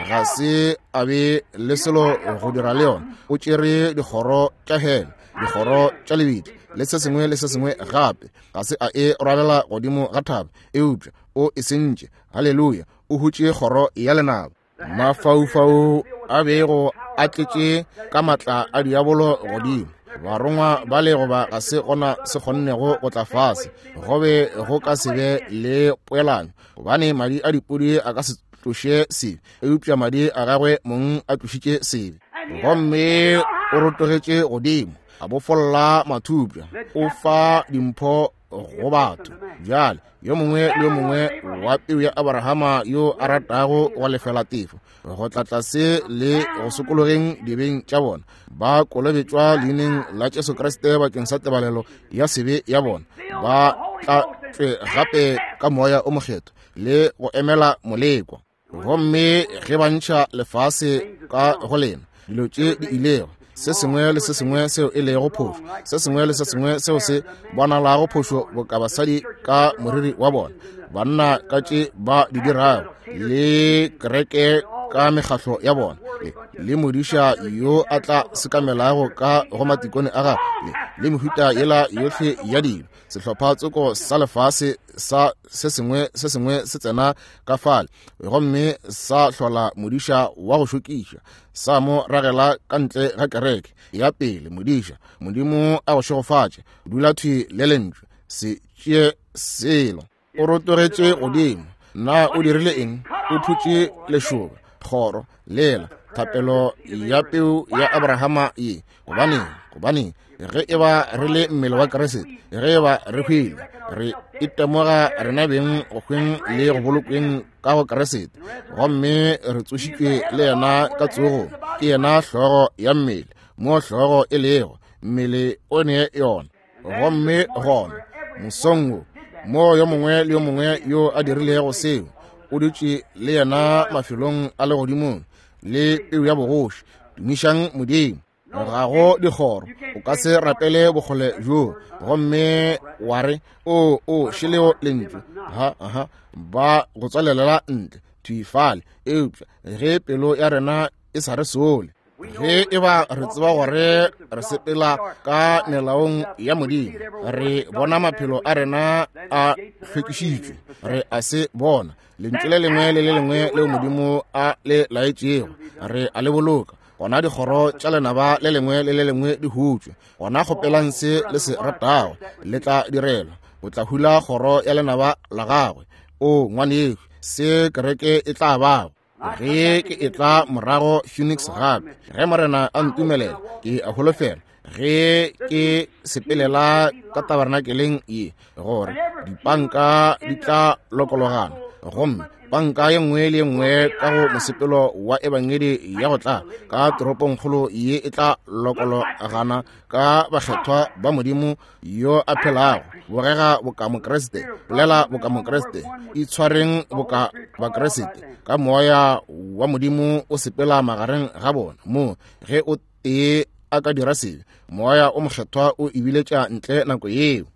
Ga se a be le selo go dira le yona. O tšere dikgoro tša hele, dikgoro tša lebitla, le se sengwe le se sengwe gape. Ga se a e rwalela godimo ga thaba, eupša o e sentše. Haleluya! O hutše kgoro ya lenaba. Mafaufau a bego a tletše ka matla a diabolo godimo. Barongwa ba le goba ga se gona se kgonnego go tla fase, go be go ka se be le poelano, gobane madi a dipudi a ka se tloše sebe, eupša madi a gagwe mong a tlošitše sebe. Gomme o rotogetše godimo, a bofolla mathupša, o fa dimpho go batho. Bjale yo mongwe le yo mongwe wa peu ya Abrahama yo a ratago go lefela tefo go tla tlase le go sokologeng dibeng tša bona, ba kolobetšwa leineng la Jesu Kriste bakeng sa tebalelo ya sebe ya bona, ba tlatšwe gape ka moya o mokgethwa le go emela molekwa. Gomme ge ba ntšha lefase ka go lena, dilo tše di ilego, se sengwe le se sengwe seo e lego phošo, se sengwe le se sengwe seo se bonalago phošo, boka basadi ka moriri wa bona, banna ka tše ba di dirago, le kereke ka mekgahlo ya bona, le, le modiša yo a tla sekamelago ka go matikone a gagwe, le, le mehuta yela yohle ya dilo, sehlopha tsoko sa lefase sa se sengwe se sengwe se tsena ka fale, gomme sa hlola modiša wa go šokiša, sa mo ragela ka ntle ga kereke ya pele. Modiša, Modimo a go šegofatše, dula thwi le lentšu, se tšee selo. O rotogetše godimo. Na o dirile eng? O phutše lešoba, kgoro, lela, thapelo ya peu ya Abrahama ye. Gobaneng? Gobaneng? Ge e ba re le mmele wa Kriste, ge e ba re hwile, re itemoga rena beng go hweng le go bolokweng ka go Kriste, gomme re tsošitšwe le yena ka tsogong. Ke yena hlogo ya mmele, mo hlogo e lego, mmele o ne yona. Gomme gona mosong wo, mo yo mongwe le yo mongwe yo a dirilego seo, o dutše le yena mafelong a legodimong le peu ya bogoši. Tumišang Modimo. Ga go dikgoro, o ka se rapele bokgole bjo gomme wa re o o šeleo lentšu, ha ha ba go tswalelela ntle thwi fale. Eupša ge pelo ya rena e sa re sole, Ge e ba re tseba gore re sepela ka melaong ya Modimo, re bona maphelo a rena a hlwekišitšwe, re a se bona lentšu le lengwe le le lengwe leo Modimo a le laetšego, re a le boloka. Gona dikgoro tša lenaba le lengwe le le lengwe di hutšwe. Gona kgopelang se le se ratago, le tla direlwa. O tla hula kgoro ya lenaba la gagwe. O ngwanešu, se kereke e tla bago ge ke e tla morago Phoenix gape, ge Morena a ntumelela, ke a holofela ge ke sepelela ka tabernakeleng ye gore dipanka di tla lokologana, gomme panka ye nngwe le ye nngwe ka go mosepelo wa ebangedi ya go tla ka toropongkgolo ye e tla lokologana ka bakgethwa ba Modimo yo a phelago. Bogega boka Mokriste, bolela boka Mokriste, itshwareng boka Bakriste, ka moya wa Modimo o sepela magareng ga bona. Mo ge o tee a ka dira sebe, moya o mokgethwa o ebiletša ntle nako yeo.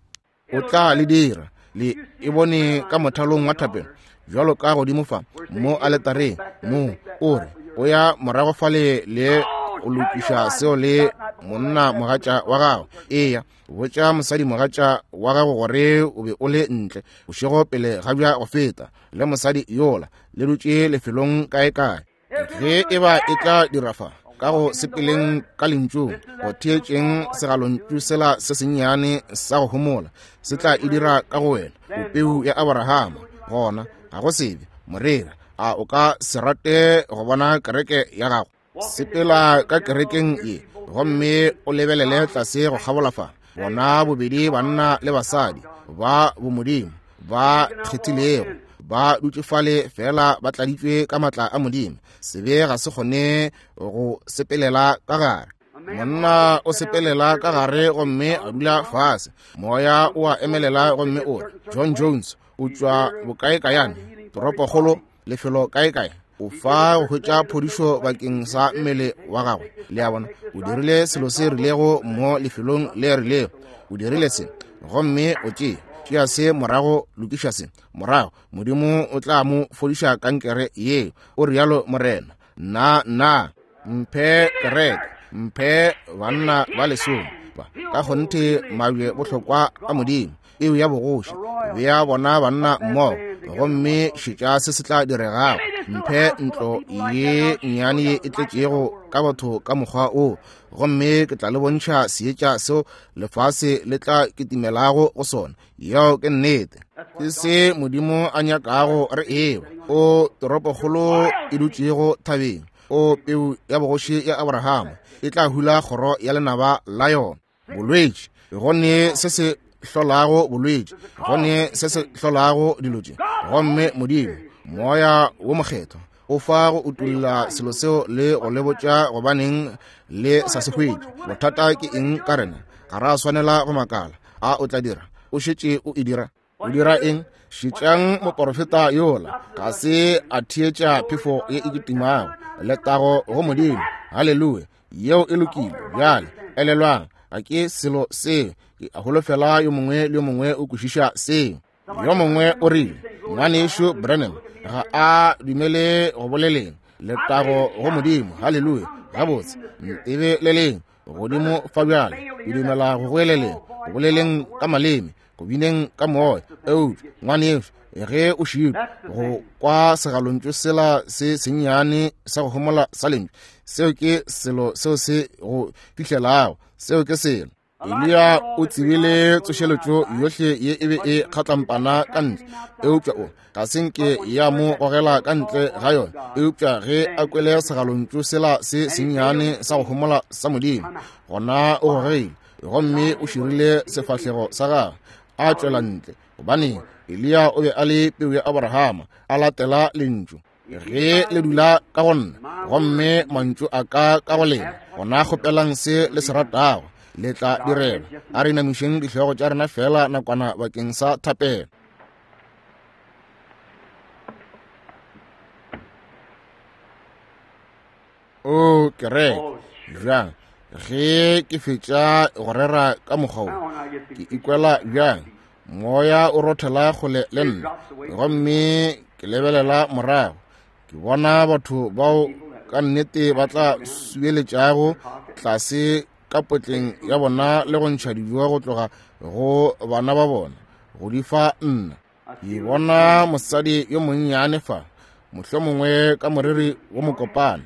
O tla le dira le e bone ka mothalong wa thapelo, bjalo ka godimo fa mo aletareng, mo o re o ya morago fale le o lokiša seo le monna mogatša wa gago. Eya, botša mosadi mogatša wa gago gore o be o le ntle bošego pele ga bja go feta le mosadi yola, le dutše lefelong kae-kae. Ge e ba e tla dira fa ka go sepeleng ka lentšung, go theetšeng segalontšu sela se sennyane sa go homola, se tla e dira ka go wena, o peu ya Abrahama. Gona ga go sebe, moreri, a o ka se rate go bona kereke ya gago? Sepela ka kerekeng ye gomme o lebelele tlase go kgabola fa, bona bobedi banna le basadi ba bomodimo ba kgethilego ba dutše fale fela ba tladitšwe ka matla a Modimo. Sebe ga se kgone go sepelela ka gare. Monna o sepelela ka gare gomme a dula fase, moya o a emelela gomme o re, John Jones o tšwa bokaekayane, toropokgolo, lefelo kaekae, o fa go hwetša phodišo bakeng sa mmele wa gagwe. Le a bona, o dirile selo se rilego mo lefelong le rilego, o dirile se, gomme o tšee tšea se morago, lokiša se morago, Modimo o tla mo fodiša kankere yeo, o rialo Morena. Nna nna mphe kereke, mphe banna ba lesome ba ka kgonthe mabje bohlokwa a Modimo, eo ya bogoši, bea bona banna mmogo, gomme šetša se se tla diregago. Mphe ntlo ye nnyane ye e tletšego ka batho ka mokgwa o, gomme ke tla le bontšha seetša seo lefase le tla kitimelago go sona. Yeo ke nnete. Ke se Modimo a nyakago re ewa. O toropokgolo e dutšego thabeng, o peu ya bogoši ya Abrahama, e tla hula kgoro ya lenaba la yona. Bolwetši, go ne se se hlolago bolwetši, go ne se se hlolago dilo tše, gomme Modimo moya wo mokgethwa o fa go utolla selo seo le go le botša gobaneng le sa se hwetše. Bothata ke eng ka rena? Ga ra swanela go makala. A o tla dira? O šetše o e dira. O dira eng? Šetšang moporofeta yola, ga se a theetša phefo ye e kitimago. Letago go Modimo, haleluya. Yeo e lokile. Bjale elelwang, ga ke selo seo. Ke a holofela yo mongwe le yo mongwe o kwešiša seo. Yo mongwe o rile, ngwanešu Branham ga a dumele go boleleng. Letago go Modimo, haleluya. Gabotse, ntebeleleng godimo fa bjale. Ke dumela go goeleleng, go boleleng ka maleme, go bineng ka moya. Eupša ngwanešu, ge o šitwa go kwa segalontšu sela se sennyane sa go homola sa lentšu, seo ke selo seo se go fihlelago. Seo ke selo. Eliya o tsebile tsošeletšo yohle ye e be e kgatlampana ka ntle, eupša o ga se nke ya mo gogela ka ntle ga yona. Eupša ge a kwele segalontšu sela se sennyane sa go homola sa Modimo, gona o gogile gomme o širile sefahlego sa gagwe a tšwela ntle. Gobane Eliya o be a le peu ya Abrahama, a latela lentšu. Ge le dula ka go nna gomme mantšu a ka ka go lena, gona kgopelang se le se ratago, le tla direlwa. A re inamišeng dihlogo tša rena fela nakwana bakeng sa thapelo. O kereke, bjang ge ke fetša go rera ka mokgwa wo, ke ikwela bjang? Moya o rothela kgole le nna, gomme ke lebelela morago, ke bona batho bao ka nnete ba tla subeletšago tlase ka potleng ya bona le go ntšha dijo go tloga go bana ba bona go di fa nna. Ke bona mosadi yo monnyane fa, mohlomongwe ka moriri wo mokopana.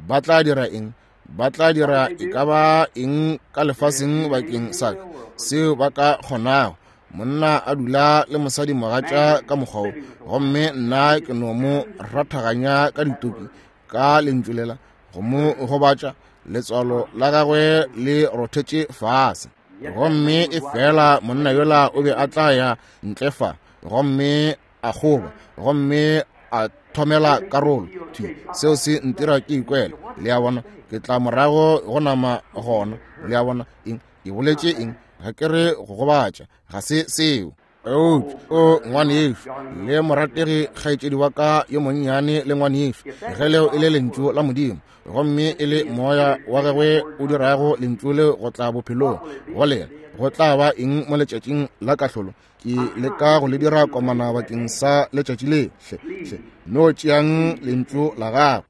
Ba tla dira eng? Ba tla dira e ka ba eng ka lefaseng bakeng sa ka seo ba ka kgonago. Monna a dula le mosadi mogatša ka mokgwa wo, gomme nna ke no mo rathaganya ka ditoki ka lentšu lela go mo gobatša, letswalo la gagwe le rothetše fase. Gomme e fela monna yola o be a tla ya ntle fa gomme a goba gomme a thomela karolo thwi. Seo se ntira ke ikwela, le a bona, ke tla morago go nama gona, le a bona. Eng ke boletše eng? Ga ke re go gobatša, ga se seo. Eupša o ngwanešo le morategi kgaetšedi wa ka yo monnyane le ngwanešo, ge leo e le lentšu la Modimo gomme e le moya wa gagwe o dirago lentšu leo go tla bophelong go lena, go tla ba eng mo letšatšing la kahlolo? Ke leka go le dira komana bakeng sa letšatši le. Hle hle no tšeang lentšu la gagwe.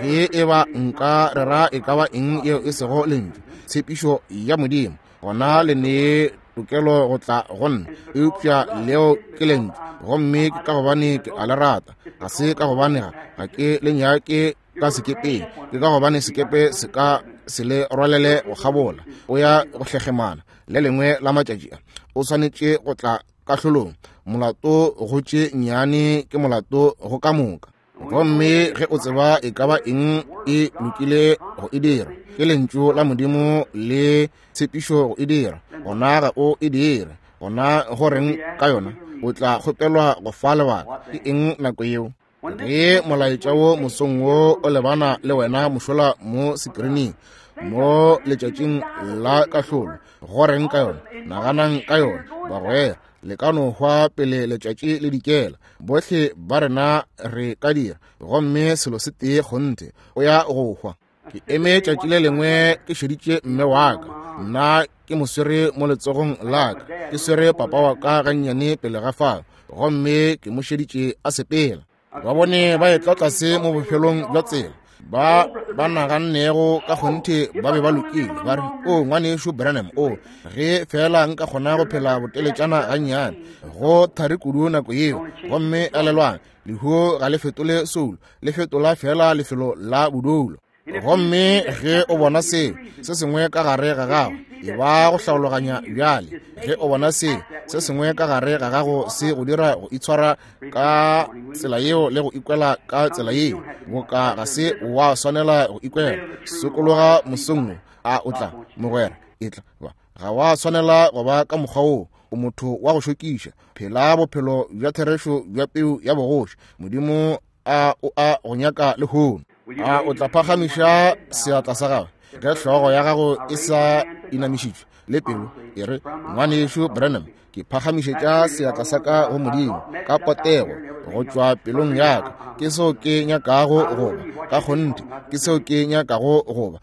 Ge e ba nka rera e ka ba eng yeo e sego lentšu, tshepišo ya Modimo, gona le nee tokelo go tla go nna. Eupša leo ke lentšu, gomme ke ka gobane ke a le rata, ga se ka gobane ga ga ke le nyake ka sekepeng, ke ka gobane sekepe se ka se le rwalele go kgabola. O ya go hlegemana le lengwe la matšatši a, o swanetše go tla kahlolong. Molato go tše nnyane ke molato go ka moka. Gomme ge o tseba e ka ba eng e lokile go e dira, ke lentšu la Modimo le tshepišo go e dira, gona ga o e dire. Gona go reng ka yona? O tla kgopelwa go fa lebaka. Ke eng nako yeo? Ge molaetša wo mosong wo o lebana le wena mošola mo sekrining mo letšatšing la kahlolo, go reng ka yona? Naganang ka yona, bagwera. Le ka no hwa pele letšatši le dikela. Bohle ba rena re ka dira, gomme selo se tee kgonthe, o ya go hwa. Ke eme tšatši le lengwe ke šeditše mme wa ka, nna ke mo swere mo letsogong la ka, ke swere papa wa ka gannyane pele ga fao, gomme ke mo šeditše a sepela. Ba bone ba etla tlase mo bofelong bja tsela, ba ba nagannego ka kgonthe ba be ba lokile, ba re, o ngwanešo Branham, o ge fela nka kgona go phela boteletšana gannyane. Go thari kudu nako yeo. Gomme elelwang, lehu ga le fetole soulo, le fetola fela lefelo la bodulo. Gomme ge o bona seo se sengwe ka gare ga gago, e ba go hlaologanya bjale. Ge o bona seo se sengwe ka gare ga gago se go dira go itshwara ka tsela yeo le go ikwela ka tsela yeo, boka ga se wa swanela go ikwela. Sokologa mosong wo, a o tla mogwera, e tla ba ga wa swanela go ba ka mokgwa wo. O motho wa go šokiša. Phela bophelo bja therešo bja peu ya bogoši. Modimo a o a go nyaka lehono. A o tla phagamiša seatla sa gagwe ge hlogo ya gago e sa inamišitšwe le pelo e re, ngwanešo Branham, ke phagamišetša seatla sa ka go Modimo ka potego go tšwa pelong ya ka. Ke seo ke nyakago go ba ka kgonthe, ke seo ke nyakago go ba.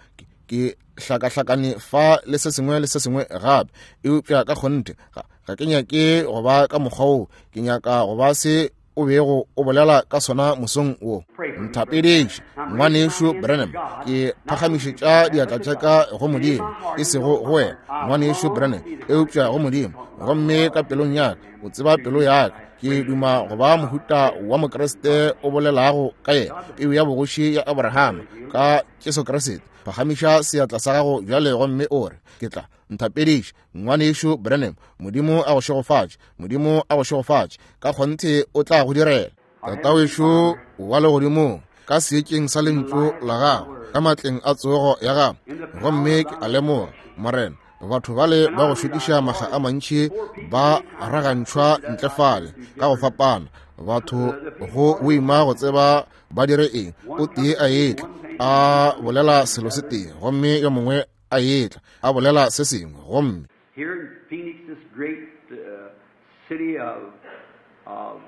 Ke hlakahlakane fa le se sengwe le se sengwe gape, eupša ka kgonthe ga, ga ke nyake go ba ka mokgwa wo. Ke nyaka go ba se o bego o bolela ka sona mosong wo. Nthapediše ngwanešo Branham, ke phagamišetša diatla tša ka go Modimo, e sego go wena ngwanešo Branham, eupša go Modimo. Gomme ka pelong ya ka, o tseba pelo ya ka, ke duma go ba mohuta wa Mokriste o bolelago ka yena, peu ya bogoši ya Abrahama ka Jesu Kriste. Phagamiša seatla sa gago bjale gomme o re, ke tla. Nthapediše ngwanešo Branham. Modimo a go šegofatše. Modimo a go šegofatše. Ka kgonthe o tla go direla. Tatawešo wa legodimong, ka seetšeng sa lentšu la gago, ka matleng a tsogo ya gago, gomme ke a lemoga, Morena, batho bale ba go šokiša makga a mantši ba ragantšhwa ntle fale ka go fapana. Batho go boima go tseba ba dire eng. O tee a etla a bolela selo se tee, gomme yo mongwe a etla a bolela se sengwe. Gomme
Here in Phoenix, this great uh, city of, of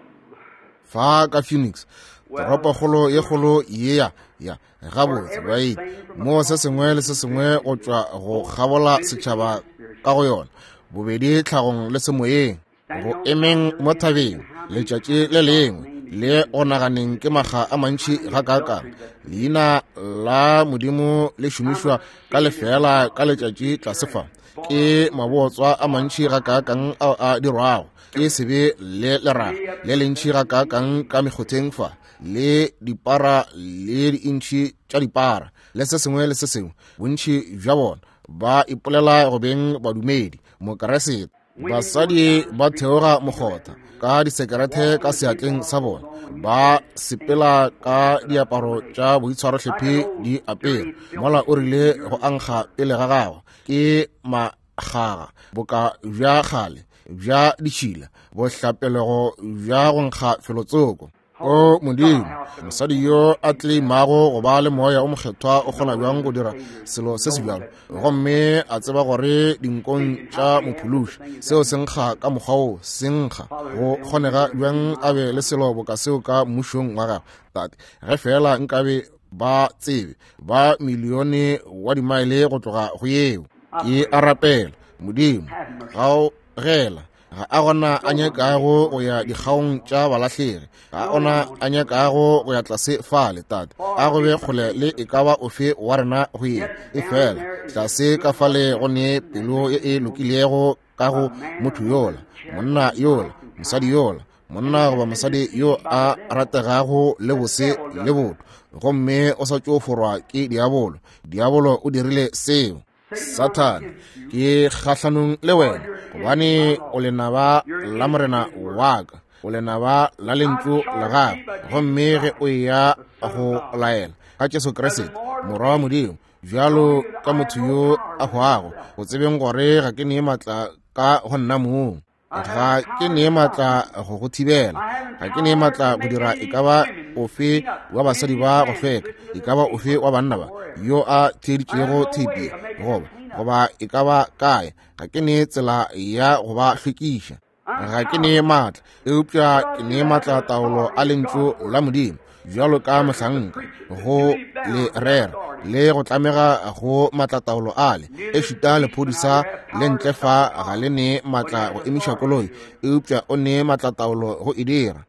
fa ka Phoenix, toropokgolo ye kgolo ye ya ya gabotse baeti, mo se sengwe le se sengwe go tšwa go kgabola setšhaba ka go yona, bobedi tlhagong le semoyeng, go emeng mo thabeng letšatši le lengwe Le go naganeng ke makga a mantši gakaakang leina la Modimo le šomišwa ka lefeela ka letšatši tlase fa. Ke mabotswa a mantši gakaakang ao a dirwago, ke sebe le leraga le lentši gakaakang ka mekgotheng fa, le dipara le diintšhi tša dipara le se sengwe le se sengwe. Bontši bja bona ba ipolela go beng badumedi Mokeresete. Basadi ba theoga mokgotha ka disekerete ka seatleng sa bona, ba sepela ka diaparo tša boitshwarohlephi di apere, mola o rile go ankga pele ga gagwe ke makgaga boka bja kgale bja ditšhila bohlapelego bja go nkga felotsoko. O Modimo, mosadi yo a tleimago go ba le moya o mokgethwa o kgona bjang go dira selo se se bjalo, gomme a tseba gore dinkong tša mophološi seo se nkga ka mokgwa wo se nkga? Go kgonega bjang a be le selo boka seo ka mmušong wa gagwe? Tate, ge fela nkabe ba tsebe ba milione wa dimaele go tloga go yeo. Ke a rapela Modimo, gaogela. Ga a gona a nyakago go ya dikgaong tša balahlegi, ga ona a nyakago go ya tlase fale. Tate, a go be kgole le e ka ba ofe wa rena go ye e fela tlase ka fale go ne pelo ye e lokilego ka go motho yola, monna yola, mosadi yola, monna goba mosadi yo a rategago le bose le botho, gomme o sa tšo forwa ke diabolo. Diabolo o dirile seo. Sathane, ke kgahlanong le wena, gobane o lenaba la Morena wa ka, o lenaba la lentšu la gagwe. Gomme ge o eya go laela ka Jesu Kriste Morwa wa Modimo bjalo ka motho yo a hwago, go tsebeng gore ga ke nee maatla ka go nna mong, ga ke nee maatla go go thibela, ga ke nee maatla go dira e ka ba ofe wa basadi ba go hlweka, e ka ba ofe wa banna ba yo a theeditšego theipi goba goba e ka ba kae, ga ke nee tsela ya go ba hlwekiša. Ga ke nee maatla, eupša ke nee maatla taolo a lentšu la Modimo bjalo ka mohlanka go le rera le go tlamega go maatlataolo ale. Ešita lephodisa le ntle fa ga le nee maatla go emiša koloi, eupša o nee maatlataolo go e dira.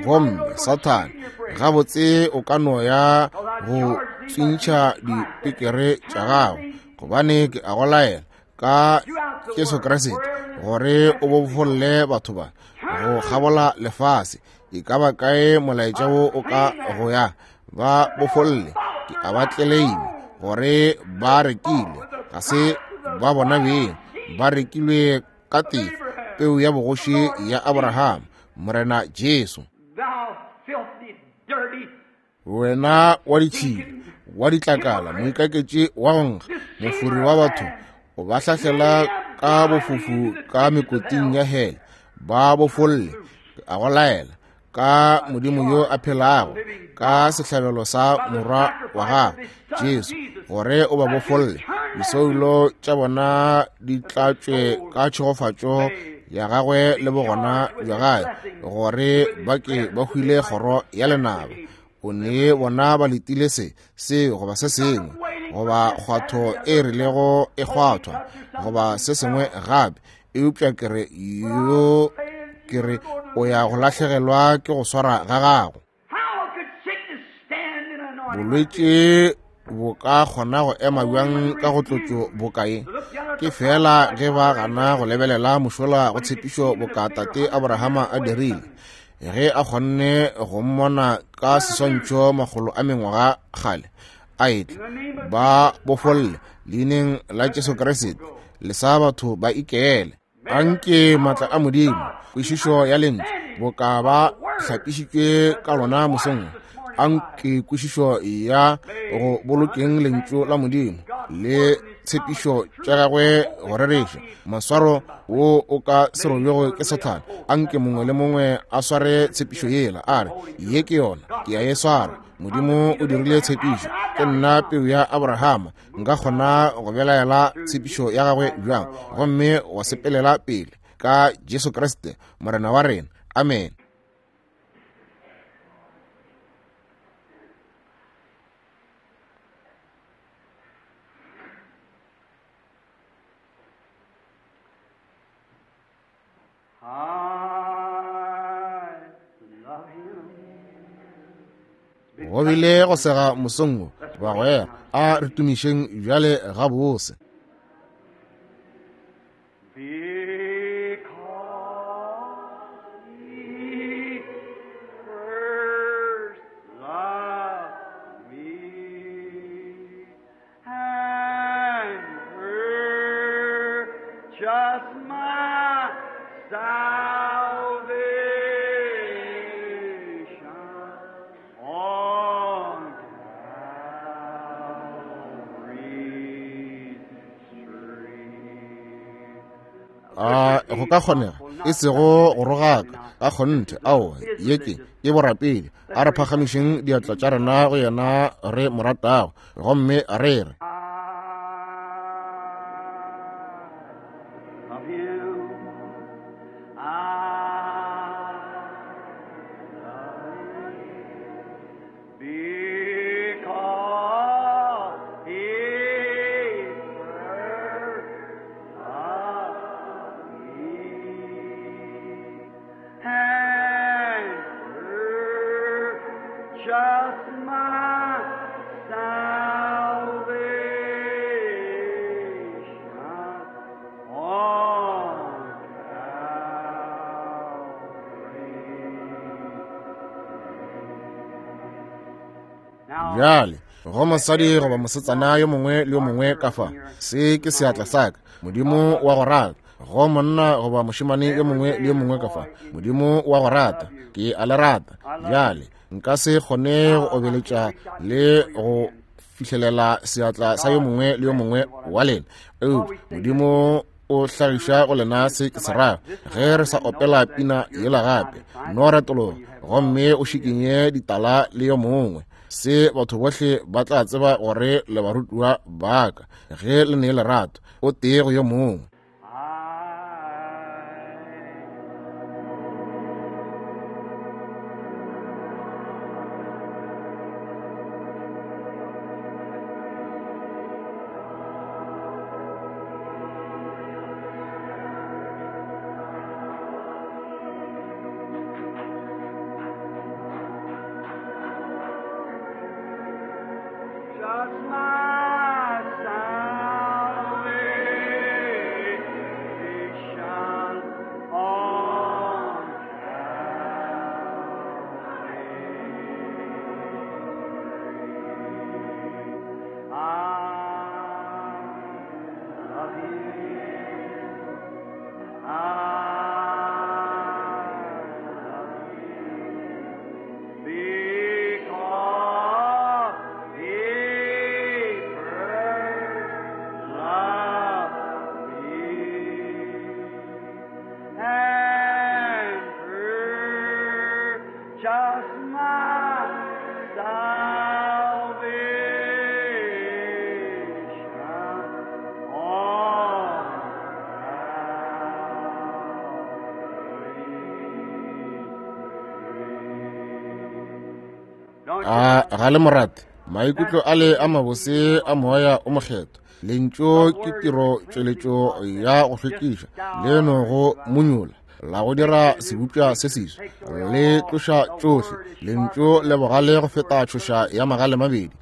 Gomme Sathane, gabotse o ka no ya go tswintšha dipekere tša gago, gobane ke a go laela ka Jesu Kriste gore o bofolle batho ba go kgabola lefase. E ka ba kae molaetša wo o ka go ya, ba bofolle. Ke a ba tleleima gore ba rekile, ga se ba bona beng, ba rekilwe ka tefo, peu ya bogoši ya Abraham, Morena Jesu. Wena wa ditšhila, wa ditlakala, moikaketši wa go nkga, mofori wa batho, o ba hlahlela ka bofufu ka mekoting ya hele, ba bofolle. A go laela ka Modimo yo a phelago, ka sehlabelo sa Morwa wa gagwe Jesu, gore o ba bofolle, disoulo tša bona di tlatšwe ka tšhegofatšo ya gagwe le bogona bja gagwe, gore ba ke ba hwile kgoro ya lenaba. O ne bona ba letile se se goba se sengwe, goba kgwatho e rilego e kgwathwa, goba se sengwe gape, eupša ke re yo ke re o ya go lahlegelwa ke go swara ga gago. Bolwetši bo ka kgona go ema bjang ka go tlotšo bokae? Ke fela ge ba gana go lebelela mošola go tshepišo boka tate Abrahama a dirile, ge a kgonne go mmona ka seswantšho makgolo a mengwaga kgale a etla, ba bofolle leineng la Jesu Kriste, le sa batho ba ikele. Anke maatla a Modimo, kwešišo ya lentšu boka ba hlapišitšwe ka lona mosong, anke kwešišo ya go bolokeng lentšu la Modimo le tshepišo tša gagwe go rereša maswaro wo o ka se robjego ke Sathane. Anke mongwe le mongwe a sware tshepišo yela, a re, ye ke yona, ke a e swara. Modimo o dirile tshepišo, ke nna peu ya Abrahama, nka kgona go belaela tshepišo ya gagwe bjang? Gomme wa sepelela pele ka Jesu Kriste Morena wa rena. Amen.
I love him.
Go bile go sega mosong wo, bagwera, a re tumišeng bjale gabose.
Because he first loved me and purchased my salvation on Calvary's tree.
A go ka kgonega e sego go rogaka ka kgonthe, aowa, ye ke ke borapedi. A re phagamišeng diatla tša rena go yena re mo ratago, gomme re re,
I love him. I love him because he first loved me and purchased my salvation on Calvary. Now,
bjale go mosadi goba mosetsana yo mongwe le yo mongwe ka fa, se ke seatla sa ka, Modimo wa go rata. Go monna goba mošemane yo mongwe le yo mongwe ka fa, Modimo wa go rata, ke a le rata. Bjale nka se kgone go obeletša le go fihlelela seatla sa yo mongwe le yo mongwe wa lena, eupša Modimo o hlagiša go lena se ke se rago. Ge re sa opela pina yela gape, no retologa gomme o šikinye ditala le yo mongwe. Se batho bohle ba tla tseba gore le barutiwa ba ka ge le ne lerato o tee go yo mongwe.
I just my salvation on Calvary. I love him. I love him. Because he first loved me and purchased my salvation on Calvary.
A ga le morate maikutlo a le a mabose a moya o mokgethwa. Lentšu ke tiro tšweletšo ya go hlwekiša le no go monyola la go dira sebopša se seswa, le tloša tšohle. Lentšu le bogale go feta tšhoša ya magale mabedi,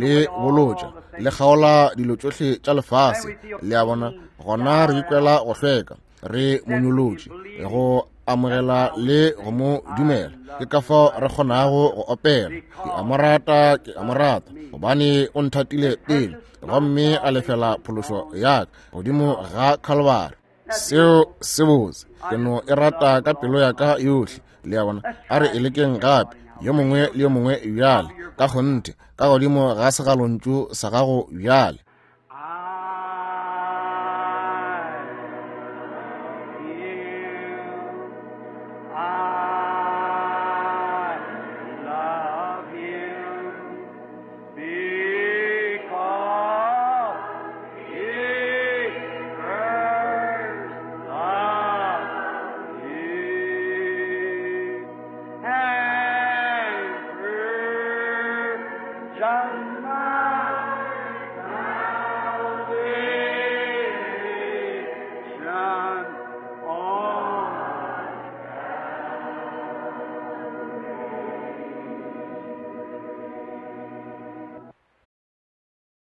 le bolotša, le kgaola dilo tšohle tša lefase. Le a bona, gona re ikwela go hlweka, re monyolotše go amogela le go mo dumela. Ke ka fao re kgonago go opela, ke a mo rata, ke a mo rata, gobane o nthatile pele gomme a lefela phološo ya ka godimo ga Calvary. Seo se botse, ke no e rata ka pelo ya ka yohle. Le a bona, a re e lekeng gape, yo mongwe le yo mongwe bjale, ka kgonthe, ka godimo ga segalontšu sa gago bjale.